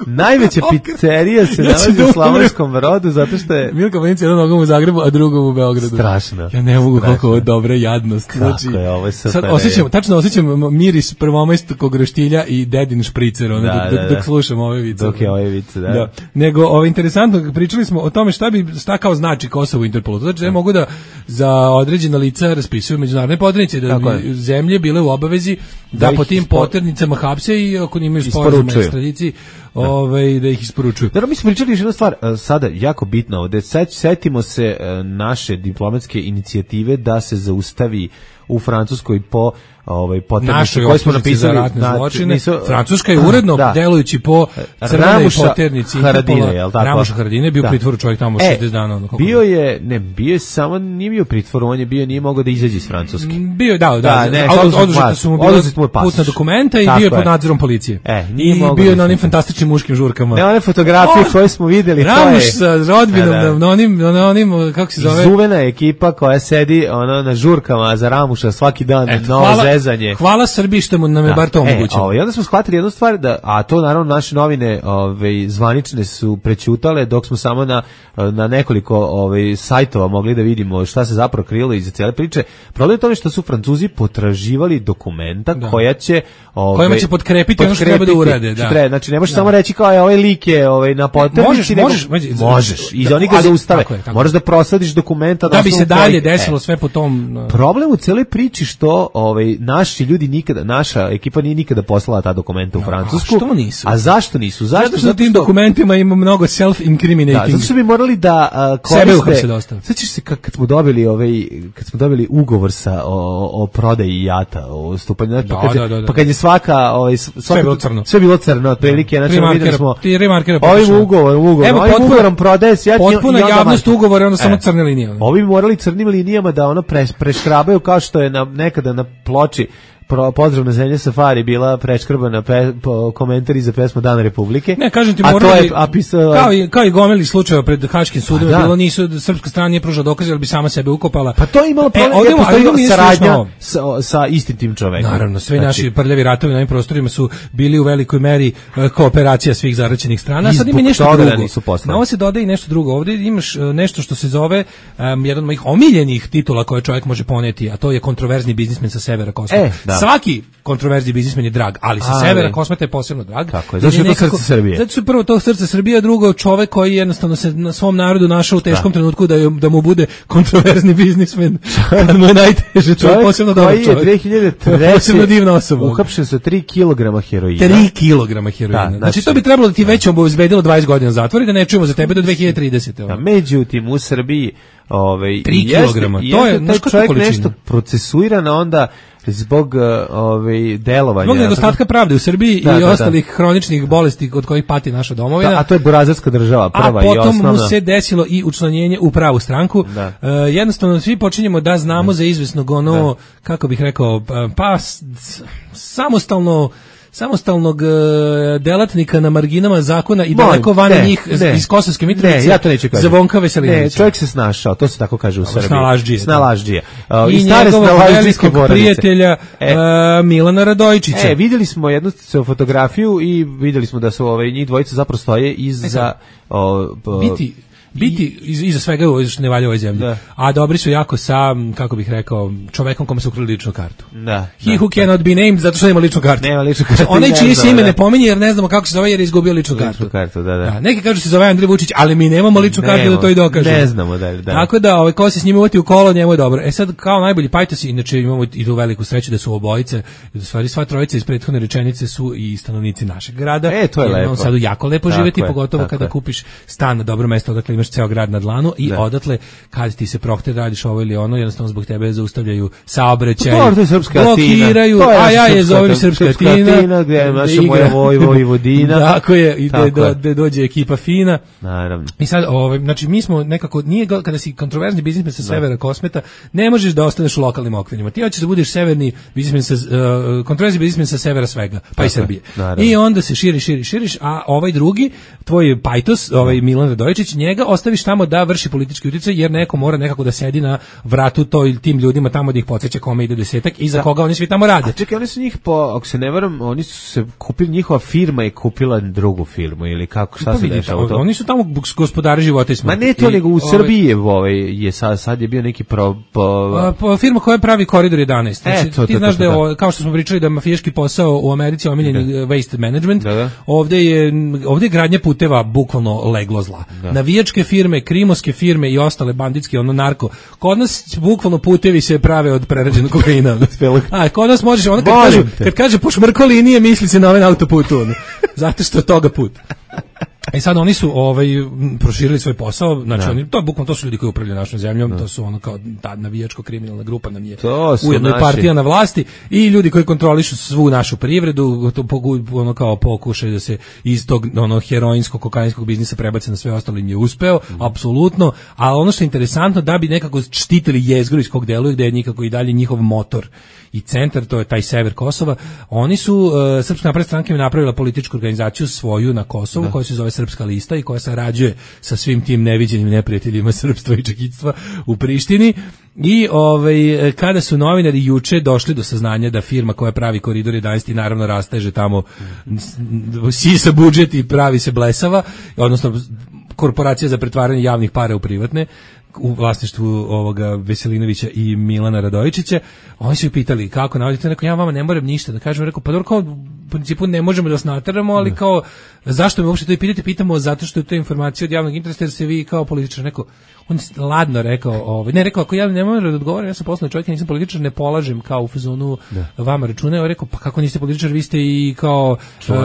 [SPEAKER 5] Najveća pizzerija se
[SPEAKER 6] Ja ću
[SPEAKER 5] nalazi
[SPEAKER 6] da
[SPEAKER 5] u Slavonskom Brodu zato što je
[SPEAKER 6] Milka Vanica jednom nogom u Zagrebu, a drugom u Beogradu.
[SPEAKER 5] strašno.
[SPEAKER 6] Ja ne mogu
[SPEAKER 5] Strašno.
[SPEAKER 6] koliko ovo dobra jadnost.
[SPEAKER 5] Kako
[SPEAKER 6] Znači,
[SPEAKER 5] je, ovo je super.
[SPEAKER 6] sad osjećam, tačno osjećam miris prvomajskog roštilja i dedin špricer, ono,
[SPEAKER 5] Da,
[SPEAKER 6] dok,
[SPEAKER 5] da,
[SPEAKER 6] dok,
[SPEAKER 5] da.
[SPEAKER 6] dok slušam ove vice.
[SPEAKER 5] Dok je ove vice, da.
[SPEAKER 6] Da. Nego, ovo interesantno, pričali smo o tome šta bi šta kao znači Kosovo u Interpolu. Znači, da mogu da za određena lica raspisuju međunarodne poternice, da bi zemlje bile u obavezi da, da po tim poternicama hapse i ako imaju sporazum o ekstradiciji, ovaj, da ih isporučuju.
[SPEAKER 5] Da, mi smo pričali još jednu stvar, sada jako bitno ovde, setimo se naše diplomatske inicijative da se zaustavi u Francuskoj po ovaj poternici koje smo napisali
[SPEAKER 6] za ratne
[SPEAKER 5] na,
[SPEAKER 6] zločine.
[SPEAKER 5] Nisu,
[SPEAKER 6] Francuska je uredno da. delujući po crvenoj poternici
[SPEAKER 5] Haradine, je l' tako?
[SPEAKER 6] Ramuša Haradine bio da. pritvoru čovjek tamo
[SPEAKER 5] e,
[SPEAKER 6] šezdeset dana. Ono,
[SPEAKER 5] bio je, ne, bio je samo, nije bio pritvoru, on je bio, nije mogao da izađe iz Francuske.
[SPEAKER 6] Bio, da, da,
[SPEAKER 5] da ne,
[SPEAKER 6] oduzeta su mu bila putna dokumenta i bio je pod nadzorom policije.
[SPEAKER 5] E,
[SPEAKER 6] I bio je na onim fantastičnim muškim žurkama.
[SPEAKER 5] Ne, one fotografije koje smo videli,
[SPEAKER 6] Ramuš sa rodbinom, na onim, na onim, kako se zove?
[SPEAKER 5] Zuvena ekipa koja sedi ono na žurkama za Ramuša svaki dan, novo zezanje.
[SPEAKER 6] Hvala Srbiji što mu nam je da. bar to omogućilo.
[SPEAKER 5] E, I onda smo shvatili jednu stvar, da, a to naravno naše novine ove, zvanične su prećutale, dok smo samo na, na nekoliko ove, sajtova mogli da vidimo šta se zapravo krilo iza cijele priče. Problem je tome što su Francuzi potraživali dokumenta da. koja će ove,
[SPEAKER 6] kojima će potkrepiti ono što treba da urade. Da.
[SPEAKER 5] Treba, znači ne možeš da. samo reći kao je ovaj lik je ovaj, na poternici.
[SPEAKER 6] Možeš,
[SPEAKER 5] možeš,
[SPEAKER 6] nego,
[SPEAKER 5] možeš. I oni ga zaustave. Moraš da prosadiš dokumenta.
[SPEAKER 6] Da bi se dalje desilo sve po tom.
[SPEAKER 5] Problem u celoj priči što ovaj, naši ljudi nikada, naša ekipa nije nikada poslala ta dokumenta u no, Francusku.
[SPEAKER 6] A što nisu?
[SPEAKER 5] A zašto nisu? Zašto?
[SPEAKER 6] Zato što u tim dokumentima ima mnogo self-incriminating.
[SPEAKER 5] Da, zato što bi morali da uh, koriste.
[SPEAKER 6] Sebe uhapse dosta.
[SPEAKER 5] Sećaš se kad, kad smo dobili ovaj, kad smo dobili ugovor sa o, o prodaji jata, o stupanju, da, pa, kad, da, da, da. pa kad je svaka, ovaj, svaka
[SPEAKER 6] sve bilo crno.
[SPEAKER 5] Sve bilo crno, otprilike, znači videli smo.
[SPEAKER 6] Ti remarkera
[SPEAKER 5] ovim ugovorom, ugovorom, ovim ugovorom prodaje se ja.
[SPEAKER 6] Potpuna javnost ugovora, ono samo crne linije.
[SPEAKER 5] Ovi morali crnim linijama da ono pre, preškrabaju kao što je na, nekada na ploči Pro, pozdrav na zemlje Safari bila preškrbana pe, po, komentari za pesmu Dana Republike.
[SPEAKER 6] Ne, kažem ti,
[SPEAKER 5] a
[SPEAKER 6] morali,
[SPEAKER 5] to je, a pisala,
[SPEAKER 6] kao, i, kao i gomili slučajeva pred Haškim sudom, da. bilo nisu, srpska strana nije pružala dokaze, ali bi sama sebe ukopala.
[SPEAKER 5] Pa to je imalo problem, e, ovdje, je postoji saradnja sa, sa istim tim čovekom.
[SPEAKER 6] Naravno, sve znači, naši prljavi ratovi na ovim prostorima su bili u velikoj meri uh, kooperacija svih zaraćenih strana, a sad ima nešto drugo. Da na ovo se dodaje i nešto drugo. Ovdje imaš uh, nešto što se zove um, jedan od mojih omiljenih titula koje čovjek može poneti, a to je kontroverzni biznismen sa severa Kosova. E, da. Svaki kontroverzni biznismen je drag, ali sa ali, severa Kosmeta je posebno drag.
[SPEAKER 5] Tako je, zato je to srce Srbije.
[SPEAKER 6] Zato su prvo to srce Srbije, a drugo čovek koji jednostavno se na svom narodu našao u teškom da. trenutku da, da mu bude kontroverzni biznismen. Kad mu je najteže, to je posebno dobar čovek.
[SPEAKER 5] Koji je dve hiljade treće
[SPEAKER 6] posebno divna osoba.
[SPEAKER 5] Uhapšen sa tri kilograma heroina.
[SPEAKER 6] tri kilograma heroina. Da, znači, znači to bi trebalo da ti već obezbedilo dvadeset godina zatvora i da ne čujemo za tebe do dve hiljade tridesete.
[SPEAKER 5] Da, međutim, u Srbiji ovaj,
[SPEAKER 6] tri kilograma, to je
[SPEAKER 5] taj čovjek nešto procesuiran, onda zbog ovaj delovanja
[SPEAKER 6] zbog nedostatka pravde u Srbiji da, i da, ostalih da. hroničnih bolesti od kojih pati naša domovina.
[SPEAKER 5] Da, a to je burazerska država prva i osnovna.
[SPEAKER 6] A potom mu se desilo i učlanjenje u pravu stranku. Uh, jednostavno svi počinjemo da znamo da. za izvesnog ono da. kako bih rekao pa samostalno samostalnog uh, delatnika na marginama zakona i daleko van njih ne, iz Kosovske Mitrovice.
[SPEAKER 5] Ne, ja to neću kažem.
[SPEAKER 6] Zvonka Veselinovića.
[SPEAKER 5] Ne, čovjek se snašao, to se tako kaže u Srbiji.
[SPEAKER 6] Snalaždžije.
[SPEAKER 5] Snalaždžije. Uh,
[SPEAKER 6] I, I njegovog velikog prijatelja e, uh, Milana Radojičića.
[SPEAKER 5] E, vidjeli smo jednu fotografiju i vidjeli smo da su ovaj, njih dvojica zapravo stoje iza... O,
[SPEAKER 6] o, biti... Biti iza svega što ne valja u ovoj zemlji. Da. A dobri su jako sa, kako bih rekao, čovekom kome su ukrali ličnu kartu.
[SPEAKER 5] Da.
[SPEAKER 6] He
[SPEAKER 5] da,
[SPEAKER 6] who cannot be named zato što nema ličnu kartu.
[SPEAKER 5] Nema ličnu kartu.
[SPEAKER 6] Onaj čije se ime ne pominje jer ne znamo kako se zove jer je izgubio ličnu kartu.
[SPEAKER 5] Ličnu kartu, da, da.
[SPEAKER 6] da neki kažu se zove Andrej Vučić, ali mi nemamo ličnu Nemo, kartu da to i dokažemo.
[SPEAKER 5] Ne znamo da, da.
[SPEAKER 6] Tako da, ovaj ko se s njim uvati u kolo, njemu je dobro. E sad kao najbolji pajtosi, inače imamo i tu veliku sreću da su obojice, da stvari sva trojica iz prethodne rečenice su i stanovnici našeg grada.
[SPEAKER 5] E, to je lepo.
[SPEAKER 6] Sad jako lepo živeti, pogotovo kada kupiš stan na dobro mesto, odakle imaš ceo grad na dlanu. I da. odatle kad ti se prohte radiš ovo ili ono, jednostavno zbog tebe zaustavljaju saobraćaj, blokiraju, a ja je zovem Srpska Tina,
[SPEAKER 5] gde je naša moja Vojvodina.
[SPEAKER 6] Tako je, i gde dođe ekipa fina.
[SPEAKER 5] Naravno.
[SPEAKER 6] I sad, ovaj, znači mi smo nekako, nije kada si kontroverzni biznismen sa severa Kosmeta, ne možeš da ostaneš u lokalnim okvirima. Ti hoćeš da budeš severni biznismen sa, uh, kontroverzni biznismen sa severa svega, pa tako i Srbije. Naravno. I onda se širi, širi, širiš, a ovaj drugi, tvoj pajtos, ovaj Milan Radojičić, njega ostaviš tamo da vrši politički uticaj, jer neko mora nekako da sedi na vratu to ili tim ljudima tamo da ih podseća kome ide desetak i za da. Koga oni svi tamo rade.
[SPEAKER 5] A čekaj, oni su njih, po, ako se ne varam, oni su se kupili, njihova firma je kupila drugu firmu ili kako, šta pa se dešava to?
[SPEAKER 6] Oni su tamo gospodari života i smrti.
[SPEAKER 5] Ma ne to, nego u Srbiji je, ovaj, je sad, sad je bio neki pro... Po...
[SPEAKER 6] A, po, firma koja pravi Koridor jedanaest. Znači, e, to, ti to, znaš to, to, da je, kao što smo pričali da mafijaški posao u Americi omiljeni da. Waste management, da, da. Ovde je ovde je gradnja puteva bukvalno leglo zla. Da. Navijačke firme, krimoske firme i ostale banditske, ono narko. Kod nas bukvalno putevi se prave od prerađenog kokaina. A kod nas možeš, ono kad kaže, kad kaže pošmrko linije, misli se na ovaj autoputu. Ono. Zato što je toga put. E sad oni su ovaj proširili svoj posao, znači oni to bukvalno to su ljudi koji upravljaju našom zemljom, no. To su ono kao ta navijačko kriminalna grupa nam je ujedno i partija na vlasti i ljudi koji kontrolišu svu našu privredu, to ono kao pokušaj da se iz tog ono heroinskog kokainskog biznisa prebace na sve ostalo im je uspeo, mm. apsolutno, a ono što je interesantno da bi nekako štitili jezgru iz kog deluju, gde je nikako i dalje njihov motor i centar, to je taj sever Kosova. Oni su uh, Srpska napredna stranka je napravila političku organizaciju svoju na Kosovu, da. Koja se zove Srpska lista i koja sarađuje sa svim tim neviđenim neprijateljima srpstva i čekitstva u Prištini. I ovaj kada su novinari juče došli do saznanja da firma koja pravi Koridor jedanaest i naravno rasteže tamo sisa budžet i pravi se blesava, odnosno korporacija za pretvaranje javnih para u privatne, u vlasništvu ovoga Veselinovića i Milana Radojičića, oni su ih pitali kako navodite, neko ja vama ne moram ništa da kažem, rekao pa dobro, kao u principu ne možemo da vas nateramo, ali ne. Kao zašto me uopšte to i pitate, pitamo zato što je to informacija od javnog interesa jer se vi kao političar, neko on je ladno rekao, ovaj ne rekao ako ja ne moram da odgovorim, ja sam poslovni čovjek, nisam političar, ne polažem kao u fazonu vama račune, on rekao pa kako niste političar, vi ste i kao uh,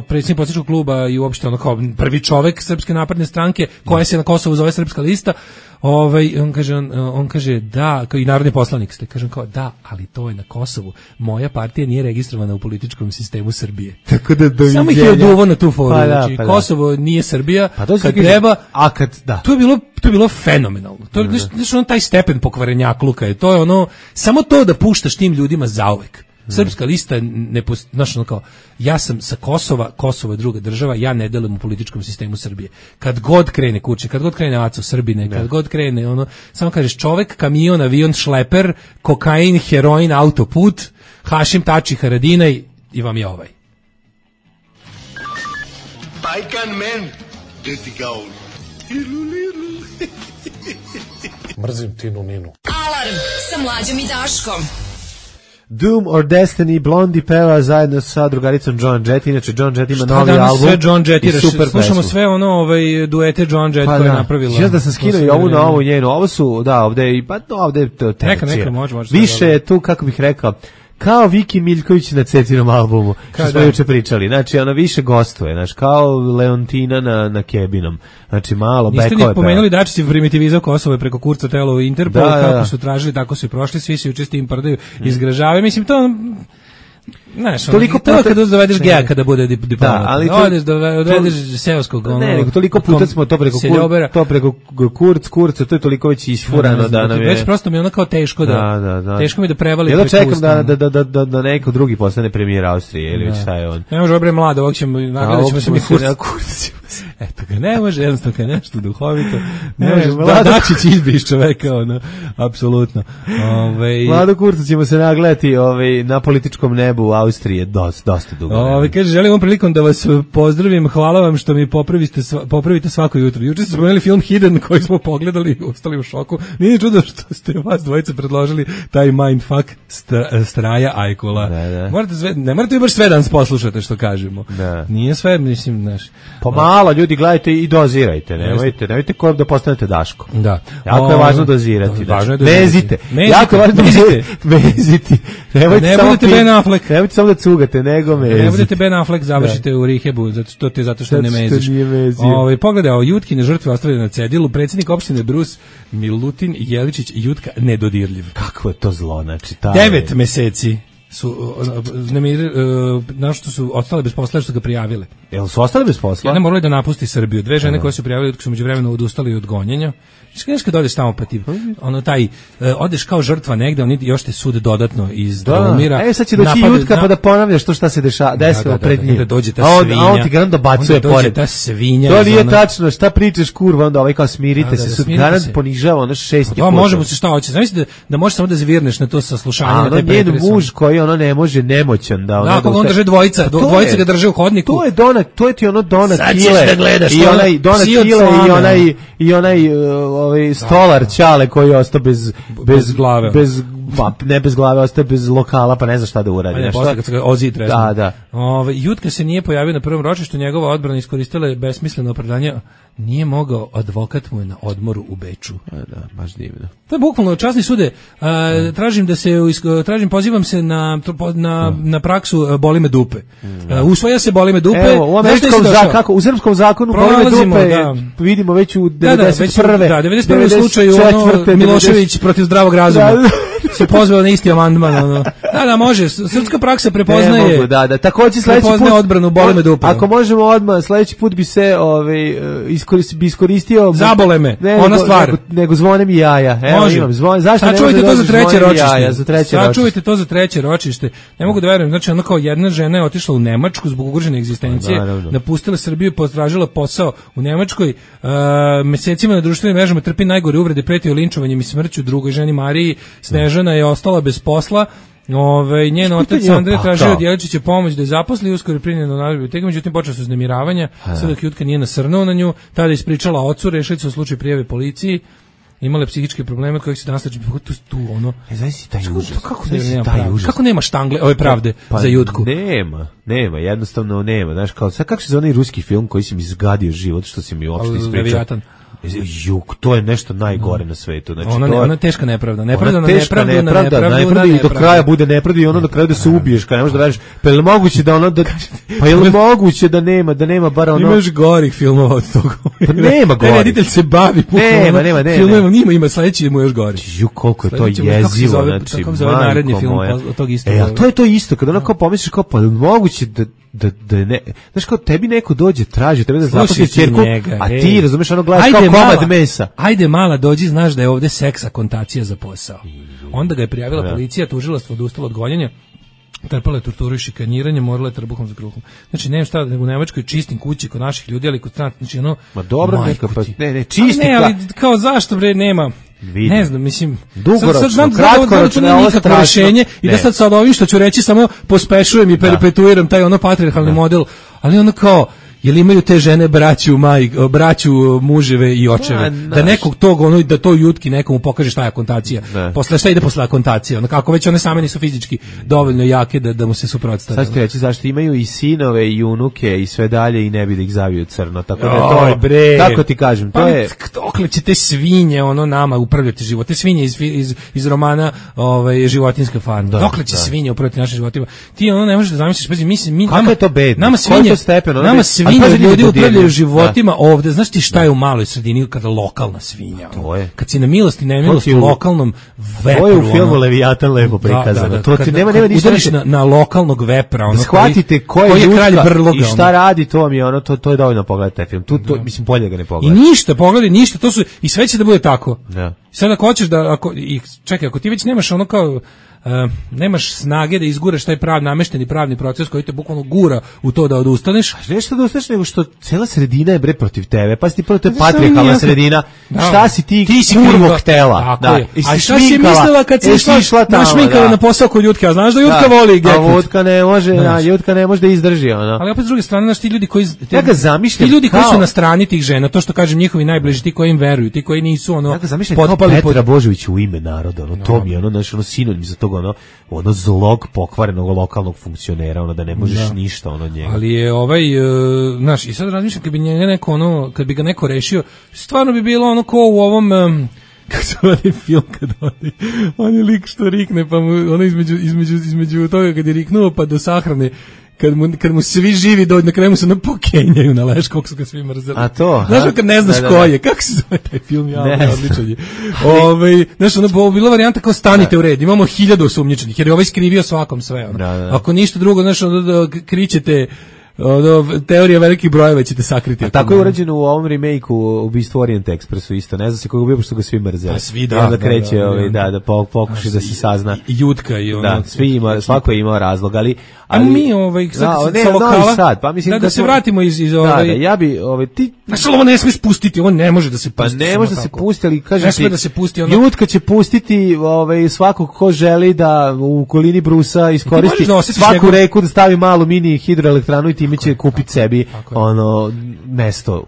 [SPEAKER 6] predsjednik poslaničkog kluba i uopšte ono kao prvi čovjek Srpske napredne stranke koja se na Kosovu zove Srpska lista. Ovaj on kaže on, on kaže da, kao i narodni poslanik ste, kažem kao da, ali to je na Kosovu. Moja partija nije registrovana u političkom sistemu Srbije.
[SPEAKER 5] Tako da do
[SPEAKER 6] samo ih je oduvo na tu foru. Pa da, znači, pa da. Kosovo nije Srbija, pa kad treba,
[SPEAKER 5] a kad da.
[SPEAKER 6] To je bilo to je bilo fenomenalno. To je znači on taj stepen pokvarenjakluka je, to je ono samo to da puštaš tim ljudima zauvek. Srpska lista ne znaš ono kao ja sam sa Kosova, Kosovo je druga država, ja ne delim u političkom sistemu Srbije. Kad god krene kuće, kad god krene Aco Srbine, kad god krene ono, samo kažeš čovek, kamion, avion, šleper, kokain, heroin, autoput, Hašim Tači, Haradinaj i vam je ovaj.
[SPEAKER 8] Bajkan men, deti gaul.
[SPEAKER 10] Mrzim Tinu Ninu.
[SPEAKER 7] Alarm sa Mlađom i Daškom.
[SPEAKER 5] Doom or Destiny, Blondie peva zajedno sa drugaricom John Jett, inače John Jett ima
[SPEAKER 6] šta
[SPEAKER 5] novi album.
[SPEAKER 6] Sve John Jett i super slušamo sve ono ovaj duete John Jett pa koje je napravila.
[SPEAKER 5] Ja da sam skinuo i ovu novu njenu, ovo su da ovde i pa ovde je to
[SPEAKER 6] neka neka može može.
[SPEAKER 5] Više je tu kako bih rekao kao Viki Miljković na Cecinom albumu, što smo juče pričali. Znači, ona više gostuje, znači, kao Leontina na, na Kebinom. Znači, malo bekove.
[SPEAKER 6] Niste ni pomenuli Dačić primitivizao Kosovo preko Kurca Telo Interpol, da, kako da, da. Su tražili, tako su i prošli, svi se juče s tim prdaju, mm. izgražavaju. Mislim, to... Znaš, toliko puta kada dovedeš geja kada bude diplomat. Da, ali to, odeš dovedeš seoskog ono.
[SPEAKER 5] Ne, nego toliko puta smo to preko kur, to preko kurc kurca, to je toliko već isfurano da nam je.
[SPEAKER 6] Već prosto mi je ono kao teško da, da, da, da. Teško mi da prevali.
[SPEAKER 5] Ja da čekam da da da da da neko drugi postane premijer Austrije ili već šta je on.
[SPEAKER 6] Ne može obre mlado, ovog ćemo nagledaćemo se mi kurc. Eto ga, ne može, jednostavno kad nešto duhovito. Ne može, da, Dačić izbriš čoveka, ono, apsolutno. Ovaj
[SPEAKER 5] Mlado kurca ćemo se nagledati ovaj na političkom nebu u Austriji dosta dosta dugo.
[SPEAKER 6] Ovaj kaže želim ovom prilikom da vas pozdravim, hvala vam što mi popravite popravite svako jutro. Juče smo spomenuli film Hidden koji smo pogledali i ostali u šoku. Nije čudo što ste vas dvojice predložili taj mindfuck Straja Ajkula. Da, da. Morate sve, ne morate baš sve danas poslušate što kažemo. Da. Nije sve, mislim, znaš.
[SPEAKER 5] Pomalo ljudi gledajte i dozirajte, nemojte, nemojte ko da postanete Daško.
[SPEAKER 6] Da.
[SPEAKER 5] Jako o, je važno dozirati. Da, važno je dozirati. Vezite. Jako je važno dozirati. Veziti. Nemojte
[SPEAKER 6] ne budete Ben Affleck.
[SPEAKER 5] Nemojte samo da cugate, nego mezite.
[SPEAKER 6] Ne budete Ben Affleck, završite da. U rehabu, zato što te zato što zato ne meziš. Ovaj pogledaj, o Jutkine žrtve ostavljene na cedilu, predsjednik opštine Brus Milutin Jeličić Jutka nedodirljiv.
[SPEAKER 5] Kakvo je to zlo, znači taj
[SPEAKER 6] devet meseci. su uznemirili, uh, nešto su ostale bez posla, što su ga prijavile.
[SPEAKER 5] Jel su ostale bez posla?
[SPEAKER 6] Jedna morala da napusti Srbiju. Dve žene koje su prijavile su međuvremeno odustali od gonjenja. Znaš kad odeš tamo pa ti, ono taj, uh, odeš kao žrtva negde, oni još te sude dodatno iz Drumira.
[SPEAKER 5] E, sad će doći Jutka pa da ponavljaš to šta se dešava, desilo pred njim.
[SPEAKER 6] Da dođe ta
[SPEAKER 5] svinja. A on ti garant dobacuje pored.
[SPEAKER 6] Ta svinja.
[SPEAKER 5] To nije tačno, šta pričaš kurva, onda ovaj kao smirite se, sud garant ponižava, ono šest i
[SPEAKER 6] po. Možemo se šta hoće. Znači da da možeš samo da zvirneš na to saslušanje,
[SPEAKER 5] na te pretrese. Muž koji ono ne može nemoćan da ono.
[SPEAKER 6] Da, on drže dvojica, dvojica ga drže u hodniku.
[SPEAKER 5] To je Dona, to je ti ono Dona Kile. I onaj Dona Kile i onaj i onaj ovaj stolar Ćale koji je ostao bez bez
[SPEAKER 6] glave.
[SPEAKER 5] Bez pa ne bez glave, ostao bez lokala, pa ne zna šta da uradi.
[SPEAKER 6] Ne, posle kad se ga Ozi tresno.
[SPEAKER 5] Da, da.
[SPEAKER 6] Ove, Jutka se nije pojavio na prvom ročištu, njegova odbrana iskoristila je besmisleno opravdanje, nije mogao, advokat mu je na odmoru u Beču.
[SPEAKER 5] A, da, baš divno.
[SPEAKER 6] To je bukvalno časni sude. A, tražim da se, tražim, pozivam se na, na, na praksu boli me dupe. A, usvaja se boli me dupe.
[SPEAKER 5] Evo, u američkom zakonu, kako, u srpskom zakonu boli me dupe, da. Vidimo već u devedeset prve.
[SPEAKER 6] Da, devedeset prve slučaju ono, Milošević protiv zdravog razuma. Se pozvao na isti amandman, ono. Da, da, može. Srpska praksa prepoznaje.
[SPEAKER 5] Ne mogu, da, da. Takođe sledeći put
[SPEAKER 6] odbranu boli me dupe.
[SPEAKER 5] Ako možemo odmah, sledeći put bi se, ovaj, iskoristio, bi iskoristio.
[SPEAKER 6] Zabole me. Ne, ona stvar.
[SPEAKER 5] Nego, nego zvone mi jaja. Evo, može. Imam zvon. Zašto ne možete
[SPEAKER 6] to za treće ročište?
[SPEAKER 5] Jaja, za treće ročište.
[SPEAKER 6] Sačuvajte to za treće ročište. Ne mogu da verujem. Znači, ona kao jedna žena je otišla u Nemačku zbog ugrožene egzistencije, da, napustila Srbiju i potražila posao u Nemačkoj. Uh, mesecima na društvenim mrežama trpi najgore uvrede, pretio linčovanjem i smrću. Drugoj ženi Mariji Snežana je ostala bez posla. Ove, njen otac Andrej tražio od Jeličića pomoć da je zaposli, uskoro je primljeno na biblioteka, međutim počela su uznemiravanja, sve dok Jutka nije nasrnuo na nju, tada je ispričala ocu, rešili su u slučaju prijave policiji, imale psihičke probleme od kojih se nastače tu, tu ono.
[SPEAKER 5] E, znaš si taj užas.
[SPEAKER 6] Kako, nema kako nema štangle, ove pravde
[SPEAKER 5] pa,
[SPEAKER 6] za Jutku?
[SPEAKER 5] Nema, nema, jednostavno nema. Znaš, kao, sad kako se zove onaj ruski film koji si mi zgadio život, što si mi uopšte ispričao? Juk, to je nešto najgore na svetu. Znači,
[SPEAKER 6] ona,
[SPEAKER 5] to je,
[SPEAKER 6] ona teška nepravda. Nepravda
[SPEAKER 5] ona
[SPEAKER 6] na
[SPEAKER 5] teška
[SPEAKER 6] nepravdu,
[SPEAKER 5] nepravda,
[SPEAKER 6] na nepravdu,
[SPEAKER 5] nepravda i do kraja bude nepravda i ono do kraja da se ubiješ, kad ne možeš da radiš. Pa je li moguće da ono, da, pa je li moguće da nema, da nema bar ono...
[SPEAKER 6] Imaš gorih filmova od toga.
[SPEAKER 5] Pa nema gorih.
[SPEAKER 6] Reditelj se bavi
[SPEAKER 5] nema, nema, nema.
[SPEAKER 6] Filmova nima, ima sledeći mu još gori.
[SPEAKER 5] Juk, koliko je to jezivo, znači,
[SPEAKER 6] kako se zove naredni film od tog istog.
[SPEAKER 5] E, a to je to isto, kad ono kao pomisliš kao, pa je li moguće da da da ne, znaš kao tebi neko dođe traži tebe da zaposli ćerku, a ti razumeš ono gledaš kao komad mesa.
[SPEAKER 6] Ajde mala dođi, znaš da je ovde seksa kontacija za posao. Onda ga je prijavila ja. Policija, tužilaštvo odustalo od gonjenja. Trpala je torturu i šikaniranje, morala je trbuhom za kruhom. Znači, nema šta, nego u Nemačkoj čistim kući kod naših ljudi, ali kod stranaca, znači ono...
[SPEAKER 5] Ma dobro, neka pa, ne, ne, čisti...
[SPEAKER 6] Ne, ali kao zašto, bre, nema... Vidim. Ne znam, mislim,
[SPEAKER 5] dugoročno,
[SPEAKER 6] sad, sad
[SPEAKER 5] kratkoročno,
[SPEAKER 6] da ovo nikakvo rešenje i da sad sad ovim što ću reći samo pospešujem i perpetuiram taj ono patrijarhalni model, ali ono kao, jel imaju te žene braću, maj, braću, muževe i očeve, da, da nekog tog, ono, da to Jutki nekomu pokaže šta je akontacija, posle šta ide posle akontacije, ono, kako već one same nisu fizički dovoljno jake da, da mu se suprotstave.
[SPEAKER 5] Sad ću reći zašto imaju i sinove i unuke i sve dalje i ne bi da ih zavio crno, tako da to je, bre, kako ti kažem, to
[SPEAKER 6] pa,
[SPEAKER 5] je...
[SPEAKER 6] Dokle će te svinje, ono, nama upravljati život, te svinje iz, iz, iz romana ovaj, Životinjska farma, da, dokle će da. Svinje upravljati našim životima, ti ono ne možeš da zamisliš, pa mislim, mi,
[SPEAKER 5] kako
[SPEAKER 6] nama,
[SPEAKER 5] je to bedno?
[SPEAKER 6] Nama svinje,
[SPEAKER 5] stepen, ono
[SPEAKER 6] nama svinje ljudi upravljaju životima ovde. Znaš ti šta je u maloj sredini kada lokalna svinja?
[SPEAKER 5] To je.
[SPEAKER 6] Kad si na milosti, nemilosti u lokalnom vepru.
[SPEAKER 5] To je u filmu Leviatan lepo prikazano. Da, da, da. To ti nema, nema ništa.
[SPEAKER 6] Udariš na, na lokalnog vepra. Ono,
[SPEAKER 5] shvatite ko je,
[SPEAKER 6] je kralj brloga.
[SPEAKER 5] I šta radi, to vam je ono, to, to je dovoljno pogledati taj film. Tu, to, da. Mislim, bolje ga ne pogledati.
[SPEAKER 6] I ništa, pogledaj, ništa. To su, i sve će da bude tako.
[SPEAKER 5] Da.
[SPEAKER 6] Sad ako hoćeš da, ako, i, čekaj, ako ti već nemaš ono kao, Uh, nemaš snage da izguraš taj prav namešteni pravni proces koji te bukvalno gura u to da odustaneš.
[SPEAKER 5] A nešto da odustaneš, nego što cela sredina je bre protiv tebe. Pa si ti prvo, to je patrijarhalna sredina. Da. Šta si ti,
[SPEAKER 6] ti si
[SPEAKER 5] kurvo htela?
[SPEAKER 6] Tako da. Je. A šta si mislila kad si išla, išla tamo, našminkala da. Na posao kod Jutke? A znaš da Jutka da. Voli geknut?
[SPEAKER 5] A Jutka ne može, da, Jutka ne može da izdrži. Ono.
[SPEAKER 6] Ali opet s druge strane, znaš, ti ljudi koji... Te,
[SPEAKER 5] ja ga zamišljam
[SPEAKER 6] ti ljudi
[SPEAKER 5] kao...
[SPEAKER 6] koji su na strani tih žena, to što kažem njihovi najbliži, ti koji im veruju, ti koji nisu ono...
[SPEAKER 5] Ja ga zamišljam kao Petra Božović u ime naroda. Ono, to mi je ono, znaš, ono sinonim za toga, ono, ono zlog pokvarenog lokalnog funkcionera, ono da ne možeš da. Ništa ono od njega.
[SPEAKER 6] Ali je ovaj, uh, znaš, i sad razmišljam kad bi njega neko ono, kad bi ga neko rešio, stvarno bi bilo ono ko u ovom, um, kako se onaj film kad oni, on je lik što rikne, pa mu ono između, između, između toga kad je riknuo pa do sahrane, kad mu, kad mu svi živi dođu, na kraju mu se ono pokenjaju na leš, koliko su ga svi mrzeli.
[SPEAKER 5] A to?
[SPEAKER 6] Znaš, kad ne znaš da, da, da. ko je, kako se zove taj film, ja, odličan je. Ove, znaš, ono, bila varijanta kao stanite da. u red, imamo hiljadu osumnjičenih, jer je ovaj skrivio svakom sve. Ono. Da, da. Ako ništa drugo, znaš, ono, da kričete, ono, teorija velikih brojeva ćete sakriti.
[SPEAKER 5] A tako je urađeno u ovom remake-u Ubistvo Orient Expressu isto, ne zna se koga ubio, pošto ga svi mrzeli.
[SPEAKER 6] A svi da.
[SPEAKER 5] I onda kreće, da, da, ovaj, da, da pokuši da se sazna.
[SPEAKER 6] I Jutka i ono.
[SPEAKER 5] Da, svi ima, svako je imao razlog, ali...
[SPEAKER 6] ali a mi, ovaj, sad,
[SPEAKER 5] da, ne,
[SPEAKER 6] sa lokala,
[SPEAKER 5] sad, pa mislim
[SPEAKER 6] da, da se vratimo iz, iz ovaj...
[SPEAKER 5] Da, da, ja bi, ovaj, ti...
[SPEAKER 6] Znaš, ovo ne smiješ pustiti, ovo ne može da se pusti.
[SPEAKER 5] Pa ne može da se pusti, ali kažem
[SPEAKER 6] ne smije da se pusti ono...
[SPEAKER 5] Jutka će pustiti ovaj, svakog ko želi da u okolini Brusa iskoristi da svaku njegov... reku, da stavi malu mini hidroelektranu i time će kupiti sebi ono mesto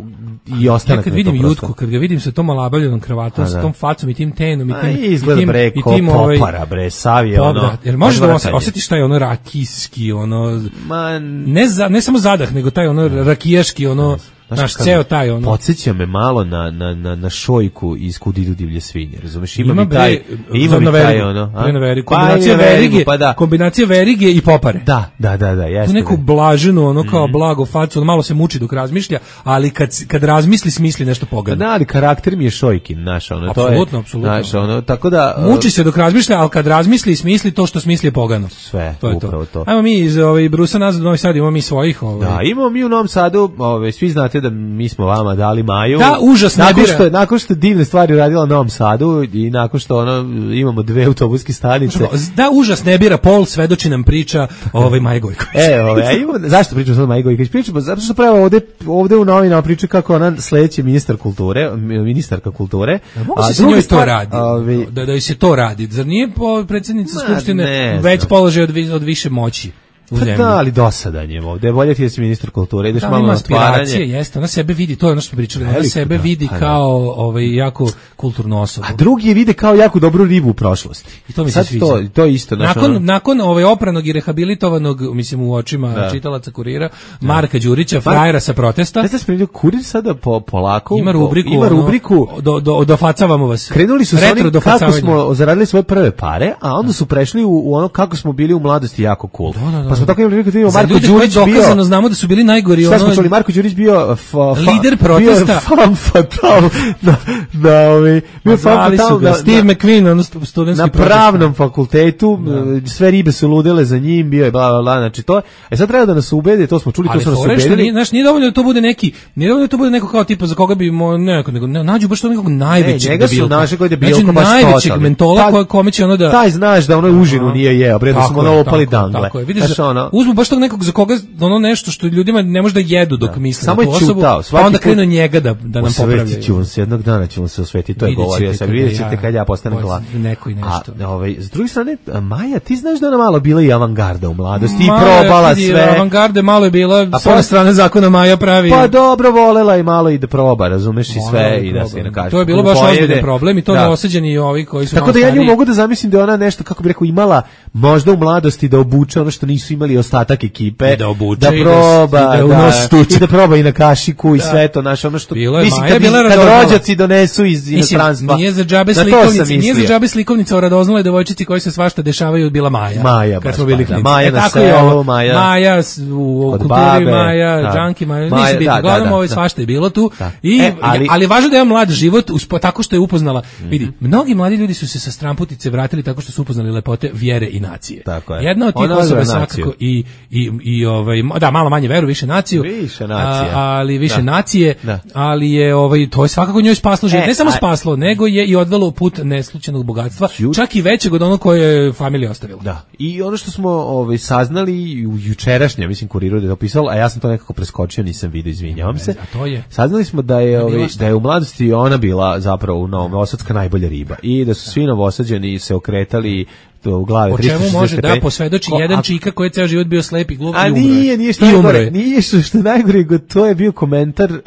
[SPEAKER 5] i ostanak.
[SPEAKER 6] Ja kad vidim Jutku, kad ga vidim sa tom alabavljenom kravatom, sa tom facom i tim tenom i tim...
[SPEAKER 5] Izgleda bre, i tim,
[SPEAKER 6] ko
[SPEAKER 5] popara bre, savije ono...
[SPEAKER 6] Jer možeš da osjetiš taj ono rakijski, ono...
[SPEAKER 5] Man...
[SPEAKER 6] Ne, za, ne samo zadah, nego taj ono rakijaški, ono... Naš ceo taj ono.
[SPEAKER 5] Podsjeća me malo na na na na šojku iz Kudidu divlje svinje, razumeš? Ima,
[SPEAKER 6] ima
[SPEAKER 5] mi taj, ima mi taj ono,
[SPEAKER 6] a? Veri, kombinacija pa, verige, pa da. kombinacija verige i popare.
[SPEAKER 5] Da, da, da, da, jeste.
[SPEAKER 6] Tu neku blaženu, ono kao mm. blago facu, ono malo se muči dok razmišlja, ali kad kad razmisli smisli nešto pogano.
[SPEAKER 5] Da, ali karakter mi je Šojkin, naš, ono to je.
[SPEAKER 6] Apsolutno, apsolutno.
[SPEAKER 5] Naš, ono, tako da
[SPEAKER 6] muči se dok razmišlja, al kad razmisli smisli to što smisli je pogano.
[SPEAKER 5] Sve,
[SPEAKER 6] to je
[SPEAKER 5] upravo to.
[SPEAKER 6] to. Ajmo mi iz ovaj Brusa nazad u Novi Sad, imamo mi svojih, ovaj.
[SPEAKER 5] Da, imamo mi u Novom Sadu, ovaj svi znate da mi smo dali Maju.
[SPEAKER 6] Da, užas ne
[SPEAKER 5] nakon što, nakon što divne stvari uradila u Novom Sadu i nakon što ono, imamo dve autobuske stanice.
[SPEAKER 6] Da, užas ne bira, Pol svedoči nam priča o ovaj Maji Gojković.
[SPEAKER 5] E, ovaj, a imamo, zašto pričamo sad o Maji Gojković? Pričamo, zato što pravo ovde, ovde u novinama priča kako ona sledeći ministar kulture, ministarka kulture.
[SPEAKER 6] Da, mogu se s njoj to radi, ovi... da, da se to radi. Zar nije predsjednica Skupštine već položaj od, od više moći?
[SPEAKER 5] Pa da, ali dosadan je ovde. Bolje ti da si ministar kulture, ideš da, malo na otvaranje.
[SPEAKER 6] Jeste, ona sebe vidi, to je ono što pričali, ona sebe da, vidi da, kao ovaj, jako kulturnu osobu.
[SPEAKER 5] A drugi je vide kao jako dobru ribu u prošlosti.
[SPEAKER 6] I to mi se sviđa.
[SPEAKER 5] To, to isto.
[SPEAKER 6] Nakon, ono... nakon ovaj opranog i rehabilitovanog, mislim u očima da. čitalaca Kurira, Marka Đurića, frajera sa protesta.
[SPEAKER 5] Ne znam, spremljaju, Kurir sada po, polako
[SPEAKER 6] ima rubriku,
[SPEAKER 5] ima rubriku
[SPEAKER 6] ono, do, do, dofacavamo vas.
[SPEAKER 5] Krenuli su s onim kako smo zaradili svoje prve pare, a onda su prešli u, u ono kako smo bili u mladosti jako cool.
[SPEAKER 6] Da, da, da.
[SPEAKER 5] Pa smo tako imali vidimo Marko
[SPEAKER 6] Đurić bio. Dokazano znamo da su bili najgori.
[SPEAKER 5] Šta smo čuli, Marko Đurić bio fa, fa,
[SPEAKER 6] lider protesta.
[SPEAKER 5] Bio fan fatal. Da, da, ovi, bio fan fatal.
[SPEAKER 6] Da, Steve McQueen, ono studentski
[SPEAKER 5] na pravnom fakultetu, da. Sve ribe su ludele za njim, bio je bla, bla, bla, znači to. E sad treba da nas ubede, to smo čuli, ali to su nas ubedili.
[SPEAKER 6] Ali znaš, nije dovoljno da to bude neki, nije dovoljno da to bude neko kao tipa za koga bi mo, neko, nego ne, nađu baš to nekog najvećeg
[SPEAKER 5] ne, njega su naše koji je bio
[SPEAKER 6] znači,
[SPEAKER 5] baš
[SPEAKER 6] najvećeg mentola ko, kome će ono da...
[SPEAKER 5] Taj znaš da ono užinu nije jeo, bre da smo ono opali dangle.
[SPEAKER 6] Tako je, vidiš, uzmu baš tog nekog za koga ono nešto što ljudima ne može da jedu dok misle
[SPEAKER 5] samo
[SPEAKER 6] na tu osobu, pa onda krenu njega da, da nam popravljaju. Osvetit ću se, jednog dana ćemo se osvetiti, to je govorio sam, vidjet ćete kad ja postanem glas. Neko i nešto.
[SPEAKER 5] A ovaj, s druge strane, Maja, ti znaš da ona malo bila i avangarda u mladosti i probala sve.
[SPEAKER 6] Avangarde malo je bila, a sa strane zakona Maja pravi.
[SPEAKER 5] Pa dobro, volela i malo i da proba, razumeš i sve i da se nakaže.
[SPEAKER 6] To je bilo baš ozbiljan problem i to neoseđeni ovi koji su
[SPEAKER 5] tako da ja nju mogu da zamislim da ona nešto, kako bih rekao, imala možda u mladosti da obuče ono što nisu imali ostatak ekipe,
[SPEAKER 6] da obuče,
[SPEAKER 5] da proba, da, da, da, i da proba i na kašiku i da. Sve to, naš ono što mislim kad, kad rođaci donesu iz inostranstva.
[SPEAKER 6] Nije za džabe slikovnice, nije za džabe slikovnica o radoznaloj devojčici koji se svašta dešavaju bila Maja.
[SPEAKER 5] Maja,
[SPEAKER 6] kad smo bili klinci.
[SPEAKER 5] Maja na selu, Maja.
[SPEAKER 6] Maja u kulturi, Maja, džanki, Maja, nisi biti. Gledamo ovo svašta je bilo tu i ali važno da je mlad život tako što je upoznala. Vidi, mnogi mladi ljudi su se sa stramputice vratili tako što su upoznali lepote vjere i nacije. Jedna od tih osoba svakako i i i ovaj da malo manje veru, više naciju.
[SPEAKER 5] Više nacija.
[SPEAKER 6] A, ali više da. Nacije, da. Ali je ovaj to je svakako njoj spaslo život. E, ne samo a... spaslo, nego je i odvelo u put neslućenog bogatstva, Ju... čak i većeg od onog koje je familija ostavila.
[SPEAKER 5] Da. I ono što smo ovaj saznali u jučerašnjem, mislim Kuriru da je opisalo, a ja sam to nekako preskočio, nisam video, izvinjavam se.
[SPEAKER 6] A to je.
[SPEAKER 5] Saznali smo da je ovaj da je u mladosti ona bila zapravo novosadska najbolja riba i da su svi novosađeni se okretali to u glavi
[SPEAKER 6] tristo šezdeset stepeni. O čemu može da posvedoči jedan a, čika koji je ceo život bio slep i glup
[SPEAKER 5] i umre. A nije, nije što najgore, nije što, što najgore, to je bio komentar uh,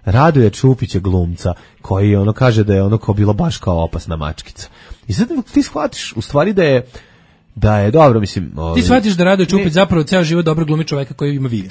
[SPEAKER 5] Radoja Čupića glumca, koji ono kaže da je ono kao bilo baš kao opasna mačkica. I sad ti shvatiš u stvari da je da je dobro, mislim...
[SPEAKER 6] Ovaj, ti shvatiš da Radoje Čupić zapravo ceo život dobro glumi čoveka koji ima vid.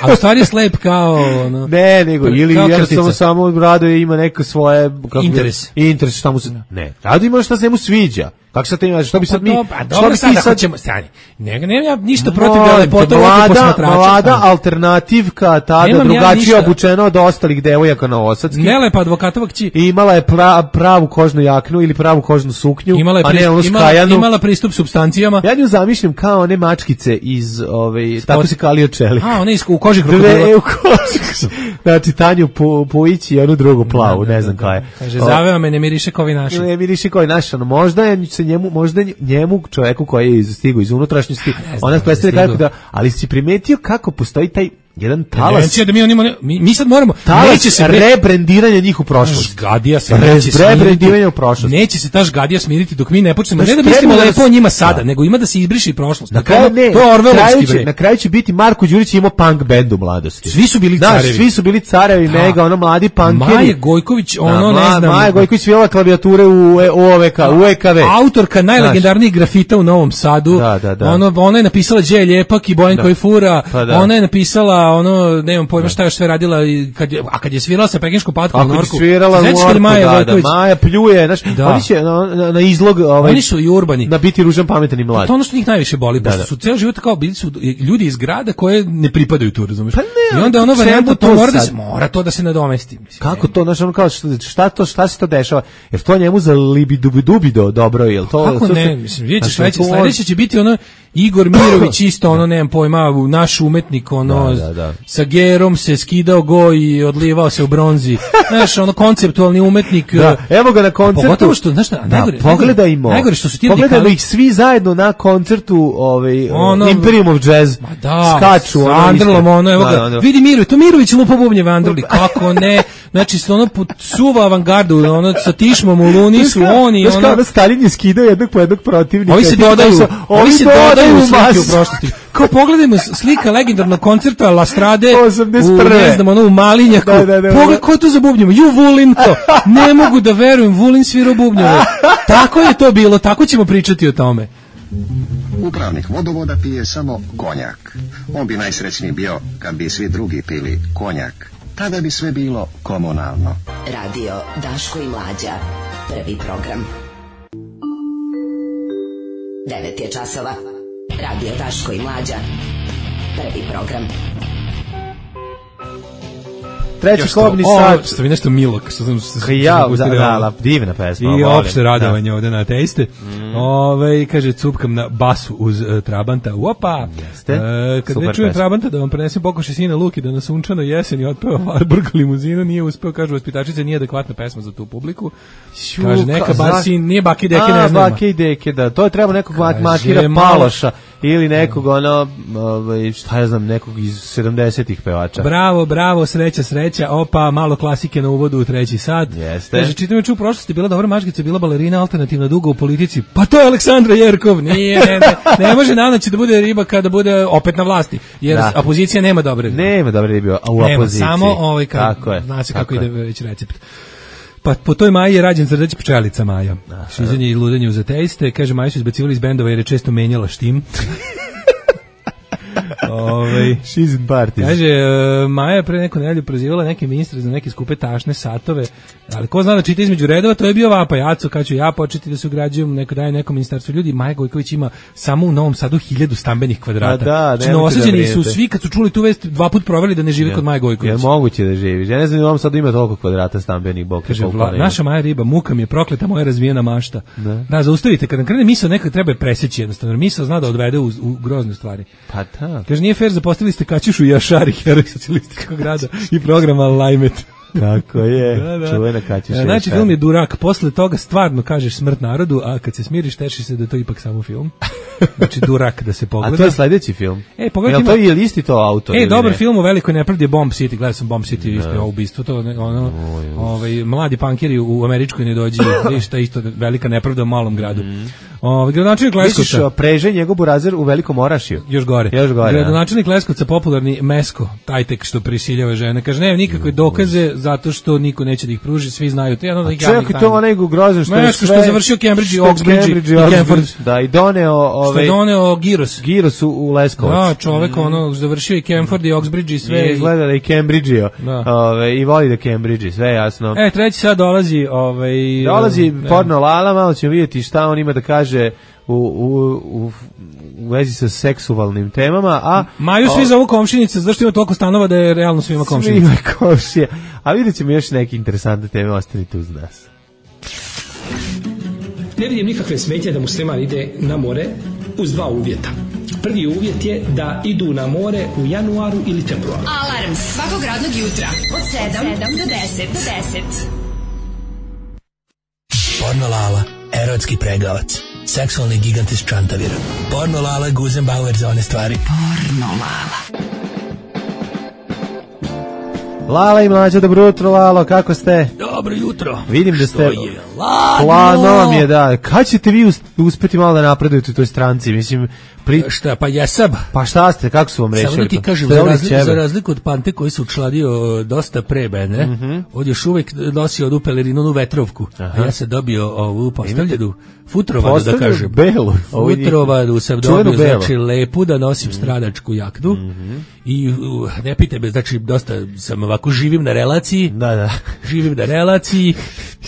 [SPEAKER 6] A u stvari je slep kao... Ono,
[SPEAKER 5] ne, nego, ili jednostavno samo Radoje ima neko svoje... Kako
[SPEAKER 6] interes.
[SPEAKER 5] Bi, interes šta mu se... Ne, Radoje ima šta se mu sviđa. Kako sad ti što bi sad mi
[SPEAKER 6] a dobro sad ako ćemo stani. Ne, ne, ja ništa protiv da lepote
[SPEAKER 5] mlada, mlada alternativka, tada drugačije ja obučena od ostalih devojaka na Osadski.
[SPEAKER 6] Nelepa advokatova kći.
[SPEAKER 5] I imala je pra, pravu kožnu jaknu ili pravu kožnu suknju,
[SPEAKER 6] imala je
[SPEAKER 5] a ne onu skajanu.
[SPEAKER 6] Imala pristup supstancijama.
[SPEAKER 5] Ja nju zamišljam kao one mačkice iz ove tako se kalio čelik.
[SPEAKER 6] A one u koži krokodila.
[SPEAKER 5] U koži. Znači Tanju Pujić i onu drugu plavu, ne znam koja je.
[SPEAKER 6] Kaže zaveo me ne miriše kao vi naši.
[SPEAKER 5] Ne miriše kao naši, no možda je se njemu, možda njemu čoveku koji je stigao iz unutrašnjosti, ona predstavlja kako da, ali si primetio kako postoji taj jedan talas.
[SPEAKER 6] Da mi, on ima, mi, mi sad moramo
[SPEAKER 5] neće se rebrendiranje njih u prošlost.
[SPEAKER 6] Žgadija se
[SPEAKER 5] rebrendiranje u prošlost.
[SPEAKER 6] Neće se ta žgadija smiriti dok mi ne počnemo. Ne da mislimo lepo o njima sada, nego ima da se izbriše prošlost.
[SPEAKER 5] Na kraju ne. To je Orwellovski bre. Na kraju će biti Marko Đurić imao punk bend u mladosti.
[SPEAKER 6] Svi su bili carevi.
[SPEAKER 5] Svi su bili carevi, mega, ono mladi punkeri.
[SPEAKER 6] Maja Gojković, ono ne znam.
[SPEAKER 5] Maja Gojković svirala klavijature u O V K, u E K V.
[SPEAKER 6] Autorka najlegendarnijih grafita u Novom Sadu. Ono ona je napisala Đe Ljepak i Bojan koji fura. Ona je napisala ono ne pojma šta je sve radila kad je, a kad je svirala sa pekinškom patkom u Norku.
[SPEAKER 5] Svirala u Norku, Maja, da, da, Maja pljuje, znaš, da. Oni će na, na, na izlog, ovaj,
[SPEAKER 6] oni su i urbani.
[SPEAKER 5] Na biti ružan, pametan i mlad.
[SPEAKER 6] To ono što njih najviše boli, da, da. Su ceo život kao bili su ljudi iz grada koje ne pripadaju tu, razumeš?
[SPEAKER 5] Pa ne,
[SPEAKER 6] i onda ono varijanta to mora da se, mora to da se nadomesti, mislim.
[SPEAKER 5] Kako to, znaš, ono kao šta to, šta se to dešava? Jer to njemu za libi dubi dubi do dobro, jel to?
[SPEAKER 6] Kako
[SPEAKER 5] to
[SPEAKER 6] ne,
[SPEAKER 5] se,
[SPEAKER 6] mislim, vidite sledeće, sledeće će biti ono Igor Mirović isto, ono, nemam pojma, naš umetnik, ono,
[SPEAKER 5] da, da, da.
[SPEAKER 6] sa gerom se skidao go i odlivao se u bronzi. Znaš, ono, konceptualni umetnik.
[SPEAKER 5] Da, evo ga na koncertu.
[SPEAKER 6] Pogotovo što, znaš šta, najgore,
[SPEAKER 5] pogledajmo.
[SPEAKER 6] Najgore što su ti
[SPEAKER 5] pogledajmo radikali, ih svi zajedno na koncertu ovaj, ono, Imperium of Jazz.
[SPEAKER 6] Ma da,
[SPEAKER 5] skaču.
[SPEAKER 6] Sa Andrlom, ono, evo ga, da, da. Vidi Mirović, to Mirović lupa bubnjeve Andrli, kako ne, znači, ono, suva avangardu, ono, sa Tišmom u Luni su oni,
[SPEAKER 5] ono. Znaš kao, ono, Stalin je skidao jednog po jednog protivnika.
[SPEAKER 6] Ovi se dodaju, ovi se dodaju u slike u prošlosti. Kao pogledajmo slika legendarnog koncerta La Strade u, ne znam, ono, u Malinjaku. Da, da, da, Pogled, ko je to za bubnjeva? Ju, Vulin to. Ne mogu da verujem, Vulin svira bubnjeve. Tako je to bilo, tako ćemo pričati o tome.
[SPEAKER 11] Upravnik vodovoda pije samo konjak. On bi najsrećniji bio kad bi svi drugi pili konjak. Tada bi sve bilo komunalno.
[SPEAKER 7] Radio Daško i Mlađa. Prvi program. Devet je časova. Radio Daško i Mlađa. Prvi program.
[SPEAKER 5] Treći klubni sat.
[SPEAKER 6] Što vi nešto milo, što sam
[SPEAKER 5] se ja, da, da, divna pesma.
[SPEAKER 6] I opšte radovanje ovde na ateiste. Mm. Ove, kaže, cupkam na basu uz uh, Trabanta. Opa!
[SPEAKER 5] Jeste.
[SPEAKER 6] Uh, kad ne čujem Trabanta da vam prenesem pokoše sina Luki da na sunčanoj jeseni otpeva Warburg limuzinu, nije uspeo, kažu vaspitačice, nije adekvatna pesma za tu publiku. Šu, kaže, neka bar sin, nije Baki Deke, ne znam.
[SPEAKER 5] Baki Deke, da. To je treba nekog kaže, Makira Paloša ili nekog, ono, ovaj, šta ja znam, nekog iz sedamdesetih pevača.
[SPEAKER 6] Bravo, bravo, sreća, sreća. Opa, malo klasike na uvodu u treći sat.
[SPEAKER 5] Jeste.
[SPEAKER 6] Kaže, čitam juče u prošlosti, bila dobra maškica, bila balerina, alternativna duga u politici. Pa to je Aleksandra Jerkov. Nije, ne, ne, ne može nanaći da bude riba kada bude opet na vlasti. Jer da. Opozicija nema dobre ribe.
[SPEAKER 5] Nema dobre ribe u nema, opoziciji.
[SPEAKER 6] Samo ovaj, kad, zna se kako, kako ide već recept. Pa po toj Maji je rađen Zrđeć pčelica Maja. Šizenje i ludenje uz ateiste. Kaže, Maju su izbacivali iz bendova jer je često menjala štim. Ove,
[SPEAKER 5] She's in parties.
[SPEAKER 6] Kaže, uh, Maja pre neku nedelju prozivala neke ministre za neke skupe tašne satove, ali ko zna da čita između redova, to je bio vapaj. Jaco, kad ću ja početi da se ugrađujem, neko daje nekom ministarstvu ljudi. Maja Gojković ima samo u Novom Sadu hiljadu stambenih kvadrata.
[SPEAKER 5] Da,
[SPEAKER 6] znači, novosađeni su svi, kad su čuli tu vest, dva put proveli da ne živi ja. kod Maje Gojković.
[SPEAKER 5] Je moguće da živiš. Ja ne znam, u Novom Sadu ima toliko kvadrata stambenih, bok.
[SPEAKER 6] Kaže, vla, naša Maja riba, muka mi je prokleta moja razvijena mašta. Da, da zaustavite, kad nam krene misao, nekad treba preseći jednostavno. Misao zna da odvede u, u grozne stvari.
[SPEAKER 5] Pa da.
[SPEAKER 6] Kaže, nije fair, zapostavili ste Kaćušu Jašari, heroj socijalističkog grada i programa Lajmet.
[SPEAKER 5] Tako je, da, da. Čuvena Kaćuša Jašari.
[SPEAKER 6] Znači, film je Durak, posle toga stvarno kažeš smrt narodu, a kad se smiriš, teši se da je to ipak samo film. Znači, Durak da se pogleda.
[SPEAKER 5] A to je sledeći film?
[SPEAKER 6] E, pogledaj.
[SPEAKER 5] Jel to je isti to autor?
[SPEAKER 6] E, dobar ne? Film u velikoj nepravdi je Bomb City, gledao sam Bomb City, isto je ubistvo, to ono, ovaj, mladi pankiri u američkoj ne dođe, vidiš, ta isto velika nepravda u malom gradu. Mm. Ovaj gradonačelnik Leskovca.
[SPEAKER 5] Misliš preže njegov burazer u Velikom Orašju?
[SPEAKER 6] Još gore.
[SPEAKER 5] Još gore.
[SPEAKER 6] Gradonačelnik Leskovca popularni Mesko, taj tek što prisiljava žene. Kaže nema nikakve dokaze zato što niko neće da ih pruži, svi znaju. To je jedno od javnih tajni.
[SPEAKER 5] Čekaj, to onaj grozan što
[SPEAKER 6] Mesko što je završio Cambridge i Oxbridge i Camford.
[SPEAKER 5] Da, i doneo ovaj
[SPEAKER 6] što je doneo Giros.
[SPEAKER 5] Giros u, u Leskovac.
[SPEAKER 6] Da, čovjek mm. ono završio i Camford i Oxbridge i sve.
[SPEAKER 5] I izgleda da i Cambridgeo. Ove, i voli da Cambridge, sve jasno.
[SPEAKER 6] E, treći sad dolazi, ovaj
[SPEAKER 5] dolazi porno Lala, malo ćemo vidjeti šta on ima da kaže kaže u, u, u, u vezi sa seksualnim temama, a...
[SPEAKER 6] Maju svi zovu komšinice, zašto ima toliko stanova da je realno svima komšinica?
[SPEAKER 5] Svima komšija. A vidjet ćemo još neke interesantne teme, ostanite uz nas.
[SPEAKER 12] Ne vidim nikakve smetnje da musliman ide na more uz dva uvjeta. Prvi uvjet je da idu na more u januaru ili februaru.
[SPEAKER 2] Alarm svakog radnog jutra od sedam do deset. Do deset.
[SPEAKER 8] Porno Lala, erotski pregavac, seksualni gigant iz Čantavira. Porno Lala, Guzenbauer za one stvari.
[SPEAKER 2] Porno Lala.
[SPEAKER 5] Lala i Mlađa, dobro jutro, Lalo, kako ste?
[SPEAKER 8] Dobro jutro.
[SPEAKER 5] Vidim da ste...
[SPEAKER 8] Što je ladno?
[SPEAKER 5] Planom je, da. Kad ćete vi uspeti malo da napredujete u toj stranci? Mislim, pri...
[SPEAKER 6] Šta, pa jesam.
[SPEAKER 5] Pa šta ste, kako su vam rešili?
[SPEAKER 6] Samo da ti kažem, za razliku, za razliku od Pante koji se učladio dosta pre mene, mm -hmm. on još uvek nosi odu pelerinu, onu vetrovku. Aha. A ja sam dobio ovu postavljenu futrovadu, da kažem.
[SPEAKER 5] Belu.
[SPEAKER 6] Futrovadu sam dobio, znači lepu da nosim stranačku jaknu. Mm -hmm. I uh, ne pite me, znači dosta sam ovako živim na relaciji.
[SPEAKER 5] Da, da.
[SPEAKER 6] Živim na relaciji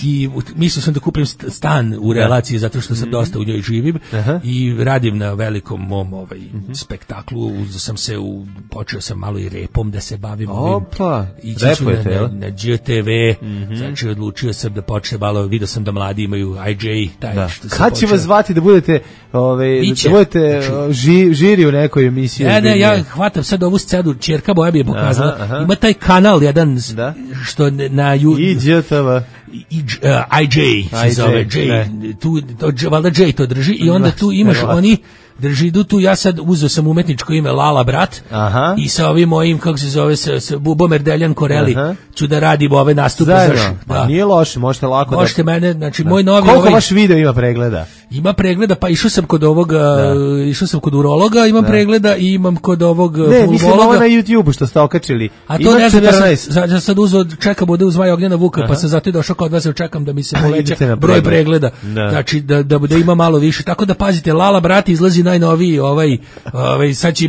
[SPEAKER 6] i mislio sam da kupim stan u relaciji zato što sam mm -hmm. dosta u njoj živim. Aha. I radim na velikom mom ovaj mm -hmm. spektaklu. Uzeo sam se u, počeo sam malo i repom da se bavim.
[SPEAKER 5] Opa,
[SPEAKER 6] repujete, na, na, na G T V, mm -hmm. znači odlučio sam da počne malo, vidio sam da mladi imaju I J, taj da. Što
[SPEAKER 5] kad će vas zvati da budete, ove, da budete znači, ži, žiri u nekoj emisiji?
[SPEAKER 6] Ne, ne, ja hvatam sad ovu scenu, ćerka moja bi je pokazala, aha, aha. Ima taj kanal jedan, da? Što na
[SPEAKER 5] I G T V.
[SPEAKER 6] I, uh, I J se zove, J, tu, to, valjda J to drži i onda tu imaš oni drži tu, ja sad uzeo sam umetničko ime Lala Brat. Aha. I sa ovim mojim, kako se zove, sa, sa Bubomer Deljan Koreli, aha. ću da radim ove nastupe.
[SPEAKER 5] Zajedno, da. Nije loše, možete lako
[SPEAKER 6] možete
[SPEAKER 5] da...
[SPEAKER 6] mene, znači da. Moj novi...
[SPEAKER 5] Koliko
[SPEAKER 6] ovaj,
[SPEAKER 5] vaš video ima pregleda?
[SPEAKER 6] Ima pregleda, pa išao sam kod ovoga, da. Išao sam kod urologa, imam da. Pregleda i imam kod ovog
[SPEAKER 5] ne, fulmologa. Mislim ovo na YouTube što ste okačili.
[SPEAKER 6] A to ima ne znam, ja sam, ja sad uzeo, čekam bude uz Maja Ognjena Vuka, aha. Pa sam zato i došao kod vas, čekam da mi se poveća broj pregleda. Da. Znači, da, da, da ima malo više. Tako da pazite, Lala Brat izlazi najnoviji, ovaj, ovaj, sad će,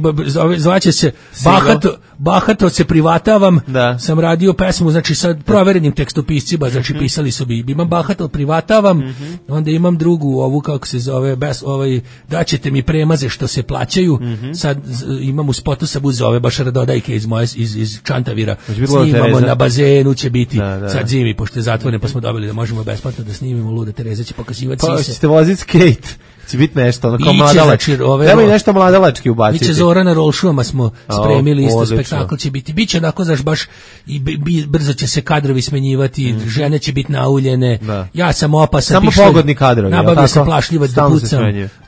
[SPEAKER 6] zvaće se Bahato, Bahato se privatavam, da. Sam radio pesmu, znači sad proverenim tekstopiscima, znači pisali su bi, imam Bahato privatavam, mm-hmm. Onda imam drugu, ovu kako se zove, bez, ovaj, daćete mi premaze što se plaćaju, mm-hmm. Sad imam u spotu sam uzeo ove baš radodajke iz moje, iz, iz Čantavira, snimamo na bazenu će biti, da, da. Sad zimi, pošto je zatvoreno, pa smo dobili da možemo besplatno da snimimo, Luda Tereza će pokazivati
[SPEAKER 5] pa,
[SPEAKER 6] sise.
[SPEAKER 5] Pa ćete voziti skate. Će biti nešto, ono kao mladalački. Treba i nešto mladalački ubaciti.
[SPEAKER 6] Biće Zorana Rolšuma smo spremili, isto spektakl će biti. Biće onako, znaš, baš i b- brzo će se kadrovi smenjivati, mm. žene će biti nauljene. Da. Ja sam opasan.
[SPEAKER 5] Samo pišle, pogodni kadrovi.
[SPEAKER 6] Nabavio sam plašljivac da pucam.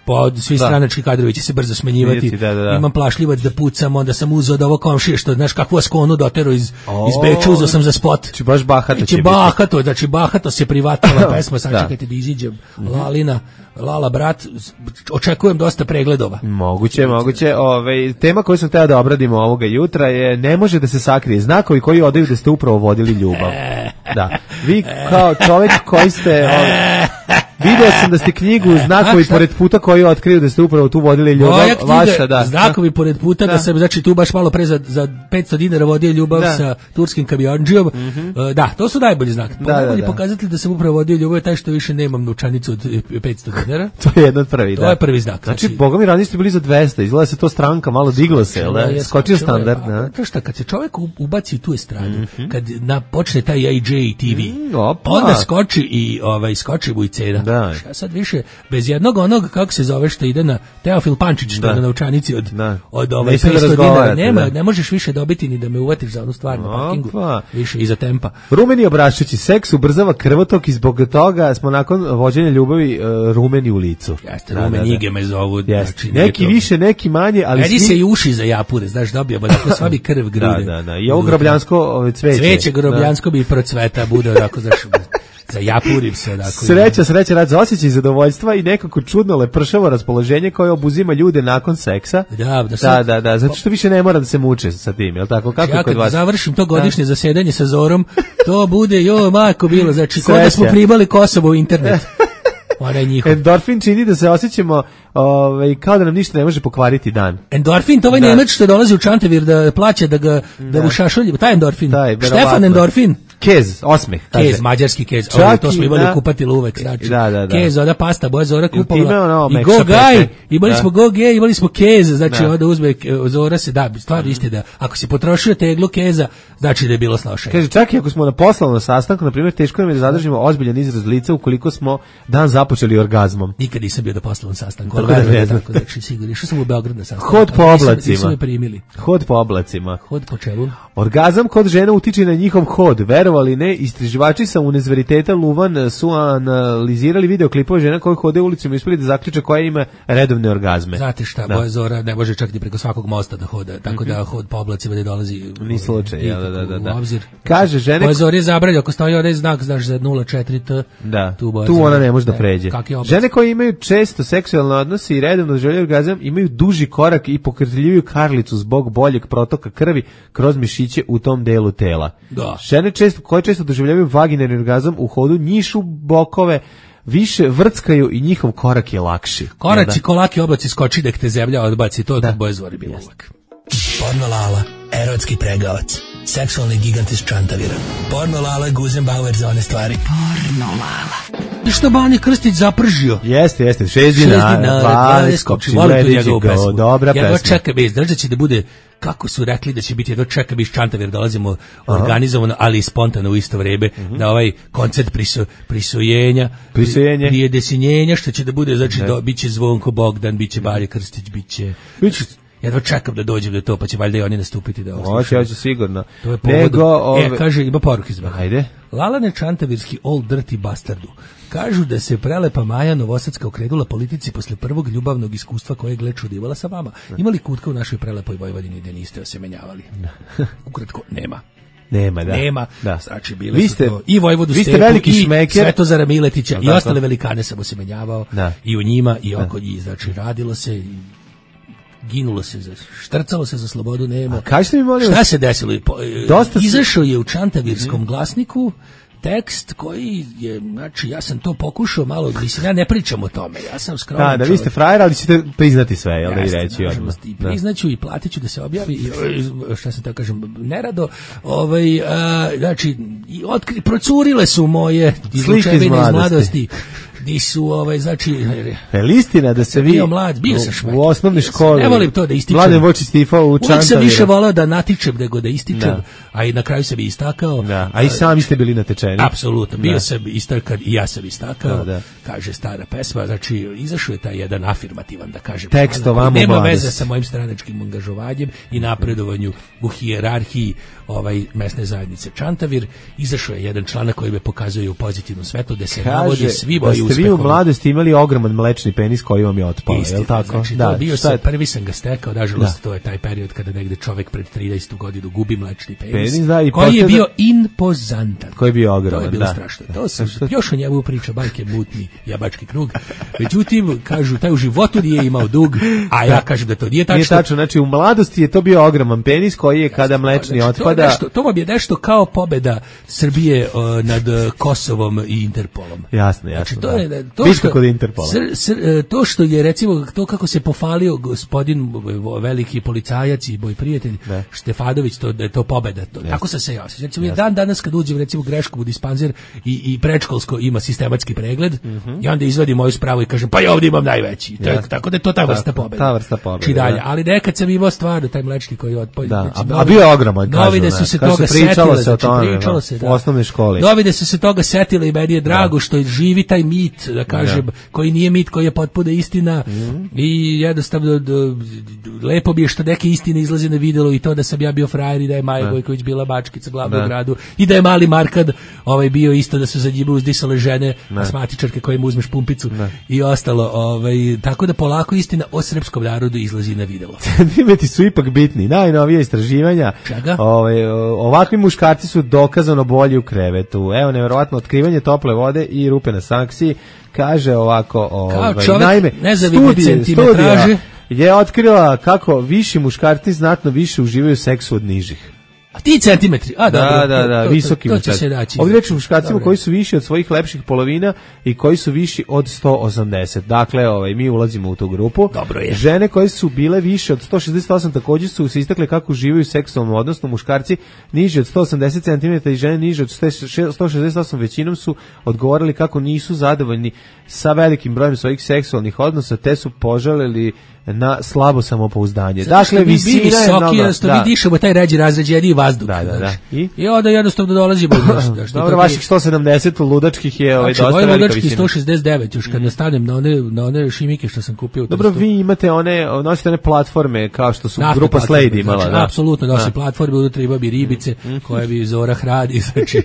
[SPEAKER 6] Po svi da. Stranački kadrovi će se brzo smenjivati. Vidjeti, da, da, da. Imam plašljivac da pucam, onda sam uzeo od ovo komšije što, znaš, kakvu askonu dotero iz, oh. iz Beča, uzeo sam za spot.
[SPEAKER 5] Či baš Bahato će
[SPEAKER 6] Bahato, biti. Znači Bahato se privatila pesma, sad čekajte da iziđem. Lalina, Lala Brat, očekujem dosta pregledova.
[SPEAKER 5] Moguće, moguće. Ove, tema koju sam htio da obradimo ovoga jutra je ne može da se sakrije znakovi koji odaju da ste upravo vodili ljubav. Da. Vi kao čovjek koji ste... Ove, video sam da ste knjigu Znakovi pored puta koji otkriju da ste upravo tu vodili ljubav.
[SPEAKER 6] Moja knjiga, vaša, da. Znakovi pored puta, da. Da sam znači tu baš malo pre za, za petsto dinara vodio ljubav da. Sa turskim kamionđijom. Mm-hmm. Uh, da, to su najbolji znak. Da, najbolji da, da. Pokazatelj da sam upravo vodio ljubav je taj što više nemam novčanicu od petsto dinara.
[SPEAKER 5] To je jedan od prvi,
[SPEAKER 6] to
[SPEAKER 5] da.
[SPEAKER 6] To je prvi znak.
[SPEAKER 5] Znači, znači boga mi ranije ste bili za dvesta, izgleda se to stranka malo digla se, jel da? Skočio standard, da.
[SPEAKER 6] To šta, kad se čovjek ubaci u tu estradu, mm-hmm. kad na, počne taj I J T V, mm, onda skoči i ovaj, skoči mu i cena. Da. Ja sad više, bez jednog onog, kako se zove, što ide na Teofil Pančić, što je na novčanici od, da. Od ovaj petsto dinara, nema, da. Ne možeš više dobiti ni da me uvatiš za onu stvar na parkingu, više iza tempa.
[SPEAKER 5] Rumeni obrašćući, seks ubrzava krvotok i zbog toga smo nakon vođenja ljubavi uh, rumeni u licu.
[SPEAKER 6] Jeste, da, rumenige da, da. Me zovu. Znači,
[SPEAKER 5] neki više, neki manje, ali
[SPEAKER 6] svi... se i uši za japure, znaš, dobio, bo dakle sva bi krv grude.
[SPEAKER 5] Da, da, da, i ovo grobljansko cveće.
[SPEAKER 6] Cveće grobljansko da. Bi procveta, bude onako, znaš, zajapurim se. Dakle,
[SPEAKER 5] sreća, sreća, rad za osjećaj zadovoljstva i nekako čudno lepršavo raspoloženje koje obuzima ljude nakon seksa.
[SPEAKER 6] Da, da,
[SPEAKER 5] da, da, da, zato što više ne mora da se muče sa tim, jel tako? Kako
[SPEAKER 6] ja
[SPEAKER 5] kod vas?
[SPEAKER 6] Završim to godišnje zasedanje sa Zorom, to bude, jo, majko bilo, znači, kod da smo primali Kosovo u internet.
[SPEAKER 5] Endorfin čini da se osjećamo ovaj, kao da nam ništa ne može pokvariti dan.
[SPEAKER 6] Endorfin, to ovaj da. Nemac što dolazi u Čantavir da plaća da ga da, da. U šašolji, taj endorfin. Taj, Štefan Endorfin.
[SPEAKER 5] Kez, osmeh. Kaže.
[SPEAKER 6] Kez, mađarski kez. Ovo, to smo imali da, u kupatilu uvek. Znači,
[SPEAKER 5] da, da, da.
[SPEAKER 6] Kez, ona pasta, boja Zora kupovala.
[SPEAKER 5] Ono,
[SPEAKER 6] I go gaj, imali da. smo go gej, imali smo kez, znači
[SPEAKER 5] da.
[SPEAKER 6] onda uzme Zora se, da, stvarno isti da, ako si potrošio teglu keza, znači da je bilo sloše.
[SPEAKER 5] Kaže, čak i ako smo na poslovnom sastanku, na primjer, teško nam je da zadržimo ozbiljan izraz lica ukoliko smo dan započeli orgazmom.
[SPEAKER 6] Nikad nisam bio na poslovnom sastanku, ali verujem da tako, znači sigurno. Išao sam u Beograd na sastanku.
[SPEAKER 5] Hod po oblacima.
[SPEAKER 6] Nisu me primili.
[SPEAKER 5] Hod po oblacima.
[SPEAKER 6] Hod po čelu.
[SPEAKER 5] Orgazam kod žena utiče na njihov hod, verovali ne, istraživači sa Univerziteta Luvan su analizirali videoklipove žena koje hode ulicom i uspeli da zaključe koja ima redovne orgazme.
[SPEAKER 6] Znate šta, da. Boja Zora ne može čak ni preko svakog mosta da hoda, tako da hod po oblacima ne dolazi
[SPEAKER 5] ni slučaj, ja, da, da, da.
[SPEAKER 6] u obzir.
[SPEAKER 5] Kaže žene...
[SPEAKER 6] Boja Zora je zabranjeno, ako stoji onaj znak, znaš, za nula četiri T,
[SPEAKER 5] da.
[SPEAKER 6] tu,
[SPEAKER 5] tu ona ne može da pređe. Žene koje imaju često seksualne odnose i redovno žele orgazam imaju duži korak i pokrtljiviju karlicu zbog boljeg protoka krvi kroz mišiće u tom delu tela.
[SPEAKER 6] Da.
[SPEAKER 5] Žene često, koje često doživljavaju vaginarni orgazam u hodu njišu bokove, više vrckaju i njihov korak je lakši.
[SPEAKER 6] Koraci, kolaki oblaci skoči da te zemlja odbaci, to da Boja Zori bilo uvek. Porno Lala, erotski pregavac, seksualni gigant iz Čantavira. Porno Lala, Guzenbauer za one stvari. Porno Lala. I što Bani Krstić zapržio?
[SPEAKER 5] Jeste, jeste, šest dinara, dvanaest, skopči, Lediđi go, dobra pesma.
[SPEAKER 6] Jedva čeka bez, držat će da bude, kako su rekli da će biti, jedva čeka bez Čantavir, dolazimo organizovano, ali i spontano u isto vreme, uh-huh. na ovaj koncert prisu, prisujenja,
[SPEAKER 5] prisujenje,
[SPEAKER 6] prije desinjenja, što će da bude, znači, do, bit će Zvonko Bogdan, bit će Bani Krstić, bit će...
[SPEAKER 5] Biće...
[SPEAKER 6] Jedva čekam da dođem do to, pa će valjda i oni nastupiti da ovo.
[SPEAKER 5] Hoće, hoće sigurno.
[SPEAKER 6] To je povodom.
[SPEAKER 5] Nego, ove...
[SPEAKER 6] E, kaže, ima poruke zbog.
[SPEAKER 5] Ajde.
[SPEAKER 6] Lalane Čantavirski old dirty bastardu. Kažu da se prelepa Maja Novosadska okrenula politici posle prvog ljubavnog iskustva koje je gle čudivala sa vama. Imali kutka u našoj prelepoj Vojvodini gde niste osemenjavali? Ukratko, nema.
[SPEAKER 5] Nema, da.
[SPEAKER 6] Nema,
[SPEAKER 5] da.
[SPEAKER 6] Znači, bile vi ste, su to i Vojvodu Stepu, i Svetozara Miletića, i ostale velikane sam osemenjavao, da. I u njima, i oko njih. Znači, radilo se... I ginulo se, za, štrcalo se za slobodu, nema.
[SPEAKER 5] Kažete mi, molim vas,
[SPEAKER 6] šta se desilo?
[SPEAKER 5] Dosta
[SPEAKER 6] izašao je u Čantavirskom mm-hmm. glasniku tekst koji je, znači, ja sam to pokušao malo, mislim, ja ne pričam o tome, ja sam skroman
[SPEAKER 5] da, da, vi ste frajer, ali ćete priznati sve, jel da i reći
[SPEAKER 6] odmah. I priznaću i platit ću da se objavi, i, šta se tako kažem, nerado, ovaj, a, znači, i otkri, procurile su moje izlučevine iz mladosti. Di su, ovaj, znači...
[SPEAKER 5] Je li istina da se vi
[SPEAKER 6] bio mlad, bio sam šmek,
[SPEAKER 5] u osnovnoj školi...
[SPEAKER 6] Ne volim to da ističem.
[SPEAKER 5] Mladen Vočić stifao u Čantaviru.
[SPEAKER 6] Uvijek sam više volao da natičem nego da ističem, da. A i na kraju sam i istakao.
[SPEAKER 5] Da. A i sami ste bili natečeni.
[SPEAKER 6] Apsolutno, bio da. sam istakao i ja sam istakao, da, da. Kaže stara pesma, znači izašao je taj jedan afirmativan, da kažem.
[SPEAKER 5] Tekst o vama
[SPEAKER 6] nema veze sa mojim stranačkim angažovanjem i napredovanju u hijerarhiji ovaj mesne zajednice Čantavir. Izašao je jedan članak koji me pokazuje u pozitivnom svetlu da se kaže, navodi svi moji uspeh.
[SPEAKER 5] Vi u mladosti imali ogroman mlečni penis koji vam je otpao, je li tako?
[SPEAKER 6] Znači, da, bio sam, prvi sam ga stekao, nažalost, to je taj period kada negde čovek pred trinaestu godinu gubi mlečni penis, penis da, i koji posleda... je bio impozantan.
[SPEAKER 5] Koji je bio ogroman,
[SPEAKER 6] to je bilo
[SPEAKER 5] da.
[SPEAKER 6] strašno. To sam, još o njemu priča bajke mutni jabački krug. Međutim, kažu, taj u životu nije imao dug, a ja kažem da to nije tačno.
[SPEAKER 5] Nije tačno, znači u mladosti je to bio ogroman penis koji je kada mlečni
[SPEAKER 6] znači,
[SPEAKER 5] otpada.
[SPEAKER 6] To, nešto, to vam je nešto kao pobeda Srbije uh, nad Kosovom i Interpolom.
[SPEAKER 5] Jasno, jasno.
[SPEAKER 6] Znači, to
[SPEAKER 5] da.
[SPEAKER 6] je to
[SPEAKER 5] što kod Interpola.
[SPEAKER 6] Sr, sr, to što je recimo to kako se pofalio gospodin veliki policajac i moj prijatelj da. Štefanović, to da je to pobeda, to. Tako sam se ja osjećam. Recimo je dan danas kad uđem recimo greškom u dispanzer i i predškolsko ima sistematski pregled mm-hmm. i onda izvadim moju spravu i kažem pa ja ovdje imam najveći. To je, tako da je to ta vrsta pobede.
[SPEAKER 5] Ta vrsta pobede.
[SPEAKER 6] Čidalje, ali nekad sam imao stvarno taj mlečni koji otpolje.
[SPEAKER 5] Da. Znači, a, a bio je ogroman, kažu.
[SPEAKER 6] Novine su se toga
[SPEAKER 5] pričalo
[SPEAKER 6] setile,
[SPEAKER 5] se o tome,
[SPEAKER 6] znači, pričalo se, da.
[SPEAKER 5] U osnovnoj školi.
[SPEAKER 6] Novine su se toga setile i meni je drago da. Što je živi taj mit, da kažem, da. Koji nije mit, koji je potpuno istina mm. i jednostavno do, lepo bi je što neke istine izlaze na videlo i to da sam ja bio frajer i da je Maja Gojković bila bačkica glavnog gradu i da je mali Markad ovaj bio isto da su za njima uzdisale žene asmatičarke koje mu uzmeš pumpicu ne. I ostalo, ovaj, tako da polako istina o srpskom narodu izlazi na videlo.
[SPEAKER 5] Centimetri su ipak bitni, najnovije istraživanja.
[SPEAKER 6] Čega?
[SPEAKER 5] Ovaj, ovakvi muškarci su dokazano bolji u krevetu. Evo, nevjerovatno otkrivanje tople vode i rupe na sankciji. Kaže ovako, ovaj, naime, studije, studija je otkrila kako viši muškarci znatno više uživaju seksu od nižih.
[SPEAKER 6] A ti centimetri, a
[SPEAKER 5] da,
[SPEAKER 6] dobro,
[SPEAKER 5] da, da,
[SPEAKER 6] to,
[SPEAKER 5] visoki
[SPEAKER 6] to, to
[SPEAKER 5] muškarci.
[SPEAKER 6] će se naći.
[SPEAKER 5] Ovdje reći muškarcima koji su viši od svojih lepših polovina i koji su viši od sto osamdeset. Dakle, ovaj, mi ulazimo u tu grupu.
[SPEAKER 6] Dobro je.
[SPEAKER 5] Žene koje su bile više od sto šezdeset osam također su se istakle kako uživaju u seksualnom odnosu. Muškarci niži od sto osamdeset centimetara i žene niže od sto šezdeset osam većinom su odgovorili kako nisu zadovoljni sa velikim brojem svojih seksualnih odnosa, te su požalili na slabo samopouzdanje.
[SPEAKER 6] Zato
[SPEAKER 5] dakle, visina je
[SPEAKER 6] mnogo... Zato da. Mi dišemo taj ređi razređeniji vazduh.
[SPEAKER 5] Da, da, da.
[SPEAKER 6] I, I onda jednostavno dolazimo. Da, što
[SPEAKER 5] dobro, vaših sto sedamdeset ludačkih je ovaj, dosta
[SPEAKER 6] velika
[SPEAKER 5] visina.
[SPEAKER 6] Ludački sto šezdeset devet, još kad mm. nastanem na one, na one šimike što sam kupio.
[SPEAKER 5] Dobro, vi imate one, nosite one platforme kao što su Naftne grupa Slade imala.
[SPEAKER 6] Znači,
[SPEAKER 5] da.
[SPEAKER 6] Apsolutno, nosi platforme, unutra ima bi ribice, mm. koje bi Zora hradi, znači,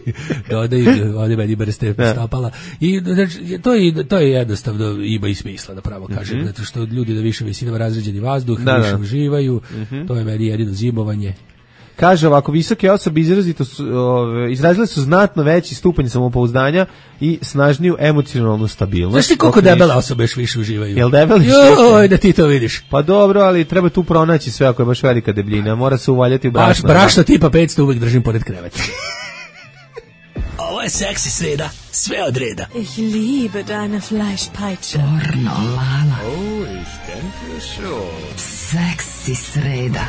[SPEAKER 6] dodaju, ovdje meni brste stapala. I znači, to, je, to je jednostavno ima i smisla, da pravo kažem, mm-hmm. zato što ljudi da više visina razređeni vazduh, da, više da. uživaju, mm-hmm. to je meni jedino zimovanje.
[SPEAKER 5] Kaže ovako, visoke osobe izrazito su, ove, izrazile su znatno veći stupanj samopouzdanja i snažniju emocionalnu stabilnost.
[SPEAKER 6] Znaš ti koliko debele osobe još više uživaju?
[SPEAKER 5] Jel debeli?
[SPEAKER 6] Joj, da ti to vidiš.
[SPEAKER 5] Pa dobro, ali treba tu pronaći sve ako je baš velika debljina, mora se uvaljati u brašno.
[SPEAKER 6] Baš brašno tipa petsto uvek držim pored kreveta.
[SPEAKER 8] Ovo je seksi sreda, sve od reda.
[SPEAKER 13] Ich liebe deine Fleischpeitsche.
[SPEAKER 2] Pornolala.
[SPEAKER 3] Oh, ich denke schon.
[SPEAKER 2] Seksi sreda.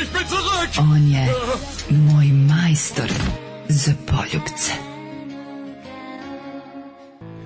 [SPEAKER 3] Ich bin zurück!
[SPEAKER 2] On je moj majstor za poljubce.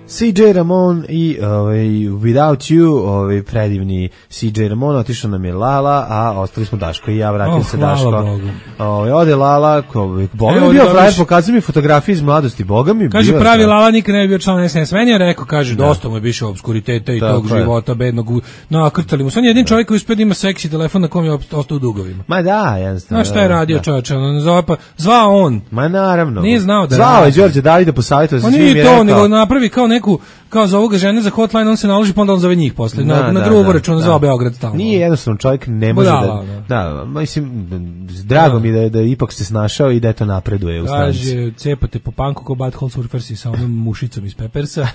[SPEAKER 5] C J Ramon i ovaj, Without You, ovaj, predivni C J Ramon, otišao nam je Lala, a ostali smo Daško i ja, vratio
[SPEAKER 6] oh,
[SPEAKER 5] se Daško. Ovaj, ode Lala, ovaj, Boga mi bio frajer, pokazao mi fotografije iz mladosti, Boga mi
[SPEAKER 6] kaže,
[SPEAKER 5] bio.
[SPEAKER 6] pravi Lala nikad ne bi bio član S N S, meni je rekao, kaže, da. Dosta mu je više obskuriteta i tog je. Života, bednog, nakrtali mu. On je jedin da. Čovjek koji uspio da ima seksi telefon na kom je ostao u dugovima.
[SPEAKER 5] Ma da, jednostavno.
[SPEAKER 6] Znaš šta je radio čovječe, on zvao, pa, zvao on.
[SPEAKER 5] Ma naravno.
[SPEAKER 6] Nije znao da
[SPEAKER 5] zvao je Đorđe Davida posavjetao sa svim
[SPEAKER 6] i rekao. On nije to, nego napravi kao neku, kao za ovoga žene za hotline, on se naloži, pa onda on zove njih posle. Na, da, na drugu da, računa da. Zvao Beograd stalno.
[SPEAKER 5] Nije jednostavno, čovjek ne može
[SPEAKER 6] Budala,
[SPEAKER 5] da, da, da, mislim, drago da. Mi da, da ipak se snašao i da to napreduje u stranci.
[SPEAKER 6] Kaže, cepate po panku ko Butthole Surfersi sa onom mušicom iz Peppersa,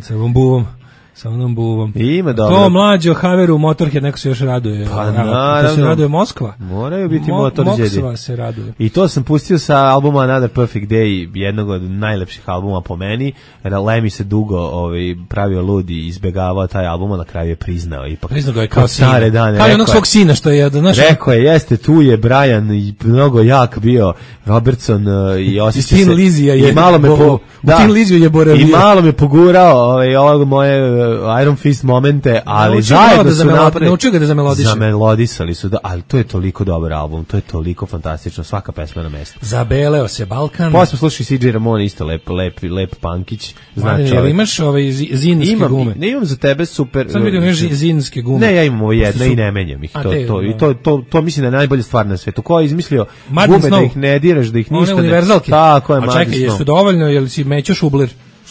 [SPEAKER 6] sa ovom buvom. Sa onom buvom.
[SPEAKER 5] Ima dobro.
[SPEAKER 6] To mlađo Haveru Motorhead, neko se još raduje.
[SPEAKER 5] Pa naravno.
[SPEAKER 6] To se raduje Moskva.
[SPEAKER 5] Moraju biti
[SPEAKER 6] Mo,
[SPEAKER 5] Motorheadi.
[SPEAKER 6] Moskva se raduje.
[SPEAKER 5] I to sam pustio sa albuma Another Perfect Day, jednog od najlepših albuma po meni. Lemmy se dugo ovaj, pravio ludi i izbegavao taj album, a na kraju je priznao. Ipak,
[SPEAKER 6] priznao ga je kao
[SPEAKER 5] sine. Dane,
[SPEAKER 6] kao onog svog sina što je. Znaš,
[SPEAKER 5] rekao je, jeste, tu je Brian i mnogo jak bio Robertson i osjeća se.
[SPEAKER 6] Lizija je.
[SPEAKER 5] I malo me, po,
[SPEAKER 6] da, Tin Liziju je boravio.
[SPEAKER 5] I malo me pogurao ovaj, ovog moje Iron Fist momente, ali naučio zajedno da su napravili.
[SPEAKER 6] Naučio ga da zamelodiše.
[SPEAKER 5] Zamelodisali su, da, ali to je toliko dobar album, to je toliko fantastično, svaka pesma na mestu.
[SPEAKER 6] Zabeleo se Balkan.
[SPEAKER 5] Posle slušaj C J Ramon, isto lep, lep, lep punkić. Znači,
[SPEAKER 6] jel imaš ove zinske
[SPEAKER 5] imam,
[SPEAKER 6] gume?
[SPEAKER 5] Ne imam za tebe super.
[SPEAKER 6] Sad vidim, imaš zinske gume.
[SPEAKER 5] Ne, ja imam ovo jedno i ne menjam ih. To, to, i to, to, to mislim da je najbolja stvar na svetu. Ko je izmislio
[SPEAKER 6] Madden
[SPEAKER 5] gume
[SPEAKER 6] Snow.
[SPEAKER 5] Da ih ne diraš, da ih ništa
[SPEAKER 6] ne... univerzalke.
[SPEAKER 5] Tako je,
[SPEAKER 6] Madden Snow. A čekaj, jesu dovoljno, jel si mećo šubler?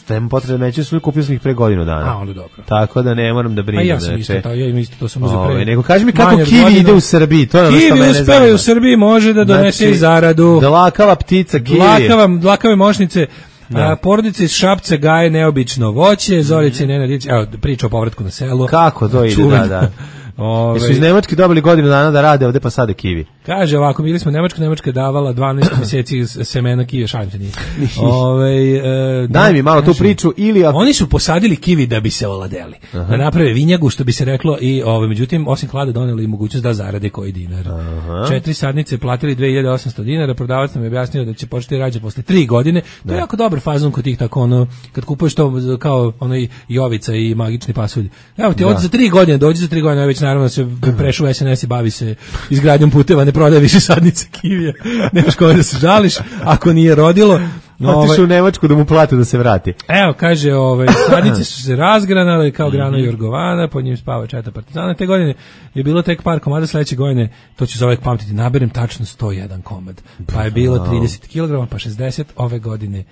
[SPEAKER 5] Nema potrebe, neće su kupio sam ih pre godinu dana.
[SPEAKER 6] A, onda dobro.
[SPEAKER 5] Tako da ne moram da brinem.
[SPEAKER 6] A ja sam isto, ta, ja im isto to sam uzeo pre.
[SPEAKER 5] Nego kaži mi kako kiwi godina. Ide u Srbiji, to je ono što mene zanima.
[SPEAKER 6] Kiwi uspeva u Srbiji, može da donese znači, i zaradu.
[SPEAKER 5] Dlakava ptica kiwi.
[SPEAKER 6] Dlakava, dlakave mošnice. A, porodice iz Šapca gaje neobično voće, Zorice i Nenad, evo priča o povratku na selo.
[SPEAKER 5] Kako to ide, Čuven. Da, da. Ove, su iz Nemačke dobili godinu dana da rade, ovde pa sade kiwi.
[SPEAKER 6] Kaže ovako, bili smo Nemačka, Nemačka je davala dvanaest mjeseci semena kiwi, šalim se nije. Ove, e,
[SPEAKER 5] Daj mi malo tu priču. Ili ako...
[SPEAKER 6] Oni su posadili kiwi da bi se oladeli. Aha. Da naprave vinjagu, što bi se reklo, i ove, međutim, osim hlada doneli i mogućnost da zarade koji dinar. Aha. Četiri sadnice platili dve hiljade osamsto dinara, prodavac nam je objasnio da će početi rađati posle tri godine. To je jako dobar fazon kod tih tako, ono, kad kupuješ to kao onaj Jovica i magični pasulj. Evo ti, od za tri godine, dođi za tri godine, već naravno se prešao u S N S i bavi se izgradnjom puteva, ne prodaje više sadnice kivija, nemaš kome da se žališ, ako nije rodilo.
[SPEAKER 5] Otišu u Nemačku da mu plate da se vrati.
[SPEAKER 6] Evo, kaže, ove, sadnice su se razgranale kao grano Jorgovana, pod njim spava četa partizana. Te godine je bilo tek par komada, sledeće godine, to ću za uvek pamtiti, naberem tačno sto jedan komad. Pa je bilo trideset kilograma, pa šezdeset, ove godine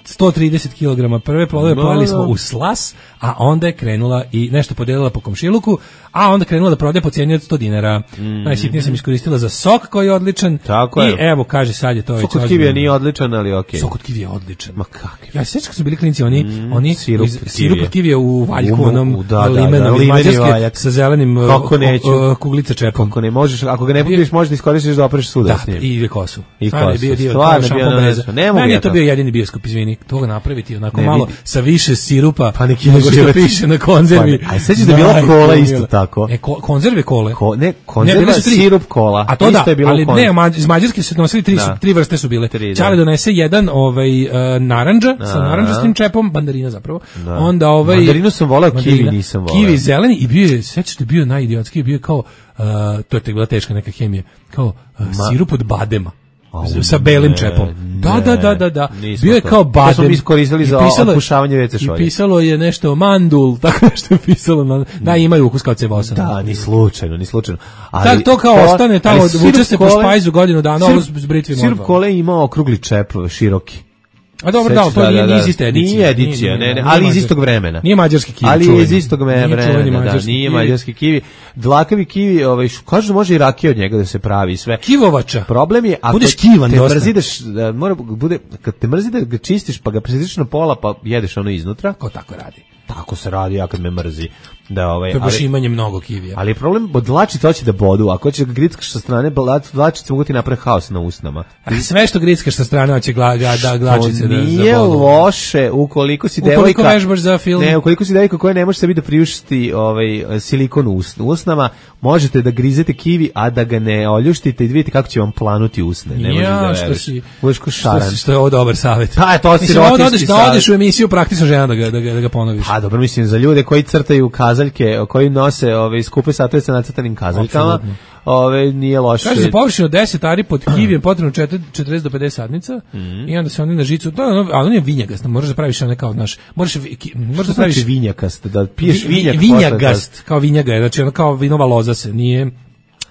[SPEAKER 6] sto trideset kilograma prve plodove no, pojeli smo u slas, a onda je krenula i nešto podelila po komšiluku, a onda krenula da prodaje po cijeni od sto dinara. Mm. Najsitnije sam iskoristila za sok koji je odličan.
[SPEAKER 5] Tako
[SPEAKER 6] i
[SPEAKER 5] je.
[SPEAKER 6] evo, kaže, sad je to već...
[SPEAKER 5] Sok od kivija nije odličan, ali okej. Okay.
[SPEAKER 6] Sok od kivija je odličan.
[SPEAKER 5] Ma kakvi?
[SPEAKER 6] Ja se sjećam kad su bili klinci, oni, mm, oni
[SPEAKER 5] sirup,
[SPEAKER 6] sirup od kivija u valjku,
[SPEAKER 5] u,
[SPEAKER 6] onom
[SPEAKER 5] u, da, da,
[SPEAKER 6] limenom
[SPEAKER 5] da,
[SPEAKER 6] iz Mađarske sa zelenim uh, kuglica čepom.
[SPEAKER 5] Kako ne možeš, ako ga ne pokriješ, možeš da iskoristiš da opreš suda s njim.
[SPEAKER 6] Da, i kosu.
[SPEAKER 5] I kosu.
[SPEAKER 6] Bio dio,
[SPEAKER 5] stvarno bio na nezu. Ne mogu
[SPEAKER 6] ja
[SPEAKER 5] je
[SPEAKER 6] to bio jedini bioskop, izvini. Toga napraviti onako
[SPEAKER 5] ne,
[SPEAKER 6] malo
[SPEAKER 5] vidi.
[SPEAKER 6] sa više sirupa,
[SPEAKER 5] pa neki
[SPEAKER 6] nego što piše na konzervi.
[SPEAKER 5] Pa, a sećaš da je bila kola isto tako?
[SPEAKER 6] E, ko, konzerve kole.
[SPEAKER 5] Ko, ne, konzerva ne, sirup kola.
[SPEAKER 6] A to
[SPEAKER 5] isto
[SPEAKER 6] da,
[SPEAKER 5] je bilo
[SPEAKER 6] ali
[SPEAKER 5] konzerv.
[SPEAKER 6] ne, ma, iz Mađarske su nosili tri, da. tri vrste su bile. Čale donese jedan ovaj, uh, narandža, da. sa narandžastim čepom, bandarina zapravo. Da. Onda ovaj...
[SPEAKER 5] Mandarinu sam volao, kiwi nisam volao.
[SPEAKER 6] Kiwi zeleni i bio je, sećaš da je bio najidiotski, bio je kao, uh, to je bila teška neka hemija, kao uh, sirup od badema.
[SPEAKER 5] Oh,
[SPEAKER 6] sa belim
[SPEAKER 5] ne,
[SPEAKER 6] čepom.
[SPEAKER 5] Ne,
[SPEAKER 6] da, da, da, da, da. Bio je
[SPEAKER 5] to.
[SPEAKER 6] kao badem.
[SPEAKER 5] To smo mi iskoristili za otpušavanje ve ce šolje.
[SPEAKER 6] I pisalo je nešto mandul, tako nešto je pisalo. Na, da, imaju ukus kao cevosa.
[SPEAKER 5] Da, ni slučajno, ni slučajno.
[SPEAKER 6] Ali, tak, to kao kola, ostane, tamo vuče se po špajzu godinu dana, ovo s britvim odva.
[SPEAKER 5] Sirup kole ima okrugli čep, široki.
[SPEAKER 6] A dobro, da, to nije iz iste edicije.
[SPEAKER 5] Nije edicija, ne, ne, ali iz istog vremena.
[SPEAKER 6] Nije mađarski kivi.
[SPEAKER 5] Ali je iz istog vremena, da, nije mađarski kivi. Dlakavi kivi, ovaj, kažu da može i rakija od njega da se pravi sve.
[SPEAKER 6] Kivovača.
[SPEAKER 5] Problem je ako
[SPEAKER 6] budeš kivan
[SPEAKER 5] te
[SPEAKER 6] dosta.
[SPEAKER 5] mrzideš, da mora bude kad te mrzi da ga čistiš pa ga presječeš na pola pa jedeš ono iznutra.
[SPEAKER 6] Ko tako radi?
[SPEAKER 5] Tako se radi, ja kad me mrzi. Da, ovaj,
[SPEAKER 6] to je baš imanje mnogo kivija.
[SPEAKER 5] Ali je problem, dlačice hoće da bodu, ako hoćeš da grickaš sa strane, dlačice mogu ti napraviti haos na usnama.
[SPEAKER 6] A sve što grickaš sa strane hoće gla, da glačice da,
[SPEAKER 5] nije
[SPEAKER 6] da bodu.
[SPEAKER 5] loše, ukoliko si
[SPEAKER 6] ukoliko
[SPEAKER 5] devojka...
[SPEAKER 6] Ukoliko vežbaš za film.
[SPEAKER 5] Ne, ukoliko si devojka koja ne može sebi da priuštiti ovaj, silikon u usnama, možete da grizete kivi, a da ga ne oljuštite i da vidite kako će vam planuti usne. Ne možeš
[SPEAKER 6] ja,
[SPEAKER 5] da
[SPEAKER 6] što si,
[SPEAKER 5] budeš ko šaran.
[SPEAKER 6] Što, si, što je ovo dobar savjet.
[SPEAKER 5] Pa, to si rotinski
[SPEAKER 6] da odeš u emisiju praktično žena da ga, da ga, da ga ponoviš.
[SPEAKER 5] Pa, dobro, mislim, za ljude koji crtaju kazaljke, koji nose ove skupe satove sa nacrtanim kazaljkama, ove nije loše.
[SPEAKER 6] Kaže za površinu deset ari pod kivijem potrebno četrdeset do pedeset sadnica mm. i onda se oni na žicu, to ono, ali on je vinjagast, možeš da praviš one kao naš, možeš možeš da praviš
[SPEAKER 5] vinjakast, da piješ vinjak,
[SPEAKER 6] vinjagast, kao vinjaga, znači ono kao vinova loza se, nije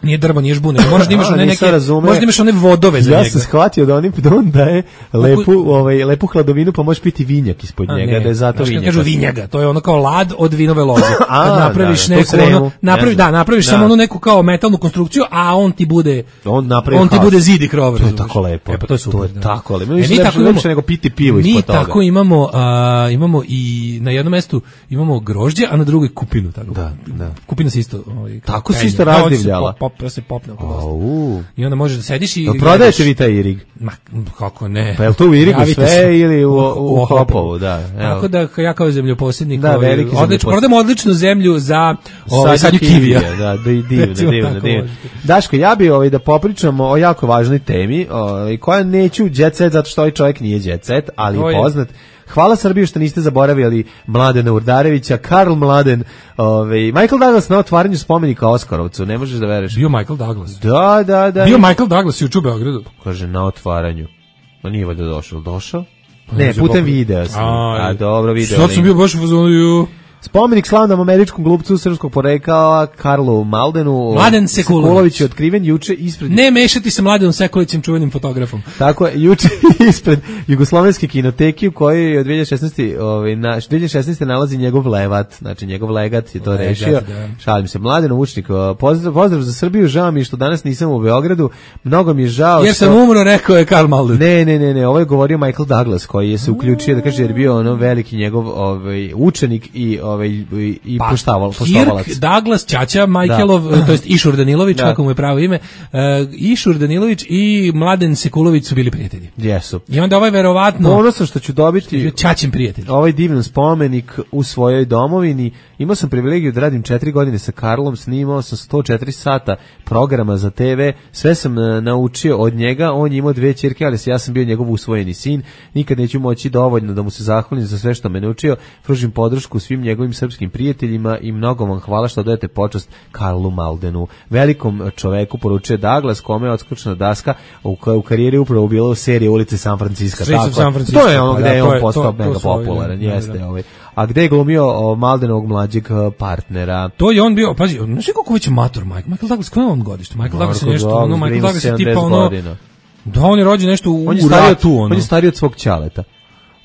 [SPEAKER 6] nije drvo, nije žbune, možeš da imaš one neke, možeš da imaš one vodove za
[SPEAKER 5] ja
[SPEAKER 6] njega.
[SPEAKER 5] Ja sam shvatio da oni da on daje lepu, ovaj, lepu hladovinu, pa možeš piti vinjak ispod
[SPEAKER 6] A,
[SPEAKER 5] njega,
[SPEAKER 6] ne,
[SPEAKER 5] da je zato vinjak.
[SPEAKER 6] Kažu vinjaga, to je ono kao lad od vinove loze.
[SPEAKER 5] A,
[SPEAKER 6] kad napraviš
[SPEAKER 5] da,
[SPEAKER 6] neku, ono, napraviš, da, napraviš da. samo onu neku kao metalnu konstrukciju, a on ti bude,
[SPEAKER 5] on,
[SPEAKER 6] on ti bude zid i krov.
[SPEAKER 5] To je tako lepo.
[SPEAKER 6] E, pa to je super.
[SPEAKER 5] To je
[SPEAKER 6] da.
[SPEAKER 5] tako lepo. Mi tako imamo nego piti pivo ispod toga.
[SPEAKER 6] Mi tako imamo, a, imamo i na jednom mestu imamo grožđe, a na drugoj kupinu. Tako.
[SPEAKER 5] Da, da.
[SPEAKER 6] Kupina se isto. Ovaj,
[SPEAKER 5] tako se isto razdivljala.
[SPEAKER 6] Pop, pop, se popne.
[SPEAKER 5] Au.
[SPEAKER 6] I onda možeš da sediš i...
[SPEAKER 5] No, prodajete vi taj irig?
[SPEAKER 6] Ma, kako ne.
[SPEAKER 5] Pa je li to u irigu sve se. Ili u, u, u Hopovu? Da,
[SPEAKER 6] tako da ja kao zemljoposjednik
[SPEAKER 5] da,
[SPEAKER 6] ovaj, odlič, prodamo odličnu zemlju za ovaj, sadnju kivija.
[SPEAKER 5] Da, divno, divno, divno. Daško, ja bi ovaj, da popričamo o jako važnoj temi, ovaj, koja neću jet set, zato što ovaj čovjek nije jet set, ali je poznat. Hvala Srbiju što niste zaboravili Mladena Urdarevića, Karl Mladen, ovaj Michael Douglas na otvaranju spomenika Oskarovcu, ne možeš da veruješ.
[SPEAKER 6] Bio Michael Douglas.
[SPEAKER 5] Da, da, da.
[SPEAKER 6] Bio Michael Douglas juče u Beogradu.
[SPEAKER 5] Kaže na otvaranju. Ma nije valjda došao, došao? Ne, putem videa sam. A, dobro, video.
[SPEAKER 6] Sad sam bio baš u fazonu.
[SPEAKER 5] Spomenik slavnom američkom glumcu srpskog porekla Karlu Maldenu
[SPEAKER 6] Mladen Sekulović
[SPEAKER 5] je otkriven juče ispred...
[SPEAKER 6] Ne mešati sa Mladenom Sekulovićem, čuvenim fotografom.
[SPEAKER 5] Tako je, juče ispred Jugoslovenske kinoteke u kojoj od dve hiljade šesnaeste ovaj, na, dve hiljade šesnaeste nalazi njegov levat, znači njegov legat je to legat, rešio. Da. Šalim se, Mladen Vučnik, pozdrav, pozdrav za Srbiju, žao mi što danas nisam u Beogradu, mnogo mi je žao
[SPEAKER 6] jer
[SPEAKER 5] što...
[SPEAKER 6] sam umro, rekao je Karl Malden.
[SPEAKER 5] Ne, ne, ne, ne, ovo je govorio Michael Douglas koji je se uključio, da kaže, jer bio ono veliki njegov ovaj, učenik i ovaj i
[SPEAKER 6] pa,
[SPEAKER 5] poštoval, poštovalac.
[SPEAKER 6] Kirk Douglas, ćaća Michaelov, da. to jest Išur Danilović, da. kako mu je pravo ime, uh, Išur Danilović i Mladen Sekulović su bili prijatelji.
[SPEAKER 5] Jesu.
[SPEAKER 6] I onda ovaj verovatno...
[SPEAKER 5] Ponosno što ću dobiti
[SPEAKER 6] ćaćin prijatelj.
[SPEAKER 5] Ovaj divan spomenik u svojoj domovini. Imao sam privilegiju da radim četiri godine sa Karlom, snimao sam sto četiri sata programa za te ve, sve sam uh, naučio od njega, on je imao dve ćerke, ali ja sam bio njegov usvojeni sin, nikad neću moći dovoljno da mu se zahvalim za sve što me naučio, pružim podršku svim njegovim srpskim prijateljima i mnogo vam hvala što dajete počast Karlu Maldenu. Velikom čoveku poručuje Douglas, kome je odskočna daska u, u karijeri upravo bila u seriji Ulice San Francisco.
[SPEAKER 6] Tako. San Francisco.
[SPEAKER 5] To je ono gde je on postao mega popularan, jeste ovaj. A gde je glumio o, Maldenovog mlađeg partnera?
[SPEAKER 6] To je on bio, pazi, znaš kako već mator Mike, Michael Douglas, koje je on godište? Michael Douglas je nešto, ono, Michael Douglas je tipa ono, da on je rođen nešto u
[SPEAKER 5] on je
[SPEAKER 6] ratu, ono.
[SPEAKER 5] On je stariji od svog ćaleta.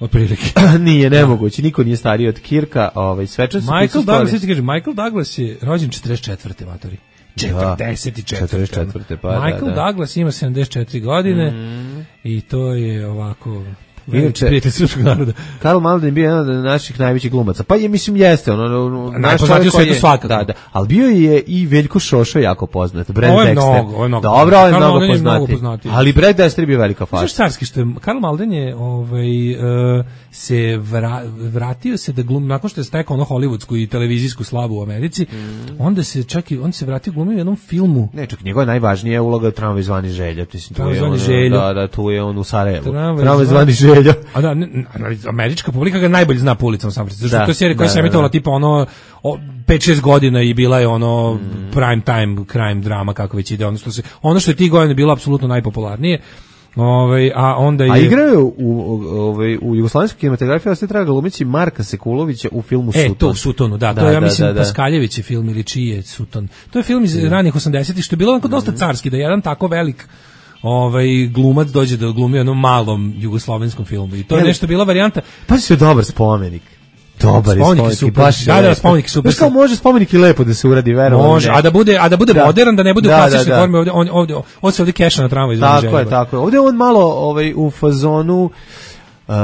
[SPEAKER 6] otprilike.
[SPEAKER 5] Nije nemoguće, niko nije stariji od Kirka, ovaj svečan su
[SPEAKER 6] Michael Douglas, se kaže, Michael Douglas je rođen četrdeset četvrte matori. četrdeset četvrte
[SPEAKER 5] pa
[SPEAKER 6] Michael
[SPEAKER 5] da, da.
[SPEAKER 6] Douglas ima sedamdeset četiri godine mm. i to je ovako
[SPEAKER 5] Inače,
[SPEAKER 6] prijatelj srpskog naroda.
[SPEAKER 5] Karl Malden je bio jedan od naših najvećih glumaca. Pa je, mislim, jeste. Ono,
[SPEAKER 6] najpoznatiji u svetu svakako.
[SPEAKER 5] Da, da. Ali bio je i Veljko Šošo jako poznat. Brad
[SPEAKER 6] ovo je
[SPEAKER 5] Dexter.
[SPEAKER 6] mnogo, ovo je mnogo.
[SPEAKER 5] Dobro, ovo je
[SPEAKER 6] Karl
[SPEAKER 5] mnogo poznati. Ali Brad Dexter je bio velika faca.
[SPEAKER 6] Znaš carski što je, Karl Malden je ovaj, uh, se vra, vratio se da glumi, nakon što je stekao ono hollywoodsku i televizijsku slavu u Americi, mm. onda se čak i, on se vratio glumio u jednom filmu.
[SPEAKER 5] Ne, čak njegova najvažnija uloga je Tramvaj zvani Želja.
[SPEAKER 6] Tramvaj zvani Želja.
[SPEAKER 5] Da, da, tu je on u Sarajevu.
[SPEAKER 6] Tramvaj
[SPEAKER 5] zvani Želja.
[SPEAKER 6] A da, ne, američka publika ga najbolje zna po ulicama San Francisco. Zato što je serija koja se emitovala tipa ono pet šest godina i bila je ono mm. prime time crime drama kako već ide, ono što se ono što je tih godina bilo apsolutno najpopularnije. Ovaj a onda je
[SPEAKER 5] A igrao u ovaj u jugoslovenskoj kinematografiji ostaje traga glumići Marka Sekulovića u filmu Suton.
[SPEAKER 6] E, to u Sutonu, da,
[SPEAKER 5] da
[SPEAKER 6] to ja
[SPEAKER 5] da,
[SPEAKER 6] mislim
[SPEAKER 5] da, da.
[SPEAKER 6] Paskaljević je film ili čiji je Suton. To je film iz ranih osamdesetih što je bilo onako dosta carski, da jedan tako velik ovaj glumac dođe da glumi u jednom malom jugoslovenskom filmu. I to je
[SPEAKER 5] Jel,
[SPEAKER 6] nešto bila varijanta.
[SPEAKER 5] Pa se dobar spomenik. Dobar je spomenik,
[SPEAKER 6] super.
[SPEAKER 5] Baš
[SPEAKER 6] da, da, spomenik super.
[SPEAKER 5] Znaš kao može spomenik i lepo da se uradi, verovatno.
[SPEAKER 6] Može, a da bude, a da bude da. modern, da ne bude
[SPEAKER 5] da,
[SPEAKER 6] u klasičnoj
[SPEAKER 5] da, da.
[SPEAKER 6] formi, ovdje, on, ovdje, ovdje se ovdje keša na tramvaju.
[SPEAKER 5] Tako je, tako je. Ovdje on malo ovaj, u fazonu Uh,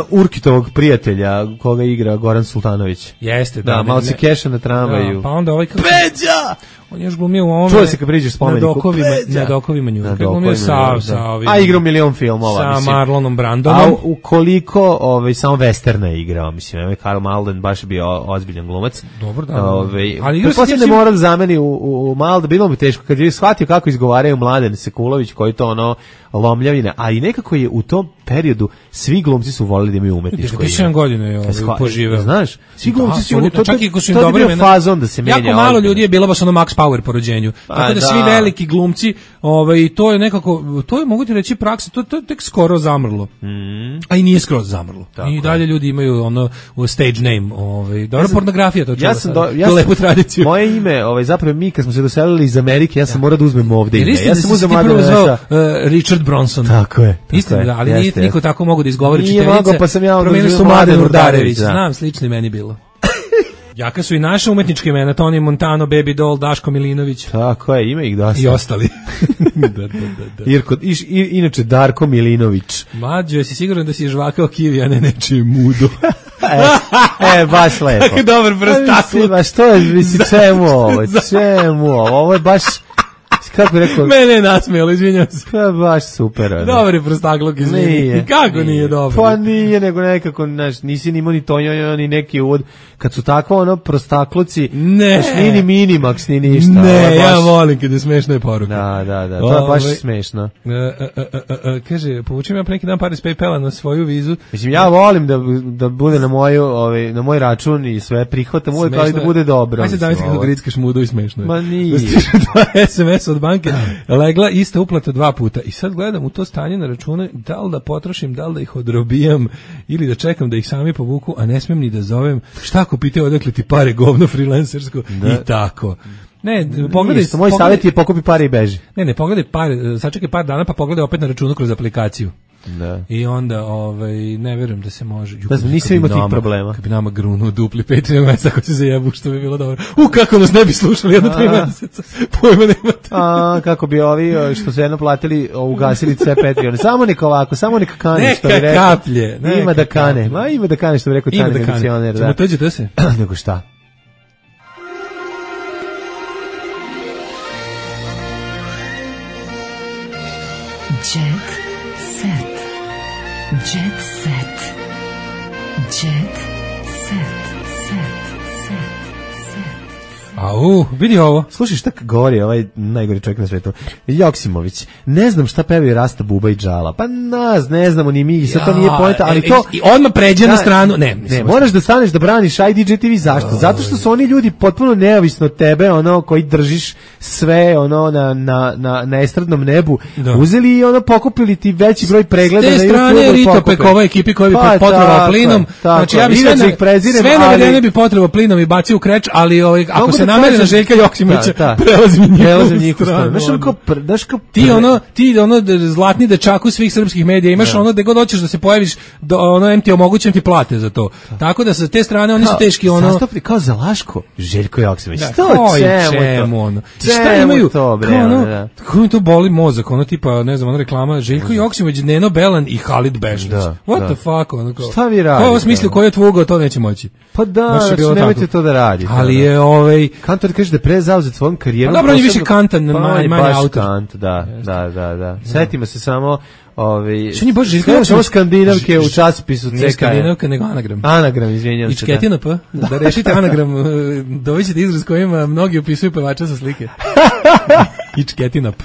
[SPEAKER 5] Urkitovog prijatelja koga igra Goran Sultanović.
[SPEAKER 6] Jeste, da.
[SPEAKER 5] Da, malo se keša na tramvaju.
[SPEAKER 6] Da, pa onda ovaj kako
[SPEAKER 5] Peđa!
[SPEAKER 6] On je još glumio u ovome.
[SPEAKER 5] Čuo se kad priđeš spomeniku.
[SPEAKER 6] Na dokovima, na dokovima nju. Kad glumio sa, sa ovim.
[SPEAKER 5] A igrao milion filmova,
[SPEAKER 6] sa
[SPEAKER 5] mislim.
[SPEAKER 6] Sa Marlonom Brandonom.
[SPEAKER 5] A ukoliko ovaj, samo westerna je igrao, mislim. Ovaj Karl Malden baš je bio ozbiljan glumac.
[SPEAKER 6] Dobro, da.
[SPEAKER 5] Ovaj,
[SPEAKER 6] ali igrao
[SPEAKER 5] se ne mora da zameni u, u, u Malden, bilo bi teško. Kad je shvatio kako izgovaraju Mladen Sekulović, koji to ono lomljavine, a i nekako je u tom periodu svi glumci su voleli da imaju umetničko ime.
[SPEAKER 6] sedam godina je ovaj poživeo.
[SPEAKER 5] Znaš, svi glumci su
[SPEAKER 6] oni to čak i su im
[SPEAKER 5] dobri imena. Fazon da se menja.
[SPEAKER 6] Jako malo ljudi je bilo baš ono Max Power po rođenju.
[SPEAKER 5] Pa,
[SPEAKER 6] tako da, da svi veliki glumci, ovaj to je nekako, to je mogu ti reći praksa, to to tek skoro zamrlo.
[SPEAKER 5] Mm.
[SPEAKER 6] A i nije skoro zamrlo. Tako I dalje je. Ljudi imaju ono u stage name, ovaj dobra ja pornografija to čuva.
[SPEAKER 5] Ja sam do, ja sam, lepu tradiciju. Moje ime, ovaj zapravo mi kad smo se doselili iz Amerike, ja sam ja. morao da uzmem ovde ime.
[SPEAKER 6] Ja
[SPEAKER 5] sam
[SPEAKER 6] uzeo Mladen Richard Bronson.
[SPEAKER 5] Tako je.
[SPEAKER 6] Istina, da, ali jeste, nije jeste. Niko tako mogu da izgovori
[SPEAKER 5] čitavice. Nije mogo, pa sam ja
[SPEAKER 6] promenili su Mladen Urdarević. Znam, slično meni bilo. Jaka su i naše umetničke imena, Toni Montano, Baby Doll, Daško Milinović.
[SPEAKER 5] Tako je, ima ih dosta.
[SPEAKER 6] I ostali.
[SPEAKER 5] da, da, da, da. Irko, iš, i, inače Darko Milinović.
[SPEAKER 6] Mlađo, jesi siguran da si žvakao kivi, a ne nečije mudo?
[SPEAKER 5] e, e, baš lepo.
[SPEAKER 6] Tako dobar prostaklu.
[SPEAKER 5] Baš to je, misli, čemu ovo, čemu ovo, ovo je baš... Kako rekao?
[SPEAKER 6] Mene je nasmijalo, izvinjam se.
[SPEAKER 5] Pa baš super. Ono.
[SPEAKER 6] Dobar je prostakluk, izvinjam.
[SPEAKER 5] Nije.
[SPEAKER 6] Kako nije, nije dobar?
[SPEAKER 5] Pa nije, nego nekako, znaš, nisi ni imao ni to, ni neki uvod. Kad su tako, ono, prostakluci,
[SPEAKER 6] ne.
[SPEAKER 5] Znaš, ni ni Minimax, ni ništa.
[SPEAKER 6] Ne,
[SPEAKER 5] baš...
[SPEAKER 6] ja volim kada je smešna je poruka.
[SPEAKER 5] Da, da, da, to je baš
[SPEAKER 6] Ove,
[SPEAKER 5] smešno.
[SPEAKER 6] Uh, uh, uh, uh, kaže, povučem ja pre neki dan pare s PayPala na svoju vizu.
[SPEAKER 5] Mislim, ja volim da, da bude na, moju, ovaj, na moj račun i sve prihvatam uvijek, ali da bude dobro.
[SPEAKER 6] Ajde, davite kako grickaš mudo i smešno je.
[SPEAKER 5] Ma nije.
[SPEAKER 6] Dva es em es od banke. Legla ista uplata dva puta i sad gledam u to stanje na račune da li da potrošim, da li da ih odrobijam ili da čekam da ih sami povuku, a ne smem ni da zovem. Šta ako pitaju odakle ti pare, govno freelancersko da. I tako. Ne, pogledaj,
[SPEAKER 5] moj savjet je pokupi pare i beži.
[SPEAKER 6] Ne, ne, pogledaj pare, sačekaj par dana pa pogledaj opet na računu kroz aplikaciju.
[SPEAKER 5] Da.
[SPEAKER 6] I onda ovaj ne verujem da se može.
[SPEAKER 5] Da znam, nisam imao tih problema.
[SPEAKER 6] Kad bi nama grunuo dupli Patreon mesec ako se zajebu, što bi bilo dobro. U kako nas ne bi slušali jedno tri meseca. Pojma nemate.
[SPEAKER 5] A kako bi ovi što su jedno platili, ugasili sve Patreon. Samo neka ovako, samo neka kane što bi rekao.
[SPEAKER 6] Kaplje, neka
[SPEAKER 5] ima da kane. Ma ima da kane što bi rekao Tani funkcioner, da.
[SPEAKER 6] Samo tođe to se.
[SPEAKER 5] Nego šta?
[SPEAKER 2] Jet set. Jet set. Jet set. Set. Set. Set.
[SPEAKER 6] Au, vidi ovo.
[SPEAKER 5] Slušaj šta govori ovaj najgori čovjek na svetu. Joksimović. Ne znam šta pevaju Rasta, Buba i Džala. Pa nas, ne znamo ni mi, sad to nije poenta, ali to...
[SPEAKER 6] I odmah pređe na stranu. Ne,
[SPEAKER 5] ne, moraš da staneš da braniš I D J T V. Zašto? Zato što su oni ljudi potpuno neovisno od tebe, ono, koji držiš sve, ono, na, na, na, na estradnom nebu. Da. Uzeli i ono, pokupili ti veći broj pregleda na YouTube.
[SPEAKER 6] S te strane Rito Pekova ekipi koji bi pa, potrebao plinom. Znači, ja bi sve, na, sve navedene bi potrebao plinom i bacio u kreč, ali ovaj, ako se namerena Željka Joksimovića prelazi mi njihovu stranu.
[SPEAKER 5] Znaš ono kao, znaš kao...
[SPEAKER 6] Ti ono, ti ono zlatni dečaku svih srpskih medija, imaš ono gde god hoćeš da se pojaviš, ono em ti omogućujem ti plate za to. Tako da sa te strane oni su teški ono...
[SPEAKER 5] Zastupni kao za Laško, Željko Joksimović.
[SPEAKER 6] To čemu ono? Šta imaju? Kao ono, kako mi to boli mozak, ono tipa, ne znam, ono reklama, Željko Joksimović, Neno Belan i Halid Bešlić. What the fuck, ono kao...
[SPEAKER 5] Šta vi radite?
[SPEAKER 6] Ko ovo smislio, ko je tvugao, to neće moći.
[SPEAKER 5] Pa da, znači nemojte to da radite.
[SPEAKER 6] Ali je ovaj...
[SPEAKER 5] Kantor kaže da pre zauzet svojom karijerom...
[SPEAKER 6] Pa dobro, on je više kantan, manje autor.
[SPEAKER 5] Kant, da, da, da, da. Setimo se samo... Ovi,
[SPEAKER 6] što ni baš
[SPEAKER 5] Željko samo skandinavke u časopisu C K.
[SPEAKER 6] Ne skandinavka, nego anagram.
[SPEAKER 5] Anagram, izvinjam se.
[SPEAKER 6] Ičketina P. Da, da rešite anagram, dovićete izraz kojim mnogi opisuju pevača sa slike. Ičketina P.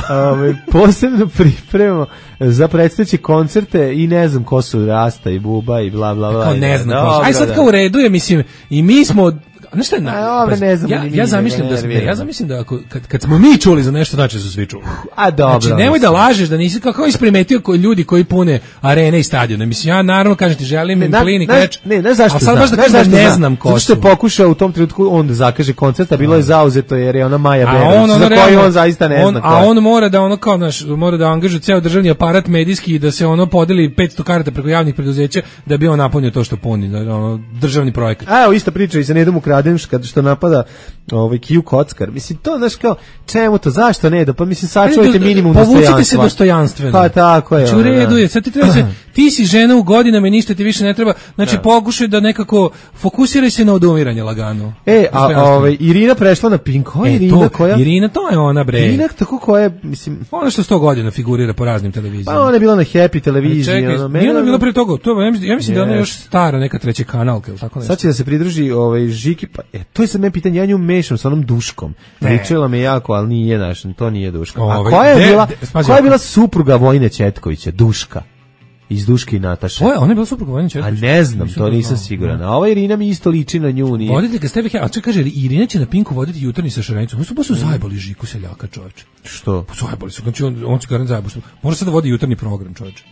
[SPEAKER 5] Ove, posebno pripremamo za predstojeće koncerte i ne znam ko su Rasta i Buba i bla bla bla.
[SPEAKER 6] Kao ne znam ko su. Aj sad kao u redu je, mislim, i mi smo... Znaš šta je na,
[SPEAKER 5] pa, ne znam,
[SPEAKER 6] ja, ja zamišljam da ne, ja zamišljam da ako kad, kad smo mi čuli za nešto, znači su svi čuli.
[SPEAKER 5] A dobro.
[SPEAKER 6] Znači nemoj da lažeš da nisi kako isprimetio koji ljudi koji pune arene i stadione. Mislim ja naravno kažem ti želim im plin i kreč.
[SPEAKER 5] Ne, ne zašto.
[SPEAKER 6] A sad baš da kažem da ne znam ko.
[SPEAKER 5] Zato što je pokušao u tom trenutku on da zakaže koncert, a bilo je zauzeto jer je ona Maja Berović, za koju on zaista ne zna.
[SPEAKER 6] A on mora da ono kao naš mora da angažuje ceo državni aparat medijski i da se ono podeli petsto karata preko javnih preduzeća da bi on napunio to što puni, ono državni projekat.
[SPEAKER 5] Evo ista priča i sa Nedom Ukradem kad što napada ovaj Kiju Kockar. Mislim, to, znaš, kao, čemu to, zašto ne, da, pa mislim, sačuvajte minimum dostojanstva.
[SPEAKER 6] Povucite se dostojanstveno.
[SPEAKER 5] Pa tako je.
[SPEAKER 6] Znači, u redu je, sad ti treba se, ti si žena u godinama i ništa ti više ne treba, znači, da. Pokušaj da nekako, fokusiraj se na odumiranje lagano.
[SPEAKER 5] E, a ovaj, Irina prešla na Pink, koja
[SPEAKER 6] e,
[SPEAKER 5] Irina,
[SPEAKER 6] to,
[SPEAKER 5] koja?
[SPEAKER 6] Irina, to je ona, bre.
[SPEAKER 5] Irina, tako koja je, mislim...
[SPEAKER 6] Ona što sto godina figurira po raznim televizijama.
[SPEAKER 5] Pa ona je bila na Happy televiziji.
[SPEAKER 6] Čekaj, ono, nije ona bila pre toga, to, ja mislim, ja mislim yes. da ona je još stara, neka treća kanalka, ili tako nešto.
[SPEAKER 5] Sad će da se pridruži ovaj, Žiki, pa, e, to je sad me pitanje, ja nju mešam sa onom Duškom. Pričala me jako, ali nije naš, to nije Duška. A koja je bila, koja je bila supruga Vojine Ćetkovića, Duška? Iz Duške i Nataše.
[SPEAKER 6] O, ona je bila supruga Vojine Ćetkovića.
[SPEAKER 5] A ne znam, nisam to nisam siguran. A ova Irina mi isto liči na nju. Nije.
[SPEAKER 6] Vodite ga s tebe, a čekaj, kaže, Irina će na Pinku voditi jutarnji sa Šarenicom. Oni su baš su zajebali Žiku Seljaka, čoveče.
[SPEAKER 5] Što?
[SPEAKER 6] Pa zajebali su, znači on, on će garant zajebali. Može sad da vodi jutarnji program, čoveče.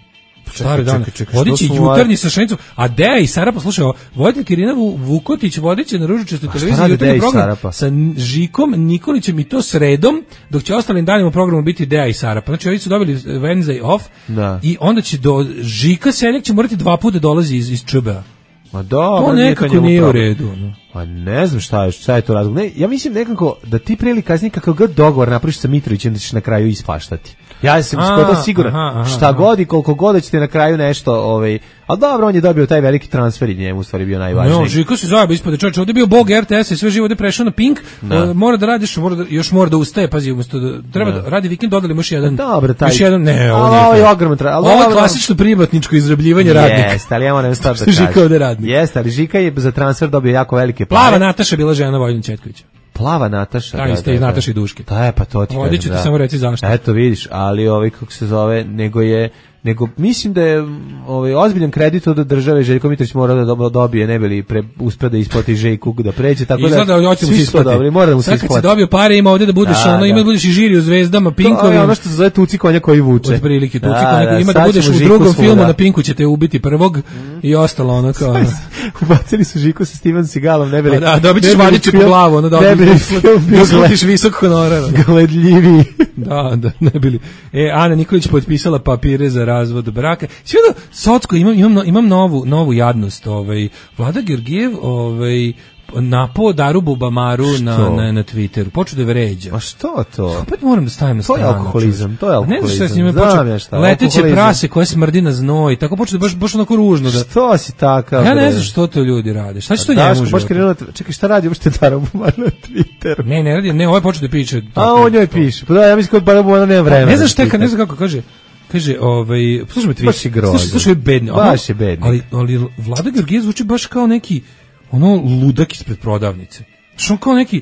[SPEAKER 6] Stari dan, vodit će jutarnji sa Šarenicom, a Deja i Sara, poslušaj, voditeljka Irina Vukotić vodit će na ružičastoj televiziji jutarnji program sa Žikom Nikolićem i to sredom, dok će ostalim danima u programu biti Deja i Sara. Pa znači, ovi su dobili Wednesday off
[SPEAKER 5] da.
[SPEAKER 6] I onda će do Žika Seljak će morati dva puta dolazi iz, iz ČB-a.
[SPEAKER 5] Ma dobro,
[SPEAKER 6] to nekako nije u redu. No.
[SPEAKER 5] Pa ne znam šta je, šta je to razlog. Ne, ja mislim nekako da ti pre ili kasnije kakav god dogovor napraviš sa Mitrovićem da ćeš na kraju ispaštati. Ja sam skoro siguran. Aha, aha, šta aha. god i koliko god da ćete na kraju nešto, ovaj, al dobro, on je dobio taj veliki transfer i njemu u stvari bio najvažniji.
[SPEAKER 6] No, Žiko se zajebao ispod čoveče, ovde je bio bog R T S i sve živo ovde prešao na Pink. Uh, mora da radiš, mora da, još mora da ustaje, pazi, umesto da treba da, da radi vikend, dodali mu još jedan.
[SPEAKER 5] Dobro, taj.
[SPEAKER 6] Još jedan, ne,
[SPEAKER 5] ovo je ogroman tra.
[SPEAKER 6] Ovo je klasično privatničko izrabljivanje radnika.
[SPEAKER 5] Jeste, ali ja moram stvar da kažem.
[SPEAKER 6] Žika ovde radnik.
[SPEAKER 5] Jeste, ali Žika je za transfer dobio jako velike pare.
[SPEAKER 6] Plava Nataša bila žena Vojine Ćetkovića.
[SPEAKER 5] Plava Nataša.
[SPEAKER 6] Da, da, isto iz Nataše i Duške.
[SPEAKER 5] Da, je, pa to ti
[SPEAKER 6] kažem. Ću ti samo reći zašto.
[SPEAKER 5] Eto vidiš, ali ovaj kako se zove, nego je nego mislim da je ovaj ozbiljan kredit od države Željko Mitrović mora da dobije, ne bi li pre, uspeo da isplati Željku da pređe, tako da
[SPEAKER 6] izgleda da hoćemo se isplati.
[SPEAKER 5] Mora da mu se isplati.
[SPEAKER 6] Sad kad si dobio pare, ima ovde da budeš da, ono, ima da budeš i žiri u Zvezdama, Pinkovim.
[SPEAKER 5] To je ono što se zove Tuci konja koji vuče.
[SPEAKER 6] Od prilike Tuci da, konja, da, ima da budeš u drugom filmu na Pinku ćete ubiti prvog mm. i ostalo ono kao. Ono.
[SPEAKER 5] Ubacili su Žiku sa Steven Seagalom, ne bi li.
[SPEAKER 6] Da, dobićeš vadiće po glavu, ono da dobiš visok honorar.
[SPEAKER 5] Gledljivi.
[SPEAKER 6] Da, da, ne bili. E, Ana Nikolić potpisala papire za razvod braka. Sve da, Socko, imam, imam, imam novu, novu jadnost. Ovaj, Vlada Georgijev ovaj, napao Daru Bubamaru na, na, na Twitteru. Počeo da vređa.
[SPEAKER 5] A što to?
[SPEAKER 6] Opet moram da stavim na stranu.
[SPEAKER 5] To je alkoholizam, to je alkoholizam.
[SPEAKER 6] Ne znaš šta s njima počeo. Leteće prase koje smrdi na znoj. Tako počeo da baš, baš onako ružno. Da...
[SPEAKER 5] Što si takav?
[SPEAKER 6] Ja ne znam što to ljudi rade. Šta će to njemu život?
[SPEAKER 5] Čekaj, šta radi uopšte Dara Bubamara na Twitteru?
[SPEAKER 6] Ne, ne radi, ne, ovaj počeo da piše.
[SPEAKER 5] A on njoj piše. Pa da, ja mislim kod Dara Bubamara nema vremena.
[SPEAKER 6] Ne znaš šta, ne znam kako kaže. Kaže, ovaj, slušaj me tweet.
[SPEAKER 5] Baš je grozno.
[SPEAKER 6] Slušaj, slušaj, bedni.
[SPEAKER 5] Baš je bedni.
[SPEAKER 6] Ali, ali Vlada Georgijev zvuči baš kao neki, ono, ludak ispred prodavnice. Što on kao neki,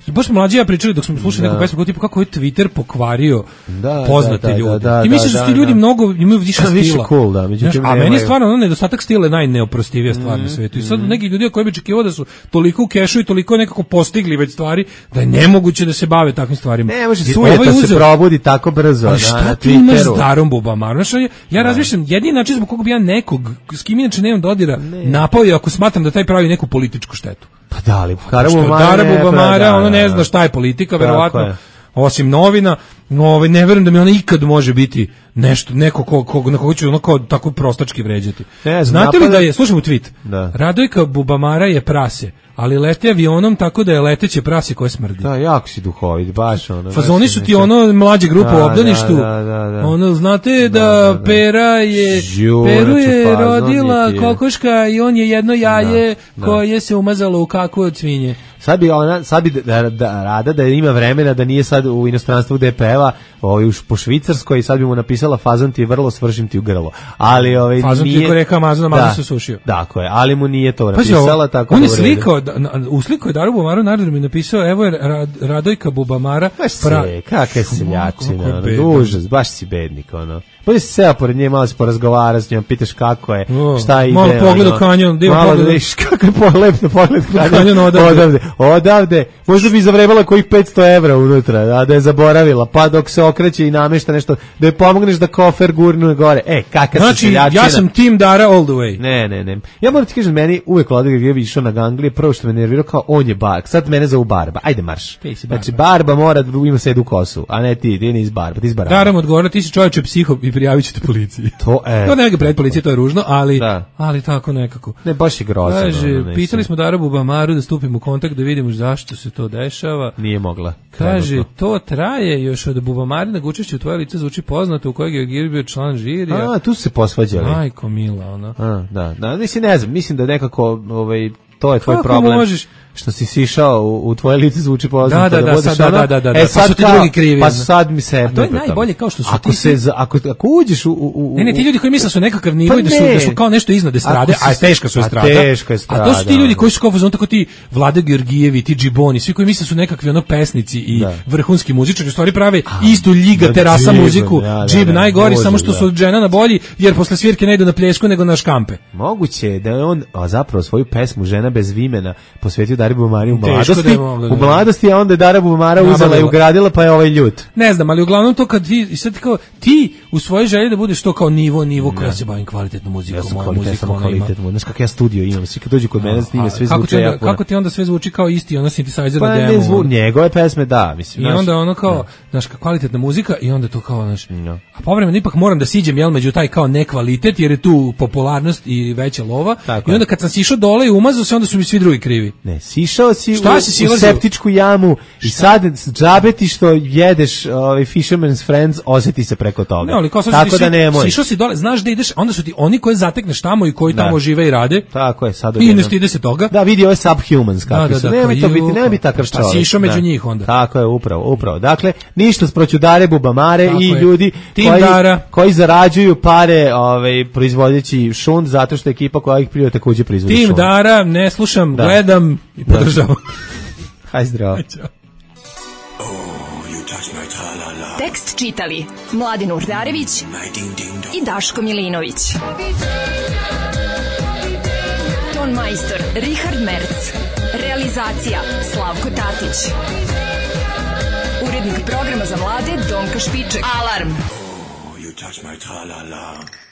[SPEAKER 6] baš smo mlađi ja pričali dok smo slušali da. neku pesmu, kao tipu kako je Twitter pokvario da, poznate
[SPEAKER 5] da, da,
[SPEAKER 6] ljude.
[SPEAKER 5] Da, da,
[SPEAKER 6] ti misliš da, da, da ti ljudi da. mnogo imaju više stila.
[SPEAKER 5] Više cool, da. Međutim,
[SPEAKER 6] a meni je stvarno ono, nedostatak stila je najneoprostivija stvar mm, na svetu. I sad mm. neki ljudi koji bi očekivao da su toliko u kešu i toliko nekako postigli već stvari, da je nemoguće da se bave takvim stvarima.
[SPEAKER 5] Ne može sujeta se probudi tako brzo.
[SPEAKER 6] Ali šta ti imaš s Darom Bubamarom? Ja, ja razmišljam, jedini način zbog koga bi ja nekog, s kim inače nemam dodira, napao je ako smatram da taj pravi neku političku štetu.
[SPEAKER 5] Pa da li, Dara Bubamara,
[SPEAKER 6] Dara Bubamara, ono ne zna šta je politika, verovatno, osim novina, ovaj, ne verujem da mi ona ikad može biti nešto, neko ko, ko, na koga ću ono kao tako prostački vređati.
[SPEAKER 5] Ne,
[SPEAKER 6] znate li da je, slušam u tweet,
[SPEAKER 5] da.
[SPEAKER 6] Radojka Bubamara je prase, ali lete avionom tako da je leteće prase koje smrdi.
[SPEAKER 5] Da, jako si duhovit, baš ono.
[SPEAKER 6] Fazoni su ti ono mlađe grupe u obdaništu.
[SPEAKER 5] Da, da, da.
[SPEAKER 6] Ono, znate da, da, da. Pera je, Žu, Peru je pa, rodila je kokoška i on je jedno jaje da, koje da. se umazalo u kakvu od svinje.
[SPEAKER 5] Sad bi ona, sad bi da, da, rada da ima vremena da nije sad u inostranstvu gde peva, ovaj po Švicarskoj, sad bi mu napisala fazon ti je vrlo, svršim ti u grlo. Ali ovaj
[SPEAKER 6] fazon
[SPEAKER 5] nije.
[SPEAKER 6] Fazon ti je reka Amazon, Amazon se sušio.
[SPEAKER 5] Tako je, ali mu nije to napisala tako.
[SPEAKER 6] On je slikao, uslikao je Daru Bubamaru, naravno mi napisao, evo je Rad, Radojka Bubamara.
[SPEAKER 5] Baš se, kakve seljačine, ono, užas, baš si bednik, ono. Bolje si seo pored nje, malo se porazgovara s njom, pitaš kako je, oh, šta ide.
[SPEAKER 6] Malo pogled u kanjon, dio
[SPEAKER 5] malo
[SPEAKER 6] pogled.
[SPEAKER 5] Da viš kako je polepno pogled kanjon,
[SPEAKER 6] kanjon odavde.
[SPEAKER 5] odavde. Odavde, možda bi zavrebala kojih petsto evra unutra, a da je zaboravila, pa dok se okreće i namešta nešto, da je pomogneš da kofer gurnu gore. E, kakva
[SPEAKER 6] znači,
[SPEAKER 5] si seljačina.
[SPEAKER 6] Ja sam Tim Dara all the way.
[SPEAKER 5] Ne, ne, ne. Ja moram ti kažem, meni uvek Vladimir Grgijević išao na ganglije, prvo što me nervirao kao on je Barb, sad mene zovu Barba, ajde marš. Znači, Barba mora da ima sedu kosu, a ne ti, ti nis Barba, ti iz Baraba.
[SPEAKER 6] Daram odgovor, ti si čovječe psiho i prijavit ćete policiji.
[SPEAKER 5] To, e.
[SPEAKER 6] To ne ga pred policije, to je ružno, ali, ali tako nekako.
[SPEAKER 5] Ne, baš je grozno.
[SPEAKER 6] Kaže, ono, pitali smo Daru Bubamaru da stupimo u kontakt da vidimo zašto se to dešava.
[SPEAKER 5] Nije mogla.
[SPEAKER 6] Kaže, trenutno. To traje još od Bubamarinog učešća u tvoje lice zvuči poznato u kojeg je Giri bio član žirija.
[SPEAKER 5] A, tu su se posvađali.
[SPEAKER 6] Majko mila, ona.
[SPEAKER 5] A, da, da, mislim, ne znam, mislim da nekako, ovaj, to je tvoj
[SPEAKER 6] kako
[SPEAKER 5] problem.
[SPEAKER 6] Možeš?
[SPEAKER 5] Što si sišao u, u tvoje lice zvuči poznato.
[SPEAKER 6] Da, da, da,
[SPEAKER 5] da,
[SPEAKER 6] sad, da, da, da, da.
[SPEAKER 5] E, sad
[SPEAKER 6] pa su ti
[SPEAKER 5] kao,
[SPEAKER 6] drugi krivi.
[SPEAKER 5] Pa sad mi se...
[SPEAKER 6] A to je najbolje kao što su
[SPEAKER 5] ako
[SPEAKER 6] ti...
[SPEAKER 5] Se, za, ako, ako uđeš u, u...
[SPEAKER 6] Ne, ne, ti ljudi koji misle su nekakav nivo pa i da su, da su kao nešto iznad estrade, a teška su estrada.
[SPEAKER 5] A teška estrada.
[SPEAKER 6] A to su ti ljudi koji su kao fazon tako ti Vlada Georgijevi, ti Džiboni, svi koji misle su nekakvi ono pesnici i da. vrhunski muzičari, u stvari prave a, istu Ljiga terasa džib, muziku, ja, da, džib da, najgori, može, samo što da. su žena na bolji, jer posle svirke ne idu na pljesku nego na škampe.
[SPEAKER 5] Moguće je da je on a zapravo svoju pesmu Žena bez vimena posvetio Dari Bubamari u mladosti. U mladosti, a onda je Dara Bubamara uzela i ugradila, pa je ovaj ljut.
[SPEAKER 6] Ne znam, ali uglavnom to kad ti, sad kao, ti u svojoj želji da budeš to kao nivo, nivo koja se bavim kvalitetnom muzikom,
[SPEAKER 5] ja
[SPEAKER 6] moja muzika, ona ima.
[SPEAKER 5] Znaš kakav ja studio imam, svi kad dođu kod mene snime, sve
[SPEAKER 6] kako
[SPEAKER 5] zvuče
[SPEAKER 6] ti onda,
[SPEAKER 5] jako.
[SPEAKER 6] Kako ti onda sve zvuči kao isti, ono synthesizer
[SPEAKER 5] pa
[SPEAKER 6] na demo?
[SPEAKER 5] Pa ne zvu, njegove pesme, da, mislim.
[SPEAKER 6] I onda ono kao, znaš, kvalitetna muzika i onda to kao, znaš, no. A povremeno ipak moram da siđem, jel, među taj kao nekvalitet, jer je tu popularnost i veća lova. Tako I onda kad sam sišao dole i umazao se, onda su mi svi drugi krivi.
[SPEAKER 5] Ne, sišao si u, u septičku jamu i sad džabeti što jedeš ovaj Fisherman's Friends osjeti se preko toga.
[SPEAKER 6] Ne, ali kao
[SPEAKER 5] tako
[SPEAKER 6] si,
[SPEAKER 5] da nemoj.
[SPEAKER 6] Sišao si dole, znaš da ideš, onda su ti oni koji zatekneš tamo i koji da. tamo žive i rade.
[SPEAKER 5] Tako je, sad
[SPEAKER 6] i ne stide se toga.
[SPEAKER 5] Da, vidi ove Subhumans kako da, su. Da, da, nema to biti, nema biti takav čovjek.
[SPEAKER 6] Pa sišao među njih onda.
[SPEAKER 5] Tako je, upravo, upravo. Dakle, ništa sproću Dare Bubamare tako i je. ljudi
[SPEAKER 6] koji,
[SPEAKER 5] koji zarađuju pare ovaj, proizvodeći šund zato što ekipa koja ih prije takođe proizvodi šund.
[SPEAKER 6] Tim Dara, ne slušam, da. gledam i podržavam.
[SPEAKER 5] Hajde zdravo.
[SPEAKER 2] Tekst čitali Mladin Urdarević i Daško Milinović. Ton majstor Richard Merc. Realizacija Slavko Tatić. Urednik programa za mlade Donka Špiček. Alarm! Oh, you touch my tra-la-la.